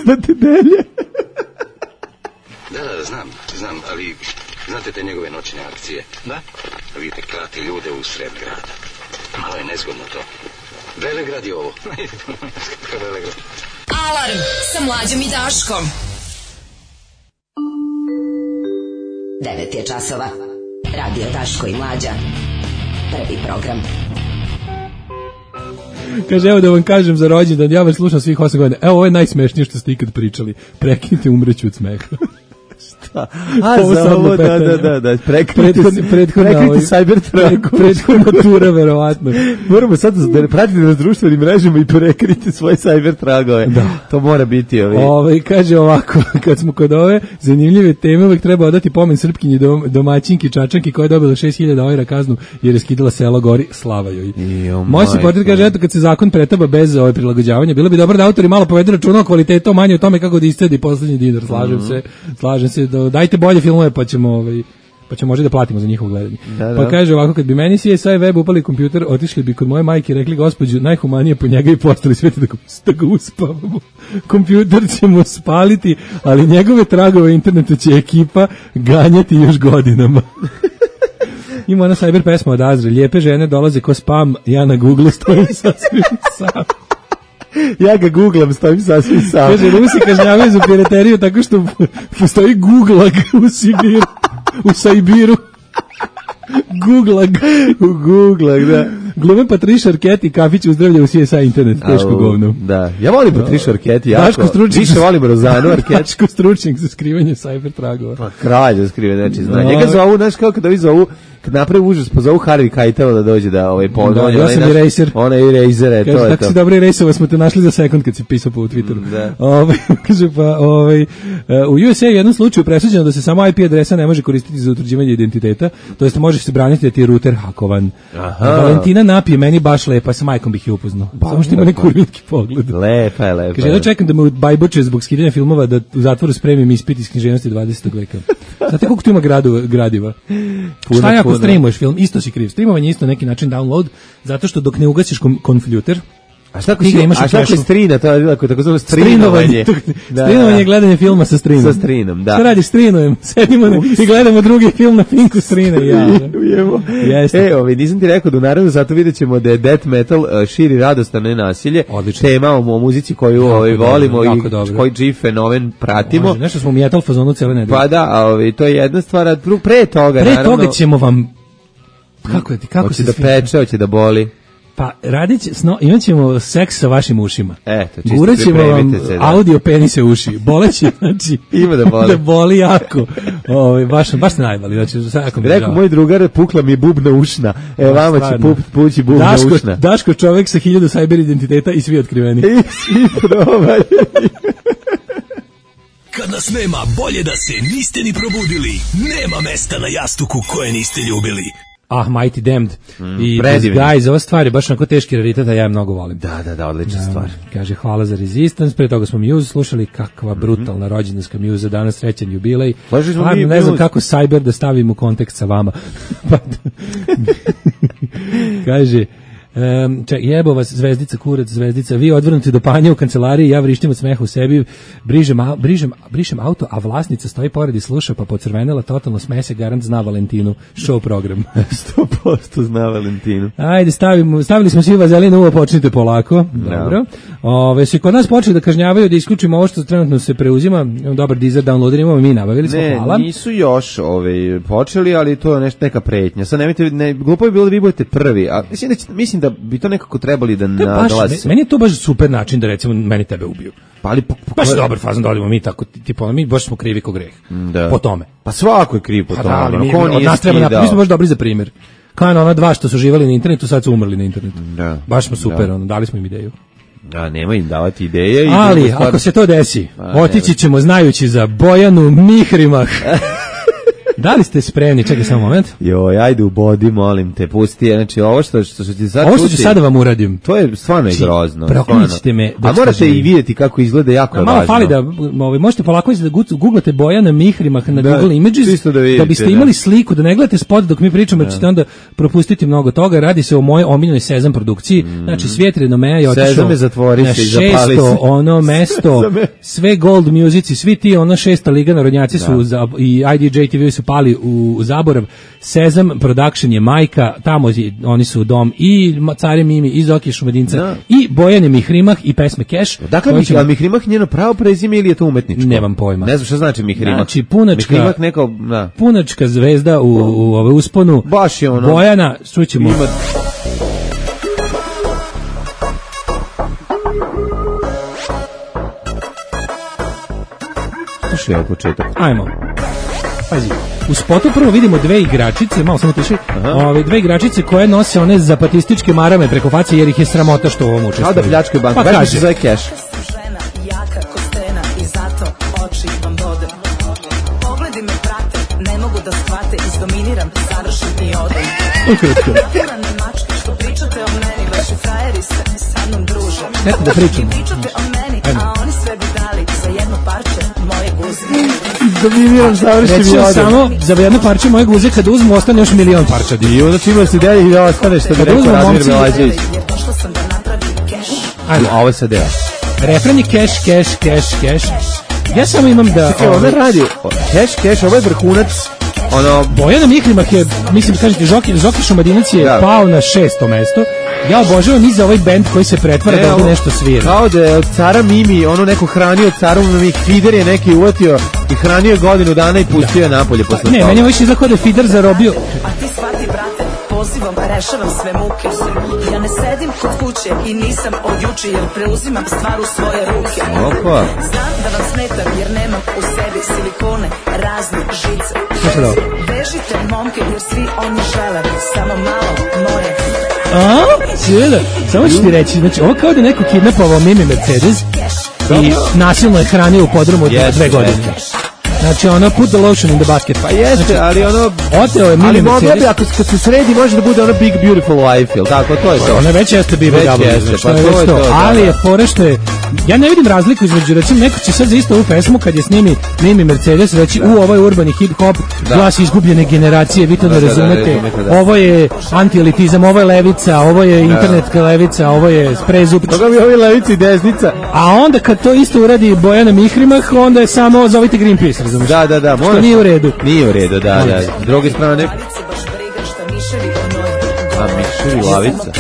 da te delje. Da, da, znam, znam, ali znate te njegove noćne akcije? Da? Vidite, klati ljude u sred grada. Malo je nezgodno to. Velegrad je ovo. Velegrad. Alarm sa Mlađom i Daškom. devet je časova. Radio Daško i Mlađa. Prvi program. Kaže, evo da vam kažem za rođendan, ja vas slušam svih osam godina. Evo, ovo je najsmešnije što ste ikad pričali. Prekinite, umreću od smeha. Šta? A, ovo za ovo, da, da, da, da. Prekinite, prethodna cyber traku. Prethodna tura, verovatno. Moramo sad da pratite na društvenim mrežama i prekrite svoje cyber tragove. Da. To mora biti ovi. Ove, kaže ovako, kad smo kod ove zanimljive teme, uvek treba odati pomen Srpkinji dom, domaćinki Čačanki koja je dobila šest hiljada eura kaznu jer je skidala selo Gori, slava joj. Moj se portret kaže, eto, kad se zakon pretaba bez ove prilagođavanja, bilo bi dobro da autori malo povedu računa o kvalitetu, manje o tome kako da iscedi poslednji dinar. Slažem mm-hmm. se, slažem se, da, dajte bolje filmove pa ćemo ovaj pa ćemo možda da platimo za njihovo gledanje. Da, da. Pa kaže ovako, kad bi meni C S I web upali kompjuter, otišli bi kod moje majke i rekli, gospođu, najhumanije po njega i postali sveti da ga, da ga uspavamo. Kompjuter ćemo spaliti, ali njegove tragove interneta će ekipa ganjati još godinama. Ima ona cyber pesma od Azra, lijepe žene dolaze ko spam, ja na Google stojim sasvim sam. Ja ga googlam, stojim sasvim sam. Kaže, Rusi kažnjavaju za pirateriju tako što postoji Googlag u Sibiru, u Sajbiru. Googlag. U Googlag, da. Glume Patricia Arquette i kafić uzdravlja u C S I internet, teško govno. Da, ja volim Patricia Arquette jako. Daško stručnjak. Više volim Rozanu Arquette. Daško stručnjak za skrivanje cyber tragova. Pa kralj za skrivanje, znači zna. Njega zovu, znaš kako kada vi zovu, kad napravi užas, pa zovu Harvey Keitel da dođe da ovaj ponovno. Ja sam eraser. Ona je eraser, to je to. Tako si dobro erasova, smo te našli za sekund kad si pisao po Twitteru. Ovaj kaže pa ovaj u U S A je u jednom slučaju presuđeno da se samo I P adresa ne može koristiti za utvrđivanje identiteta, to jest možeš se braniti da ti je router hakovan. Valentina napije meni baš lepa, sa majkom bih je upoznao. Samo što ima neki urlitki pogled. Lepa je, lepa. Kaže, ja čekam da me bajboče zbog skidanja filmova da u zatvoru spremim ispit iz književnosti dvadesetog veka. Znate koliko tu ima gradu, gradiva? Puno, šta je ako streamuješ film? Isto si kriv. Streamovanje je isto neki način download, zato što dok ne ugasiš kompjuter, a šta ako si, a šta ako je strina, to je tako, tako zove strinovanje. Strinovanje je gledanje filma sa strinom. Sa strinom, da. Šta radiš, strinujem, sedimo ne, i gledamo drugi film na Pinku strine. Ja. E, ovi, nisam ti rekao da u naravno zato vidjet ćemo da je death metal uh, širi radost, a ne nasilje. Odlično. Tema o, o muzici koju ovaj, volimo i koji G fenomen pratimo. Može, nešto smo u metal fazonu cijele nedelje. Pa da, a ovi, to je jedna stvar, a pre toga, pre naravno. Pre toga ćemo vam, kako je ti, kako se da peče, hoće da boli. Pa radit će, no, imat ćemo seks sa vašim ušima. Eto, čisto Gurat ćemo vam se, da. audio penise uši. Boleće, znači, ima da boli. Da boli jako. Ove, baš, baš se najbali. Znači, svako mi rekao žao. Moj drugar, pukla mi bubna ušna. E, no, vama će pup, pući bubna Daško, ušna. Daško čovek sa hiljadu cyber identiteta i svi otkriveni. I svi probali. Kad nas nema, bolje da se niste ni probudili. Nema mesta na jastuku koje niste ljubili. Ah, Mighty Damned Mm, i predivni. This Guys, ova stvar je baš onako teški raritet, a ja je mnogo volim. Da, da, da, odlična stvar. Kaže, hvala za Resistance, pre toga smo Muse slušali, kakva brutalna rođendanska Muse, danas srećan jubilej. Slušali smo Stvarno, mi ne znam Muse. kako Cyber da stavim u kontekst sa vama. Pa, kaže, Um, čak, jebo vas zvezdica, kurac, zvezdica, vi odvrnuti do panja u kancelariji, ja vrištim od smeha u sebi, brižem, a, brižem, brišem auto, a vlasnica stoji pored i sluša, pa pocrvenela, totalno smese, garant zna Valentinu, show program. sto posto zna Valentinu. Ajde, stavimo, stavili smo svi vazelin uvo, počnite polako. Dobro. Ove, su i kod nas počeli da kažnjavaju da isključimo ovo što trenutno se preuzima, imamo dobar dizer downloader, imamo mi nabavili smo, Ne, hvala. nisu još ove, počeli, ali to je nešto, neka pretnja. Sad nemojte, ne, glupo je bilo da vi budete prvi, a mislim da, će, mislim da bi to nekako trebali da To je baš, nadolazi. meni je to baš super način da recimo meni tebe ubiju. Pa ali po, po, Baš je dobar fazon da odimo mi tako, tipa, mi baš smo krivi ko greh. Da. Po tome. Pa svako je kriv po Pa tome. da, ali ono, mi, ko od nije nas treba skidao? napraviti, mi smo baš dobri za primjer. Kao na ona dva što su živali na internetu, sad su umrli na internetu. Da. Baš smo super, Da. ono, dali smo im ideju. A nema im davati ideje. I Ali, druga stvar- ako se to desi, Pa, otići ćemo znajući za Bojanu Mihrimah. Da li ste spremni? Čekaj samo moment. Joj, ajde u bodi, molim te, pusti. Znači, ovo što, što, što ti sad Ovo što ću čuti, sada vam uradim. to je stvarno je Znači, grozno. proklinjite stvarno. me dok A morate ste i živi. vidjeti kako izgleda, jako je Malo važno. fali da ovaj, možete polako da gu- googlate Bojana Mihrimah na Da, Google Images čisto da vidite, biste da. imali sliku, da ne gledate spot dok mi pričamo, jer ćete onda propustiti mnogo toga. Radi se o mojoj omiljenoj Sezam produkciji. Znači svijet renomea je otišao Sezame, zatvori na se i zapali šesto se. ono mesto, Sezame. sve gold musici, svi ti ona šesta liga narodnjaci su za, i I D J T V su pali u, u zaborav. Sezam Production je majka, tamo je- oni su dom i Ma- Care Mimi, i Zoki Šumadinca, Da. i Bojane Mihrimah i pesme Cash. Dakle, koje Mih, ćemo- a Mihrimah njeno pravo prezime ili je to umetničko? Nemam pojma. Ne znam šta znači Mihrimah. Znači, punačka- Mihrimah neko, da. punačka zvezda u, u ove usponu. Baš je ono- Bojana, čućemo. Ima... Slušaj, evo početak. Ajmo. Pazi. U spotu prvo vidimo dve igračice, malo samo tiši, ove dve igračice koje nose one zapatističke marame preko face jer ih je sramota što u ovom učestvuju. Kao da pljačkaju banku. Pa Baš mi kaže, se zove cash. Jaka ko stena i zato oči vam bodem. Pogledi me prate, ne mogu da shvate, izdominiram, završim i odem. ukratko. Napurane mačke što pričate o meni, vaši frajeri se sa mnom druže. Eto da pričamo. Vi pričate o meni, Ajmo. a oni sve bi dali za jedno parče moje guze. Dominiram, završim i Recimo odem. samo za jedno parče moje guze kad uzmu ostane još milion parča. I onda čima se deli i da ostane što bi Kad rekao uzmu Razmir momci- Belađević. Jer došla sam da napravim keš. Ajmo. A ovo je sad deo. Refren je cash, cash, cash, cash. Ja samo imam da... Čekaj, ona ovaj, radi. Cash, cash, ovo je vrhunac. Ono, Bojana Mihrimah je, mislim, kažete, Žoki, Žoki Šumadinac je Da. pao na šesto mesto. Ja obožavam i za ovaj bend koji se pretvara Ne, da ovdje ovo- nešto svira. kao da je od cara Mimi, ono neko hranio caru Mimi, Fider je neki uvatio i hranio je godinu dana i pustio je napolje posle Ne, toga. meni je ovo više izgleda kao da je Fider zarobio. A ti shvati, brate, pozivom rešavam sve muke. Ja ne sedim kod kuće i nisam od juče, jer preuzimam stvar u svoje ruke. Opa. Znam da vam smetam jer nemam u sebi silikone, razne žice. Slušaj ovo. Vežite momke jer svi oni žele samo malo moje. A? Sjeda. Samo ću ti reći, znači, ovo kao da je neko kidnapovao Mimi Mercedes i nasilno je hranio u podrumu od Jeste, dve godine. Znači, ono, put the lotion in the basket. Pa jeste, ali ono... Oteo je Mimi Ali mogla Mercedes. bi, ako kad se sredi, može da bude ono Big Beautiful Life, jel tako? To je to. Ona već jeste B B Već W, jeste, znači, pa to je to već je to. to, da, Ali da. je fora što je, ja ne vidim razliku između, recimo, neko će sad za istu ovu pesmu, kad je snimi Mimi Mercedes, reći, u, ovo je urbani hip-hop, Da. glas izgubljene generacije, vi to Da, ne da, da, razumete, razumete, da. ovo je antielitizam, ovo je levica, ovo je internetka levica, ovo je sprezub. Toga bi ovi levici i desnica. A onda kad to isto uradi Bojana Mihrimah, onda je samo zovite Greenpeace, razumiješ? Da, da, da. Što moraš- nije u redu. Nije u redu, da, da. S druge strane, Lavice baš briga šta miševi o njoj a miševi lavica.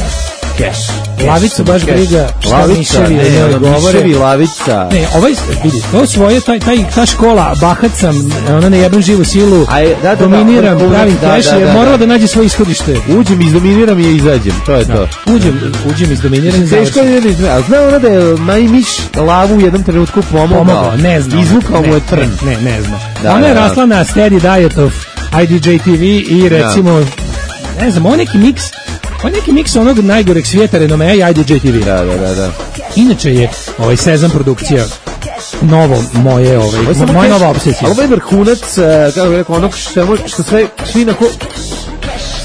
Cash. Lavicu baš Cash. briga šta Lavica, miševi ne, o njoj ono, govore. miševi lavica. Ne, ovaj, vidi, to svoje, taj, taj, ta škola, bahat sam, ona ne jebem živu silu, A je- da, da, da, dominiram, vrhunac, pravim da, cash, da, je da, morala da. da nađe svoje ishodište. Uđem, izdominiram i izađem, to je to. Uđem, uđem iz dominiranja. Teško je da izme, a zna ona da je Majmiš lavu u jednom trenutku pomogao? Pomogao, ne znam. Izvukao mu je trn. Ne, ne, ne zna. Da, Ona je da, da. rasla na steady diet of I D J T V i recimo, ne znam, on neki miks, on neki miks onog najgoreg svijeta renomea i I D J T V. Da, da, da, da. Inače je ovaj Sezam produkcija novo moje, ovaj, Ovo je samo moja cash, nova obsesija. ali ovo je vrhunac, eh, kako bih rekao, onog što, što sve, svi na ko...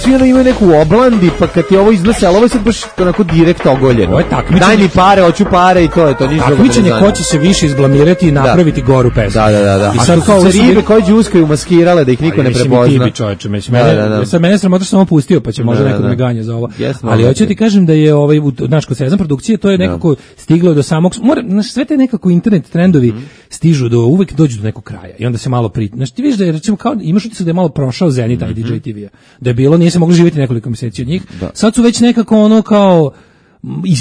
svi ono imaju neku oblandi, pa kad ti ovo iznose, ali ovo je sad baš onako direkt ogoljeno. Ovo je takmičenje. Daj mi pare, hoću pare i to je to. Takmičenje ko će se više izblamirati i napraviti da. goru pesmu. Da, da, da. da. I sad sad kao se ribe koje džuskaju maskirale da ih niko ne prepozna. Čoveče, mislim, mene, da, da, da. sad mene sramota što sam ovo pustio, pa će možda da, neko da me ganje za ovo. Yes, ali hoću ti kažem da je ovaj naš kod Sezam produkcije, to je nekako da. stiglo do samog, mora, znaš, sve te nekako internet trendovi mm. stižu do, uvek dođu do nekog kraja i onda se malo pri, znaš, ti vidiš da je, recimo, kao, imaš utisak da je malo prošao Zenit mm -hmm. i D J T V-a, da je bilo, nije se moglo živjeti nekoliko mjeseci od njih, da. sad su već nekako ono kao,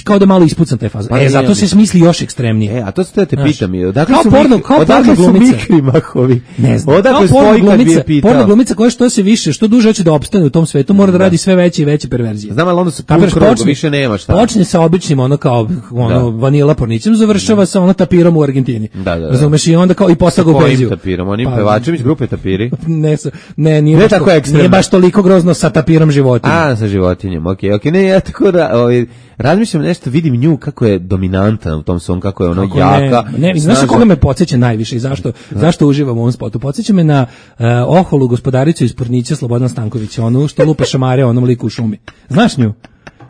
kao da malo ispucan taj faz. Pa e, zato se smisli još ekstremnije. E, a to se te pitam. Odakle su porno, kao odakle porno glumice. Su Mikrimahovi? Ne znam. Odakle kao porno glumica, porno glumica koja što se više, što duže hoće da opstane u tom svetu, mora da, da radi sve veće i veće perverzije. Znam, ali onda se pun krug, više nema šta. Počne sa običnim, ono kao ono da. vanila pornićem, završava da. sa ono tapirom u Argentini. Da, da, da. Razumeš, i onda kao i postaga u penziju. Tapirom, oni pa, pevačević grupe Tapiri. Ne, ne, nije, ne tako ekstremno. Nije baš toliko grozno sa tapirom životinja. A, sa životinjem. Okej, okej, ne, ja tako da, ovaj razmišljam nešto, vidim nju kako je dominantna u tom svom, kako je ono kako jaka. Ne, ne znaš koga me podsjeća najviše i zašto, da. zašto uživam u ovom spotu? Podsjeća me na uh, oholu gospodaricu iz Pornića Slobodan Stanković, onu što lupa šamare onom liku u šumi. Znaš nju?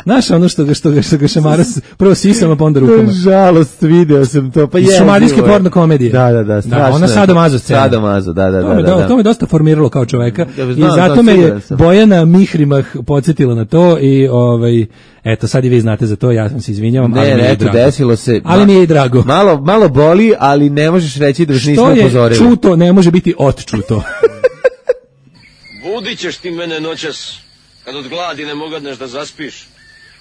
Znaš ono što ga, što ga, što ga šamara prvo sisama pa onda rukama. Žalost, video sam to. Pa je. Šumarijske porno komedije. Da, da, da, strašno. Da, ona sadomazo scena. Sadomazo, da, da, da, da, da. To me dosta formiralo kao čoveka. Ja, znam, i zato me je Bojana Mihrimah podsjetila na to i ovaj eto sad i vi znate za to, ja sam se izvinjavam, ne, ali mi je eto, drago. Desilo se. Ali mi je i drago. Malo, malo boli, ali ne možeš reći da vas nismo upozorili. Što je čuto, ne može biti otčuto. Budit ćeš ti mene noćas, kad od gladi ne mogadneš da zaspiš.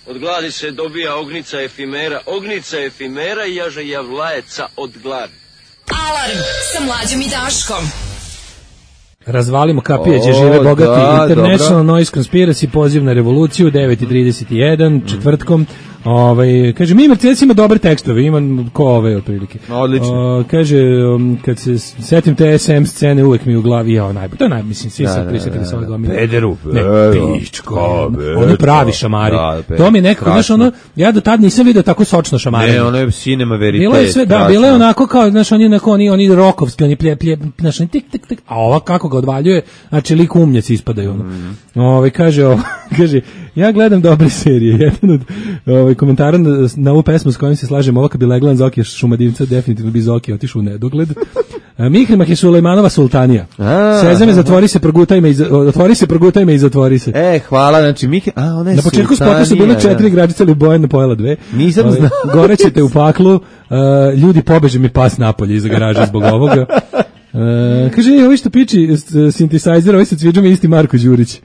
Od gladi se dobija ognica efimera, ognica efimera i jaže javlajeca od gladi. Alarm sa Mlađom i Daškom. Razvalimo kapije gdje žive bogati. Da, International dobro. Noise Conspiracy, poziv na revoluciju, devet i trideset jedan, četvrtkom. Ovaj kaže mi Mercedes ima dobre tekstove, ima ko ove otprilike. Odlično. Uh, kaže um, kad se setim te S M scene uvek mi u glavi ja najbolje. To je naj mislim svi se prisetili sa ove gomile. Pederu. Ne, pičko. Oni pravi šamari. Da, to mi je nekako, znaš, ono, ja do tad nisam video tako sočno šamare. Ne, ono je cinema verite. Bilo je sve, da, bilo je onako kao, znaš, oni onako, oni, oni rokovski, oni plje, plje, znaš, oni tik, tik, tik, a ova kako ga odvaljuje, znači lik umnjaci ispadaju, ono. Mm. Ove, kaže, ovo, kaže, ja gledam dobre serije, jedan od ove, komentara na, na ovu pesmu s kojim se slažem, ovo kad bi leglan Zokija Šumadivca, definitivno bi Zokija otišao u nedogled. Mihrimah je Sulejmanova sultanija. Sezame, zatvori se, progutaj me, otvori se, progutaj me i zatvori se. E, hvala, znači Mih, a ona je na početku spota su bile četiri igračice, ali Bojana pojela dve. Nisam znao. Gore ćete u paklu, uh, ljudi pobeže mi pas napolje iz garaže zbog ovoga. Uh, kaže, ovi što piči synthesizer, ovi sa cviđom je isti Marko Đurić. uh,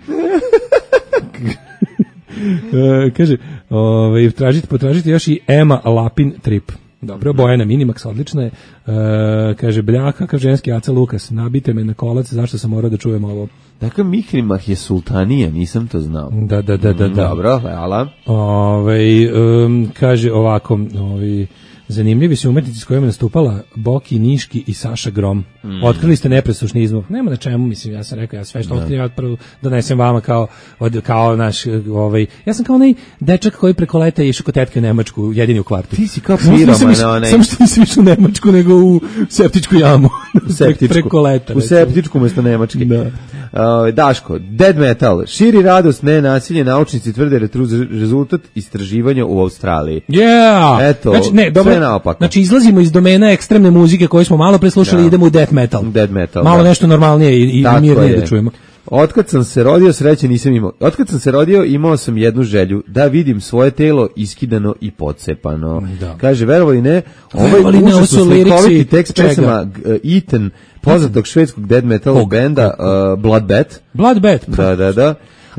kaže, ovaj, tražite, potražite još i Ema Lapin Trip. Dobro, Bojana Minimax, odlična je. E, kaže, blja, kakav ženski Aca Lukas, nabite me na kolac, zašto sam morao da čujem ovo? Dakle, Mihrimah je sultanija, nisam to znao. Da, da, da, da. da. Dobro, hvala. Ove, um, kaže ovako, ovi, zanimljivi su umetnici s kojima nastupala Boki, Niški i Saša Grom. Mm. Otkrili ste nepresušni izvor. Nema na čemu, mislim, ja sam rekao, ja sve što otkrijem, ja prvo donesem vama kao, od, kao naš, ovaj, ja sam kao onaj dečak koji preko leta išao kod tetke u Nemačku, jedini u kvartu. Ti si kao piroma, onaj. Samo što nisam išao u Nemačku, nego u septičku jamu. U septičku. Preko leta. U septičku umjesto Nemačke. Da. Uh, Daško, Dead Metal, širi radost, ne nasilje, naučnici tvrde retru rezultat istraživanja u Australiji. Yeah! Eto, znači, ne, dobro, sve naopako. Znači, izlazimo iz domena ekstremne muzike koju smo malo preslušali i idemo u death metal. Dead metal, malo da. nešto normalnije i, i mirnije da čujemo. Otkad sam se rodio, sreće nisam imao. Otkad sam se rodio, imao sam jednu želju, da vidim svoje telo iskidano i pocepano. Da. Kaže, verovali ne, ovaj užasno slikoviti tekst pesama Eaten, poznatog švedskog dead metal Kog? benda uh, Bloodbath. Bloodbath. Da, da, da.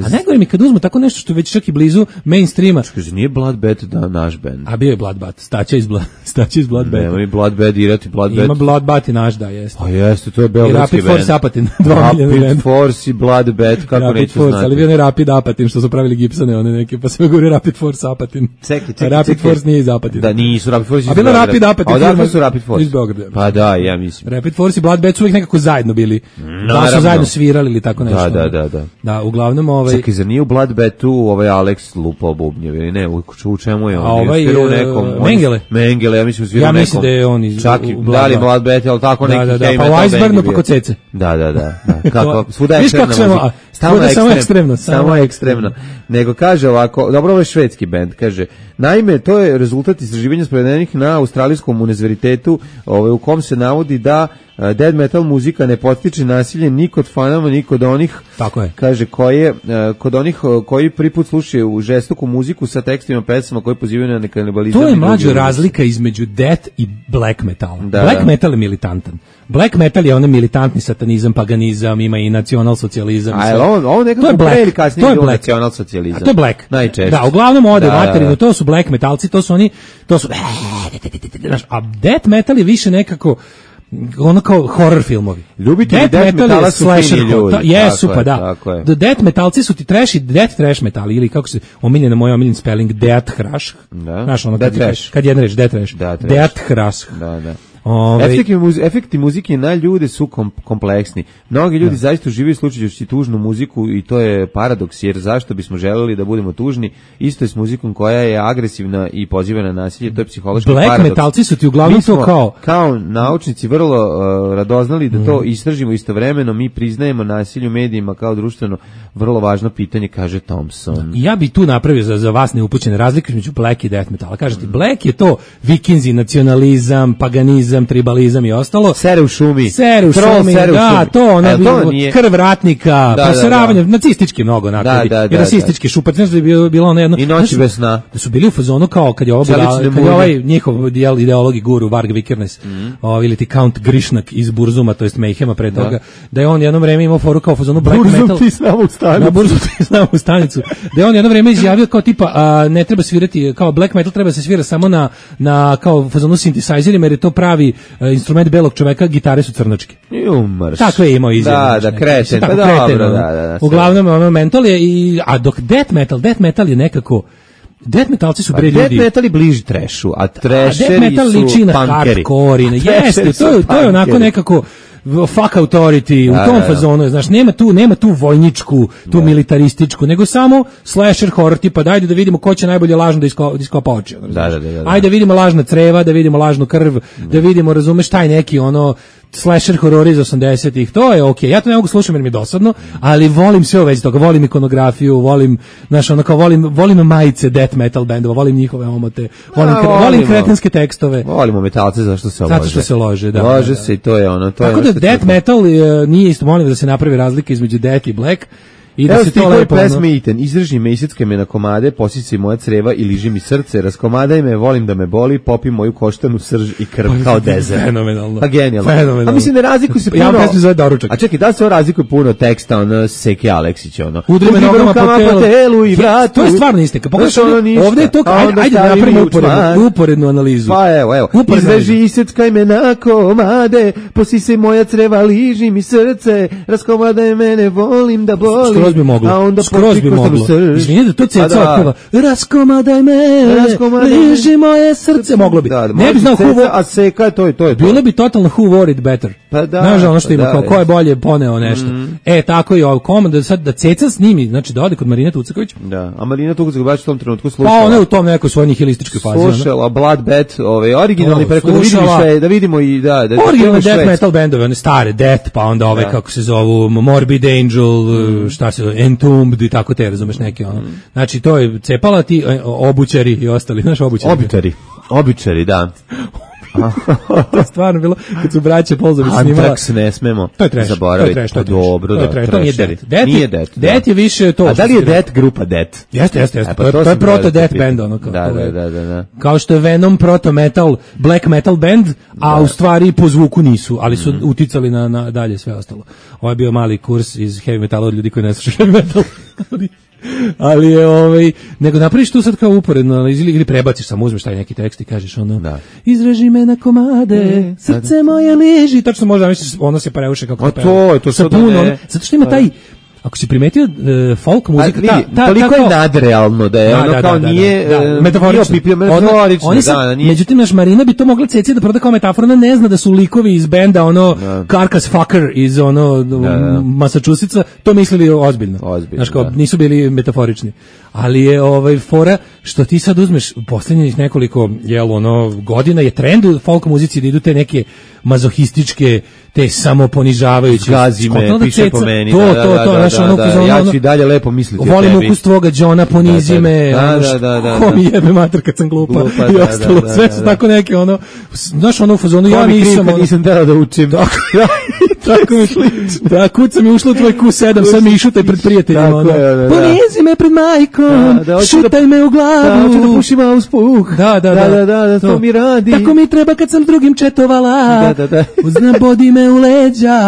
A ne govorim mi kad uzmu tako nešto što već čak i blizu mainstreama. Kaže, nije Bloodbath da naš bend. A bio je Bloodbath, staće iz, bla, staće iz Bloodbath. Nema mi Bloodbath dirati Bloodbath. Ima Bloodbath i naš, da, jeste. Pa jeste, to je beogradski bend. I Rapid Force Apatin. Rapid Force i Bloodbath, kako Rapid neću Force, znati. Ali bio ne Rapid Apatin, što su pravili Gibsone, one neke, pa se govori Rapid Force Apatin. Čekaj, čekaj, Rapid čekaj. Force nije iz Apatina. Da, nisu Rapid Force iz Beograda. A bilo Rapid Apatin. A odakle su Rapid Force? Iz Beograda. Pa da, ja mislim. Rapid Force i Bloodbath su uvijek nekako zajedno bili. Da su zajedno svirali ili tako nešto. Da, da, da, da. Da, uglavnom ovaj. Čekaj, zar nije u Bloodbathu ovaj Alex lupao bubnjev ili ne, u, u čemu je on? A ovaj, u nekom, on, Mengele. Mengele, ja mislim svirao ja nekom. mislim da je on iz... Čak i dali Bloodbath, ali tako da, neki da, da, heavy pa metal u Icebergu band pa kod Cece. Da, da, da. da. Kako, svuda je crna muzika. Samo ekstremno, ekstremno, samo ekstremno. Nego kaže ovako, dobro, ovo je švedski bend, kaže, naime, to je rezultat istraživanja sprovedenih na australijskom univerzitetu, ovaj, u kom se navodi da uh, death metal muzika ne potiče nasilje ni kod fanama, ni kod onih, tako je, kaže, koje, uh, kod onih uh, koji prvi put slušaju u žestoku muziku sa tekstima pesama koji pozivaju na kanibalizam. To je mlađa razlika između death i black metala. Da, black da. metal je militantan. Black metal je onaj militantni satanizam, paganizam, ima i nacionalsocijalizam. A ovo, ovo nekako pre ili kasnije je nacionalsocijalizam. A to je black. Najčešće. Da, uglavnom ode da, materinu, da, da. to su black metalci, to su oni, to su, a death metal je više nekako ono kao horror filmovi. Ljubitelji death, death metala je su slasher fini ljudi. Jesu, pa da. Tako je. The death metalci su ti trash i death trash metali, ili kako se omiljena moj omiljen spelling, death thrash. Da. Znaš, ono death kad, trash. kad jedna reč, death trash. Da, death thrash. Da, da. Ove... Efekti, muzi- efekti muzike na ljude su kom- kompleksni. Mnogi ljudi da. zaista uživaju slušajući tužnu muziku i to je paradoks, jer zašto bismo želeli da budemo tužni? Isto je s muzikom koja je agresivna i poziva na nasilje, to je psihološki Black paradoks. Black metalci su ti uglavnom to kao... kao naučnici vrlo uh, radoznali da to mm. istražimo istovremeno, mi priznajemo nasilje u medijima kao društveno vrlo važno pitanje, kaže Thompson. Ja bi tu napravio za, za vas neupućene razlike između Black i death metala. Kažete, mm. Black je to vikinzi, nacionalizam, paganizam, tribalizam i ostalo. Sere u šumi. Sere u šumi, sere u da, šumi. to, ono, to nije... krv ratnika, da, proseravanje, da, da. nacistički mnogo nakladi. Da, da, I rasistički da. šupac, znaš da je bilo, bilo ono jedno... I noći bez sna. Da su bili u fazonu kao kad je ovo bila, kad je ovaj njihov ideolog i guru, Varg Vikernes, mm. o, ili ti Count Grishnak iz Burzuma, to jest Mayhema pre toga, da. da je on jedno vreme imao foru kao fazonu black Burzum metal. Ti znamo u stanicu. Na Burzum ti znamo u stanicu. Da je on jedno vreme izjavio kao tipa, a, ne treba svirati, kao black metal treba se svira samo na, na kao fazonu synthesizerima, jer je to pravi a, instrument belog čoveka, gitare su crnočke. Umrš. Tako je imao izjavio. Da, da, kreten, pa dobro, da, da, da. Uglavnom, ono mental je, i, a dok death metal, death metal je nekako, death metalci su bre ljudi. Death metal je bliži trešu, a trešeri su punkeri. Death metal liči na hardcore, jeste, to, to je onako nekako fuck authority, da, u tom da, fazonu, znaš, nema tu, nema tu vojničku, tu da. militarističku, nego samo slasher horror, tipa dajde da vidimo ko će najbolje lažno da iskopa, da iskopa oči. Da, da, da, da. Ajde da vidimo lažna creva, da vidimo lažnu krv, da, da vidimo, razumeš, taj neki ono slasher horor iz osamdesetih, to je okej. Okay. Ja to ne mogu slušati jer mi je dosadno, ali volim sve u vezi toga, volim ikonografiju, volim, znaš, ono kao volim, volim majice death metal bendova, volim njihove omote, volim, A, kre, volim kretenske tekstove. Volimo metalce zašto se lože. Zato što se lože, da. Lože da, se i to je ono, to tako je. Tako da death metal uh, nije isto, molim da se napravi razlika između death i black. I da evo se to lepo pesme iten, izrži me, isjecka me na komade, posjeći moja creva i liži mi srce, raskomadaj me, volim da me boli, popi moju koštanu srž i krv pa, kao dezer. Fenomenalno. Pa genijalno. Fenomenalno. A mislim ne razlikuju se puno. Ja pesmi zove Doručak. A čekaj, da se ovo razlikuje puno teksta, ono Seke Aleksić, ono. Udri me nogama po telu. po telu i vratu. To je stvarno istika. Pogledaj, ovdje je to, ajde, ajde da napravimo uporednu, uporednu analizu. Pa evo, evo. Izreži, isjeckaj me na komade, posisaj moja creva, liži mi srce, raskomadaj mene, volim da boli. Skroz bi moglo. Skroz bi moglo. Izvini da to ceca otpeva. Raskomadaj me, liži moje srce. Moglo bi. Ne bi znao who... A Seka, to je to. Bilo bi totalno who wore it better. Pa da. Znaš ono što ima, kao ko je bolje poneo nešto. E, tako i ovo komand, da sad da ceca snimi, znači da ode kod Marine Tucaković. Da, a Marina Tucaković baš u tom trenutku slušala. Pa ona je u tom nekoj svojoj nihilističkoj fazi. Slušala Bloodbath, ove, originalni preko da vidimo sve, da vidimo i da... da originalne death metal bendove, one stare, Death, pa onda ove, kako se zovu, Morbid Angel, šta se zove, Entombed i tako te, razumeš, neke ono. Znači, to je cepala ti obućari i ostali, znaš, obućari. Obućari, obućari, da. To je stvarno bilo, kad su braće Polzović snimala. Antrax ne smemo to je trash, zaboraviti. To je trash, to je trash. Dobro, to je da, trash, to nije Death. Death nije Death. Death je više to. A da li je Death grupa Death? Jeste, jeste, jeste. E, pa to, to, to je proto Death band, ono kao. Da, da, da, da, da. Kao što je Venom proto metal, black metal band, a da. U stvari po zvuku nisu, ali su mm-hmm. uticali na, na dalje sve ostalo. Ovo je bio mali kurs iz heavy metala od ljudi koji ne slušaju heavy metal. Ali je ovaj, nego napraviš tu sad kao uporedno ili, ili prebaciš samo, uzmeš taj neki tekst i kažeš ono, da. Izreži me na komade, e, srce da. Moje liži, tačno možda misliš, ono se pareuše kako a to je to sa puno, ono, zato što ima taj, ako si primetio uh, folk muzika, ta, ta, toliko ta, je nadrealno da je da, ono da, kao da, nije da, da, da. metaforično, metaforično oni se, da, nije. Međutim, naš Marina bi to mogla ceci da proda kao metafor, ona ne zna da su likovi iz benda ono da. Carcass Fucker iz ono da, da. Massachusettsa, to mislili ozbiljno, ozbiljno znaš kao, da. nisu bili metaforični. ali je ovaj fora što ti sad uzmeš posljednjih nekoliko jel ono godina je trend u folk muzici da idu te neke mazohističke, te samoponižavajuće. Gazi me, piše po meni. To, da, to, da, to, da, znaš, da, ono, da, ono, ja ću i dalje lepo misliti o tebi. volim ukus tvoga Johna, ponizi da, me, da, ono, da, da, da, ko mi da. jebe mater kad sam glupa, Glupa, i da, ostalo, da, da, sve da, su da. tako neke, ono, znaš, ono, u fazonu, ja mi kriv nisam, kad ono, nisam teo da učim. tako, tako mi, da, kuca mi ušla u tvoj Q sedam, sad mi išutaj pred prijateljima, Tako ono, je, da, da. ponizi me pred majkom, Da, da, hoću šutaj me u glavu, Da, hoću da pušim auspuh. Da, da, da, da, da, da, to mi radi. Tako mi treba kad sam s drugim četovala. Da, da, da. Uzna bodi me u leđa,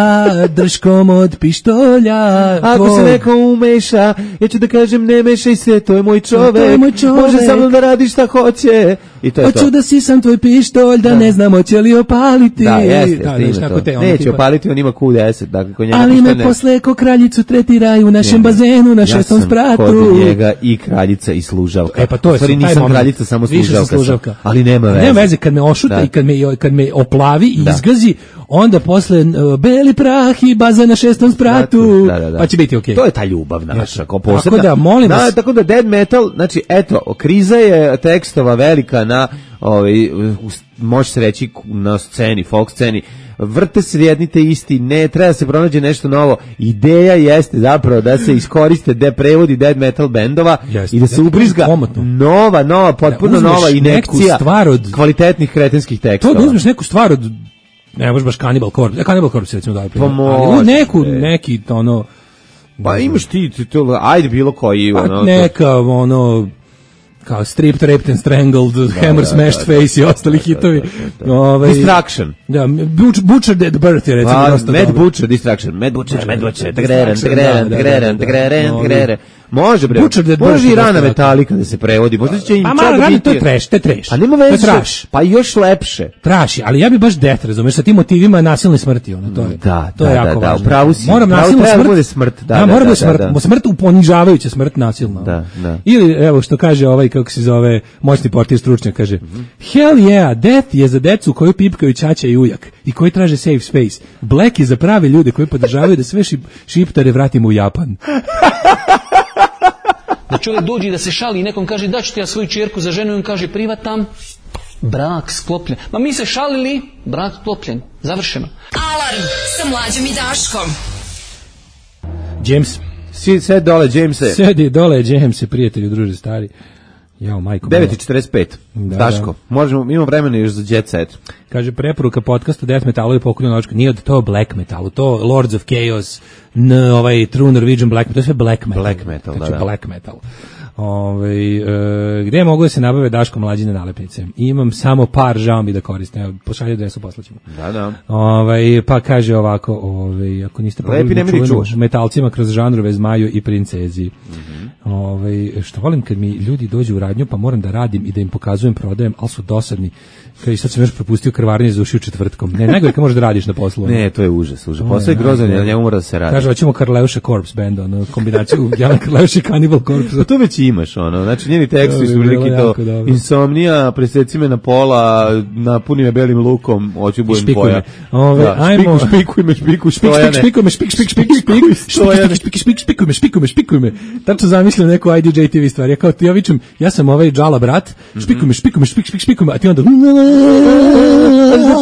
drškom od pištolja. Ako To- se neko umeša, ja ću da kažem ne mešaj se, to je moj čovek. To je moj čovek. Može sa mnom da radi šta hoće. I to je Hoću to. da sisam tvoj pištolj, da, Da. ne znam hoće li opaliti. Da, jeste, Da, jeste, znaš, ima tako to. te, ono, Neće tipa- opaliti, on ima Q deset, dakle, kod njega Ali ništa me ne. posle ko kraljicu tretiraju u našem Ne, ne. bazenu, na šestom Ja sam spratu. kod njega i kraljica i služavka. E pa to je U stvari sam taj nisam moment. kraljica, samo Više sam služavka. sam. služavka. Ali nema veze. Nema veze, kad me ošuta Da. i kad me, kad me oplavi i Da. izgazi, onda posle uh, beli prah i baza na šestom spratu, Da, da, da. pa će biti okej. To je ta ljubav naša, kao Tako posebna. da, molim Da, vas. tako da dead metal, znači, eto, kriza je tekstova velika na, ovaj, u- može se reći, na sceni, folk sceni. Vrte se jedni te isti, ne, treba da se pronađe nešto novo. Ideja jeste zapravo da se iskoriste de prevodi dead metal bendova Jeste. i da se Ja, ubrizga komotno. nova, nova, potpuno Da uzmeš nova neku injekcija stvar od- kvalitetnih kretenskih To tekstova. da uzmeš neku stvar od, ne možeš baš Cannibal Corpse, Cannibal Corpse recimo daj primjer. Pa Ali u može, neku, bre. neki ono, Pa imaš ti, ti to, ajde bilo koji, pa ono, neka ono, kao Stripped, Raped and Strangled, Hammer, da, Smashed da, da. Face i ostali hitovi. Ovaj, Distraction. Da, Butch- Butchered at Birth je recimo A, dosta Mad dobro. Butcher, Distraction, Mad Butcher, Mad Butcher, tgreren, Distraction, tgreren, da, da, tgreren, da, da. tgreren, Ovi- tgreren. Može bre, Butcher Dead može Bird i rana dosta Metallica da se prevodi, možda će im Pa čak malo radi, biti... to je trash, to je trash. A nema To je veze, trash. pa još lepše. Traši, ali ja bi baš death, razumeš, sa tim motivima nasilne smrti, ono, to je. Da, to je da, jako da, da, važno. upravo si, Moram upravo nasilnu treba da smrt. bude smrt, da, Da, da, mora da, bude da, smrt, da. smrt u ponižavajuća smrt nasilna. Da, da. Ili evo što kaže ovaj kako se zove moćni portir stručnjak kaže: Hell yeah, death je za decu koju pipkaju ćaća i ujak i koji traže safe space. Black je za prave ljude koji podržavaju da sve šip, šiptare vratimo u Japan. Da čovjek dođe i da se šali i nekom kaže da ću ti ja svoju čerku za ženu i on kaže privatam, brak sklopljen. Ma mi se šalili, brak sklopljen, završeno. Alarm sa Mlađom i Daškom. James, Si sed dole, Jamese. sedi dole, James, prijatelju, druže stari. Jao, majko. devet i četrdeset pet. Da, Daško, možemo, imamo vremena još za jet set. Kaže, preporuka podcasta Death Metalu i pokolju nočka. Nije od to Black Metalu, to Lords of Chaos, n, ovaj True Norwegian Black Metal, to je sve Black Metal. Black Metal, znači, da, da. Black Metal. Ove, e, gde mogu da se nabave Daško mlađine nalepnice? Imam samo par, žao mi da koristim. Evo, pošalje adresu, poslaćemo. Da, da. Ovaj pa kaže ovako, ovaj ako niste Lepi, pogledali nemoj da ih čuvenu čuvaš. metalcima kroz žanrove Zmaju i Princezi. Mhm. Ovaj što volim kad mi ljudi dođu u radnju pa moram da radim i da im pokazujem, prodajem, al su dosadni. Kao i sad sam još propustio krvarnje za ušiju četvrtkom. Ne, nego kad možeš da radiš na poslu. ono. Ne, to je užas, užas. To je Posle je grozan, najgore. na njemu mora da se radi. Kaže, hoćemo Karleuša Corpse band, ono, kombinaciju Jan Karleuša i Cannibal Corpse. Pa to već imaš, ono, znači njeni tekstovi To su bi bilo prilike to, jako dobro. insomnija, preseci me na pola, napuni me belim lukom, hoću budem Špikuj tvoja. me. Ove, Da, ajmo. špiku, špikuj me, špiku, Špik, Stojane. špik, špikuj me, špik, špik, špik, špik, Stojane. špik, špik, špik, špikuj me, špikuj me, špikuj me. Tačno zamišljam neku I D J T V stvar. Ja kao, ja vičem, ja sam ovaj džala brat, špikuj me, špikuj me, špik, špik, špikuj me, a ti onda... Da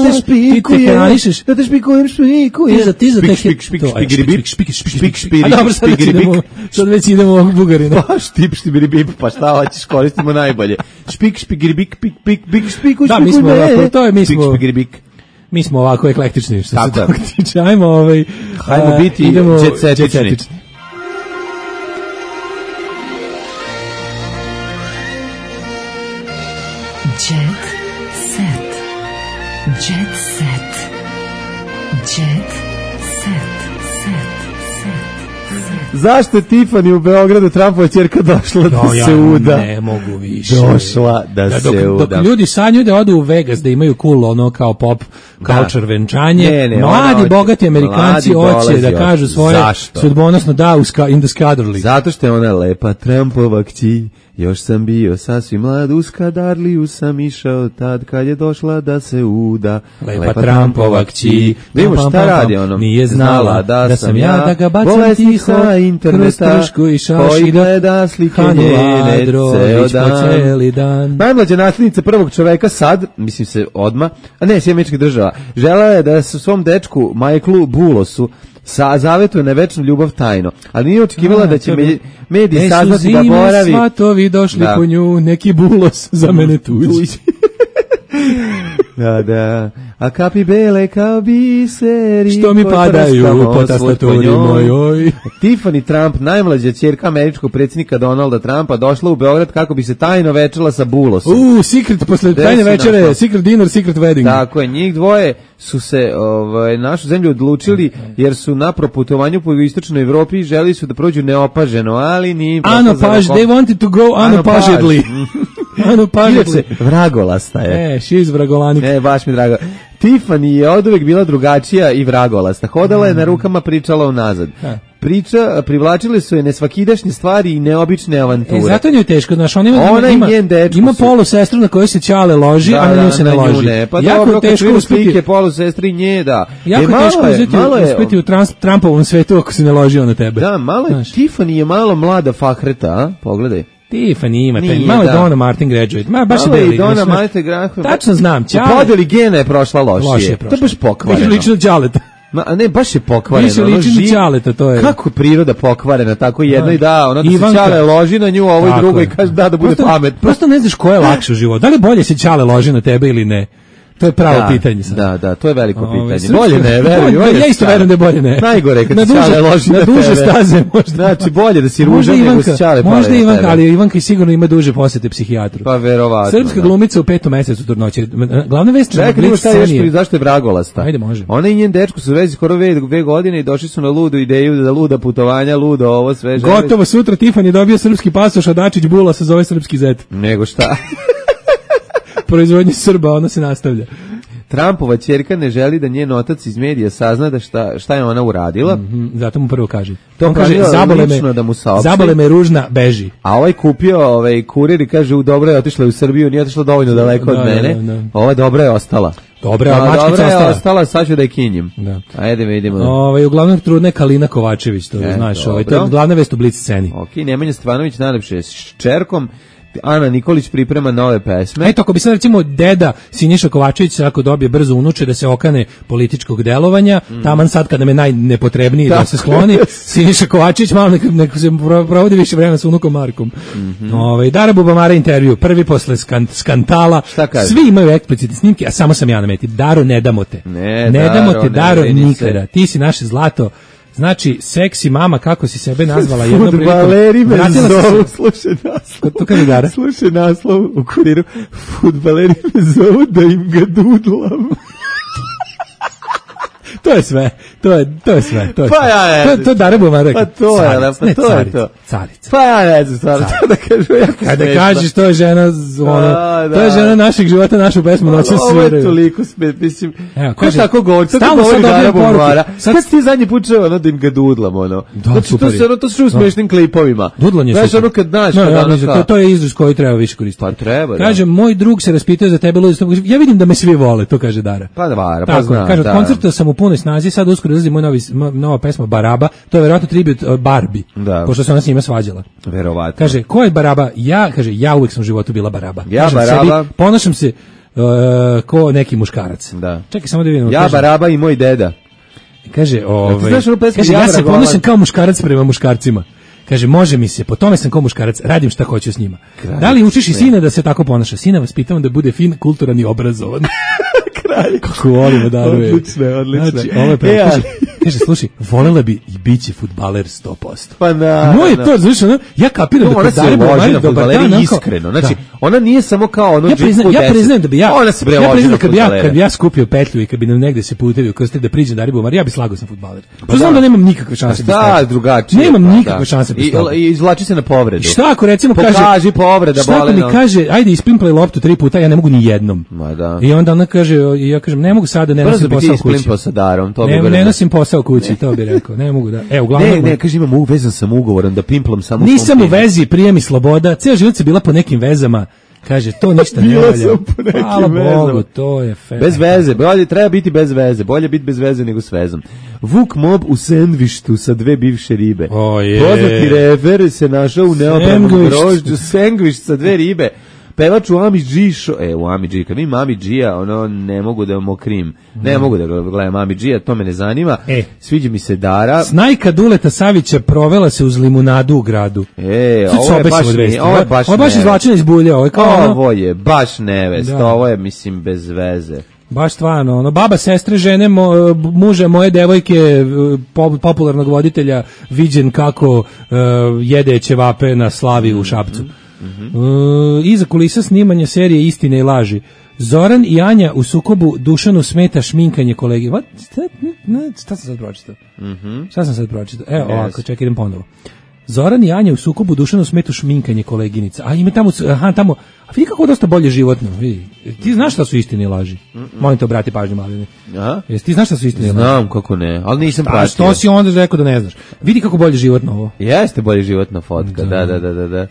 te Ti te hranišeš. da te špikujem, špikujem. Ti za, ti za te... Špik, špik, to, aj, špik, špik, špik, špik, špik, špik, špik, A dobro, sad već špik, idemo, sad već idemo ovog Bugarina. Pa štip, štibiri, bip, pa šta hoćeš, koristimo najbolje. Špik, špigiri, bik, pik, pik, bik, špiku, Da, mi smo špikuj me. ovako, to je, mi Špik, smo- špigiri, bik. Mi smo ovako eklektični, što se Tako je. toga tiče. Ajmo, ovaj... Hajmo a, biti idemo jet-setični. jet-setični. Jet set. Jet set. Jet set. Set. Set. Zašto je Tiffany u Beogradu Trumpova ćerka došla da No, ja se uda? ne mogu više. Došla da, Da, se dok, uda. dok ljudi sanjaju da odu u Vegas, da imaju cool ono kao pop culture venčanje, Ne, ne, ona mladi, hoće- bogati Amerikanci mladi hoće dolazi, da kažu hoće. svoje Zašto? sudbonosno da u ska, in the Skadarli. Zato što je ona lepa Trumpova kći. Još sam bio sasvim mlad, u Skadarliju sam išao tad kad je došla da se uda. Lepa Trumpova kći. Da imamo Pam, šta pam, pam, radi ono. nije znala da sam ja, da ga bacam bolesni tiho, sa i interneta, koji gleda slike njene ceo dan. dan. Najmlađa nasljednica prvog čoveka sad, mislim se odma, a ne, Sjedinjenih Američkih Država, žela je da se svom dečku Michaelu Bulosu sa zavetuje na večnu ljubav tajno, ali nije očekivala da će me, mediji saznati da boravi. Svatovi došli da. Po nju, neki Bulos za mene tuđi. Da, da. A kapi bele kao biseri što mi padaju po tastaturi mojoj. Tiffany Trump, najmlađa ćerka američkog predsjednika Donalda Trumpa, došla u Beograd kako bi se tajno večela sa Bulosom. U, secret, posle tajne večere, našla. Secret dinner, secret wedding. Tako je, njih dvoje su se ovaj, našu zemlju odlučili jer su na proputovanju po istočnoj Evropi želi su da prođu neopaženo, ali ni... Unopaž, they wanted to go unopažedly. Unopažedly. Vragolasta je. E, she's vragolanik. Ne, baš mi drago. Tiffany je oduvek bila drugačija i vragolasta. Hodala je na rukama, pričala unazad. Priča, privlačile su je nesvakidašnje stvari i neobične avanture. E, zato njoj je teško, znaš, ona ima, ona ima, ima su... polu sestru na kojoj se Ćale loži, da, a na nju se ne loži. Ne. Pa jako dobro, teško uspeti, polu sestri nje, da. Jako je teško je, uzeti, malo je, uspeti u trans, Trumpovom svetu ako se ne loži on na tebe. Da, malo je, Tiffany je malo mlada fahreta, a? Pogledaj. Tiffany ima, taj, malo je Donna Martin graduate, ma baš je deli. Donna Martin graduate. Tačno znam, Ćale. U podeli gena je prošla lošije. Lošije je prošla. To je baš pokvareno. Lično Ćaleta. Ma, ne, baš je pokvareno. Više liči na Ćaleta, to je. Kako priroda pokvarena, tako jedno i da, ono da se Ćale loži na nju, ovo i drugo i kaže da, da bude prosto, pametno. Prosto ne znaš ko je lakše u životu. Da li bolje se Ćale loži na tebe ili ne? To je pravo da, pitanje sad. Da, da, to je veliko Ove, pitanje. Srpska, bolje ne, veruj. Ja isto verujem da je bolje ne. Najgore kad na se Ćale loži na, na duže tebe. staze možda. Znači, bolje da si ružan nego se Ćale pale. Možda Ivanka, ali Ivanka sigurno ima duže posete psihijatru. Pa verovatno. Srpska da. glumica u petom mesecu trudnoće. Glavna vest je Čekaj, šta je još, zašto je vragolasta? Ajde, može. Ona i njen dečko su vezi skoro dve godine i došli su na ludu ideju za luda putovanja, ludo ovo sve. Gotovo, sutra Tiffany dobio srpski pasoš, a Dačić Bula se zove srpski zet. Nego šta? Proizvodnje Srba, ona se nastavlja. Trumpova ćerka ne želi da njen otac iz medija sazna da šta, šta je ona uradila. Mm-hmm, zato mu prvo kaže. To on kaže, zabole me, da mu saopšti. Zabole me ružna, beži. A ovaj kupio ovaj kurir i kaže, u dobro je otišla u Srbiju, nije otišla dovoljno daleko da, od mene. Da, da. Ova dobra je ostala. Dobra, a mačkica dobra je ostala. ostala, sad ću da je kinjem. Da. Ajde, vidimo. Ovaj uglavnom trudna je Kalina Kovačević, to e, znaš, ovaj, to je glavna vest u Blic sceni. Okej, Nemanja Stevanović najlepše je s čerkom. Ana Nikolić priprema nove pesme. Eto, ako bi sad recimo deda Siniša Kovačević ako dobije brzo unuče da se okane političkog delovanja, mm. taman sad kada nam je najnepotrebniji da se skloni, Siniša Kovačević malo neko, neko se provodi više vremena sa unukom Markom. Mm-hmm. Ove, Dara Bubamara intervju, prvi posle skant, skantala, svi imaju eksplicitne snimke, a samo sam ja na meti. Daro, ne damo te. Ne, ne Daro, damo te, Daro, ne nikada. Ti si naše zlato. Znači, seksi mama, kako si sebe nazvala jednom prilikom. Fudbaleri me zovu, slušaj naslov. To kaže Dara. Slušaj naslov u kuriru. Fudbaleri me zovu da im ga dudlam. To je sve. To je to je sve. To je. Pa ja ne. To to Dara Bubamara. Pa to je, pa ne, to carica, je to. Carica. Pa ja ne znam stvarno to da kažu ja. Kada kažeš to je žena, ono, to je žena našeg života, našu pesmu noći sviraju. Ovo je toliko smet, mislim. Evo, kaže tako govori, stalno govori Dara Bubamara. Sad kad ti zadnji put čuo ono da im ga dudlam ono. Znači to se ono to su u smešnim klipovima. Dudlanje znaš ono kad znaš to to je izraz koji treba više koristiti. Pa treba. Kaže moj drug se raspitao za tebe, ja vidim da me svi vole, to kaže Dara. Pa Dara, pa zna. Kaže koncerta sam u punoj snazi, sad uskoro izlazi moj novi nova pesma Baraba, to je verovatno tribut uh, Barbie, da. Pošto se ona s njima svađala. Verovatno. Kaže, ko je Baraba? Ja, kaže, ja uvijek sam u životu bila Baraba. Ja Kažem Baraba. Sebi, ponašam se uh, ko neki muškarac. Da. Čekaj, samo da vidim. Ja kaže, Baraba i moj deda. Kaže, ovaj, znaš, kaže ja, ja se ponašam kao muškarac prema muškarcima. Kaže, može mi se, po tome sam kao muškarac, radim šta hoću s njima. Kralj, da li učiš i sina da se tako ponaša? Sina vas pitam da bude fin, kulturan i obrazovan. Kralj. Kako volimo da je. Odlično, odlično. Znači, ovo je pravo. E, kaže, kaže, slušaj, volela bi i bit će fudbaler sto posto. Pa na. Moje to, znaš, ono, ja kapiram no, da kod Dare Bubamari dobar dan, iskreno. Znači, da. Ona nije samo kao ono ja priznajem, ja priznajem da bi ja, ona se bre ja priznajem da kad bi ja, kad bi ja skupio petlju i kad bi nam negde se putevi ukrstili da priđe Dare Bubamari, ja bi slagao sam fudbaler. Pa znam da nemam nikakve šanse da sta drugačije. Nemam nikakve šanse da I izvlači se na povredu. Šta ako recimo kaže, pokaži povreda bolena. Šta ako mi kaže, ajde isplimplaj loptu tri puta, ja ne mogu ni jednom. Ma da. I onda ona kaže, ja kažem, ne mogu sada, ne nosim posao kući. Sa Darom, to ne, bi ne nosim posao kući, to bi rekao. Ne mogu da. E, uglavnom. Ne, ne, kaže imam uvezan sam ugovoran da pimplam samo. Nisam u vezi, prije mi sloboda. Ceo život se bila po nekim vezama. Kaže, to ništa ne valja. Hvala Bogu, to je fe. Bez veze, bolje treba biti bez veze, bolje biti bez veze nego s vezom. Vuk mob u sendvištu sa dve bivše ribe. O je. Poznati refer se našao u neobranom grožđu, sendviš sa dve ribe. Pevač u Ami G show, e, u Ami G, kad vidim Ami G-a, ono, ne mogu da mokrim, ne mm. mogu da gledam Ami G-a, to me ne zanima, e. sviđa mi se Dara. Snajka Duleta Savića provela se uz limunadu u gradu. E, ovo je baš, ne, ovo je baš, ovo je baš izvlačena iz bulja, ovo je kao ono... Ovo je baš nevest, da. Ovo je, mislim, bez veze. Baš stvarno, ono, baba, sestre, žene, mo, muže moje devojke, popularnog voditelja, viđen kako uh, jede ćevape na slavi u Šapcu. Mm-hmm. Uh, iza kulisa snimanja serije Istine i laži. Zoran i Anja u sukobu, Dušanu smeta šminkanje kolege. What? Šta, ne, šta sam sad pročitao? Mm-hmm. Šta sam sad pročitao? Evo, yes. ovako, čekaj, idem ponovo. Zoran i Anja u sukobu, Dušanu smeta šminkanje koleginica. A ima tamo, aha, tamo, a vidi kako je dosta bolje životno. Vidi. Ti znaš šta su istine i laži? Mm-mm. Molim te, obrati pažnju, Mladine. Aha. Jesi ti znaš šta su istine i laži? Znam kako ne, ali nisam a, pratio. Što si onda rekao da ne znaš? Vidi kako bolje životno ovo. Jeste bolje životna fotka, da, da, da, da, da.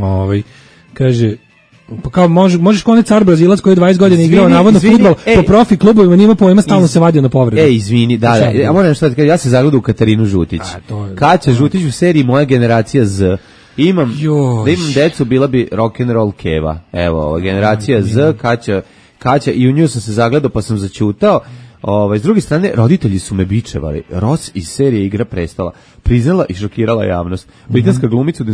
Ovaj, kaže, pa kao može, možeš kao onaj car Brazilac koji je dvadeset godina igrao navodno fudbal po profi klubovima, nima pojma, stalno iz, se vadio na povredu. Ej, izvini, da, da, ja moram što da kažem, ja se zagledao u Katarinu Žutić. Kaća Žutić u seriji Moja generacija Z. Imam, Jož. da imam decu, bila bi rock and roll Keva. Evo, ova generacija Z, Kaća, Kaća, i u nju sam se zagledao pa sam zaćutao. Ovaj, s druge strane, roditelji su me bičevali. Ross iz serije Igra prestola priznala i šokirala javnost. Britanska glumica u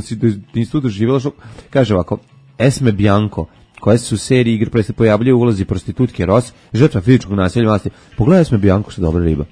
institutu doživjela šok. Kaže ovako, Esme Bianco, koja se u seriji Igra prestola pojavljuje u ulozi prostitutke Ross, žrtva fizičkog nasilja vlasti. Pogledaj Esme Bianco, što dobra riba.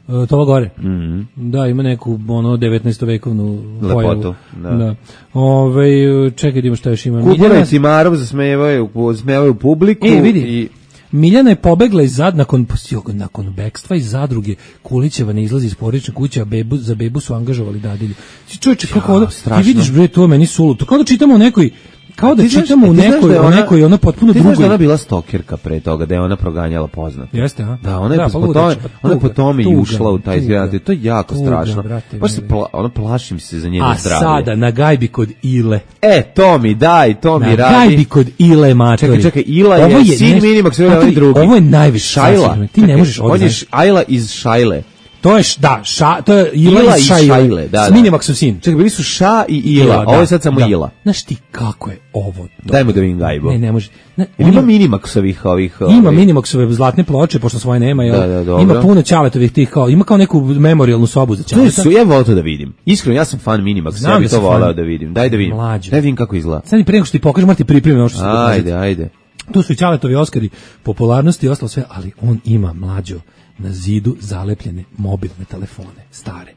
E, to gore. Mm-hmm. Da, ima neku ono devetnaestovekovnu lepotu. Da. Da. Ove, čekaj, ima šta još ima. Kubura Miljana... i Cimarov zasmevaju, zasmevaju publiku. E, vidi. I... Miljana je pobegla iz zad nakon nakon bekstva iz zadruge. Kulićeva ne izlazi iz porodične kuće, a bebu za bebu su angažovali dadilju. Čovječe, kako ovo, ti vidiš bre, to meni suludo. Kao da čitamo u nekoj kao da čitamo u nekoj, da ona, u nekoj, ona potpuno drugoj. Ti znaš da ona bila stalkerka pre toga, da je ona proganjala poznat. Jeste, a? Da, ona je da, po, po tome, ona je po tome i ušla u taj izgledati. To je jako tuga, strašno. Baš se pla, ona plašim se za njeno a zdravlje. A sada, na gajbi kod Ile. E, to mi daj, to mi na radi. Na gajbi kod Ile, matori. Čekaj, čekaj, Ila je, je sin Minimax, ovo je drugi. Ovo je najviše. Šajla. Ti ne možeš ovdje. On je Ajla iz Šajle. To je da, ša, to je Ila, Ila i Šajle, Šajle, da, da. Minimaxov sin. Čekaj, bili su Ša i Ila, Ila ovo je sad samo da. Ila. Znaš ti kako je ovo? Dobro. Dajmo da vidim gajbu. Ne, ne može. Ne, ima Minimaxovih ovih... Ima Minimaxove zlatne ploče, pošto svoje nema. Da, da, dobro. Ima puno Ćaletovih tih, kao, ima kao neku memorijalnu sobu za Ćaleta. To je, ja volim to da vidim. Iskreno, ja sam fan Minimaxa, ja bih to volao da vidim. Daj da vidim. Mlađo. Daj da vidim kako izgleda. Sad mi prije nego što ti pokažem, morate pripremiti ono što se Ajde, ajde. Tu su i Ćaletovi Oskari popularnosti i ostalo sve, ali on ima, mlađo, na zidu zalepljene mobilne telefone, stare.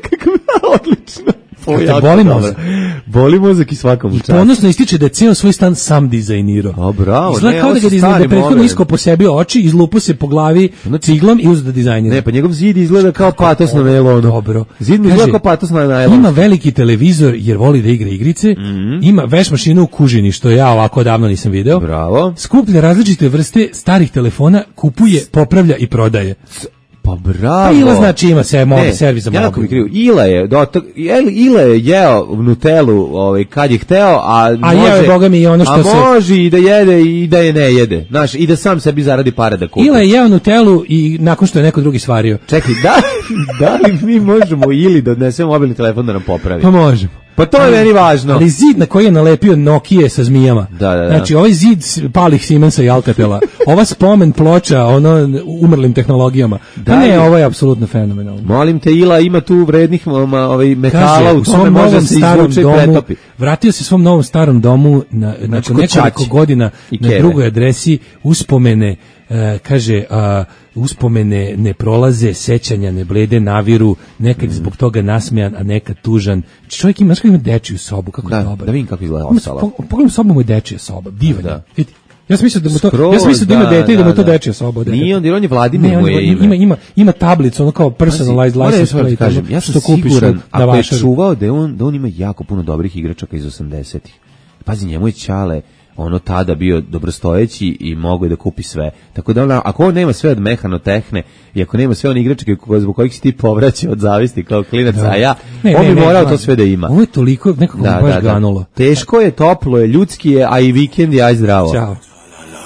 Kako je odlično. Te boli mozak. Boli mozak i svakom u čast. Ponosno ističe da je ceo svoj stan sam dizajnirao. O, bravo. Izgleda kao da ga je prethodno isko po sebi oči, izlupo se po glavi ciglom i uzeo da dizajnira. Ne, pa njegov zid izgleda kao patos na nailonu. Dobro. Zid mi izgleda kao patos na nailonu. Ima veliki televizor jer voli da igra igrice. Mm-hmm. Ima veš mašinu u kužini, što ja ovako davno nisam video. Bravo. Skuplja različite vrste starih telefona, kupuje, popravlja i prodaje. Pa bravo. Pa Ila znači ima se mobi servis za mobil. Ja krivo. Ila je, dotok, Ila je jeo Nutelu, ovaj kad je hteo, a, a može. A jeo boga mi i ono što a se. A može i da jede i da je ne jede. Znaš, i da sam sebi zaradi pare da kupi. Ila je jeo Nutelu i nakon što je neko drugi svario. Čekaj, da da li mi možemo Ili da odnesemo mobilni telefon da nam popravi? Pa možemo. Pa to je meni važno. Ali zid na koji je nalepio Nokia sa zmijama. Da, da, da. Znači, ovaj zid palih Siemensa i Alcatela. Ova spomen ploča, ono, umrlim tehnologijama. Pa ne, ovo je apsolutno fenomenalno. Molim te, Ila ima tu vrednih ovaj, metala. Kaže, u tome može se izvuče i pretopi. Vratio se svom novom starom domu na, znači, nakon nekoliko godina na drugoj adresi uspomene. Uh, kaže, uh, uspomene ne prolaze, sećanja ne blede, naviru, nekad mm. zbog toga nasmejan, a nekad tužan. Čovjek ima, ima dečiju sobu, kako da, je dobar. Da vidim kako izgleda ova sala. Pogledam sobu, mu je dečija soba, divan. Da. Vidi. Ja sam mislio da mu to, Skroz, ja sam mislio da, da ima dete i da mu to dečija soba. Nije on, jer on je Vladimir mu je ime. Ima, ima, ima tablicu, ono kao personalized Pazi, license plate. Kažem, ja sam siguran, ako je čuvao da on, da on ima jako puno dobrih igračaka iz osamdesetih. Pazi, njemu je Ćale ono tada bio dobrostojeći i mogao je da kupi sve. Tako da ona, ako on nema sve od mehanotehne i ako nema sve one igračke zbog kojih si ti povraćao od zavisti kao klinac, da. a ja, ne, on bi morao ne, to sve da ima. Ovo je toliko nekako da, baš da, da. ganulo. Teško je, toplo je, ljudski je, a i vikend je, aj zdravo. Ćao.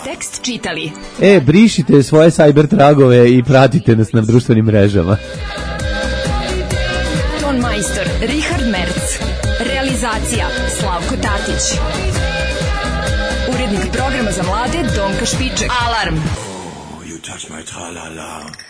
Tekst čitali. E, brišite svoje cyber tragove i pratite nas na društvenim mrežama. Ton majstor Richard Merc. Realizacija Slavko Tatić. Urednik programa za mlade Donka Špiček. Alarm! You touch my tra-la-la.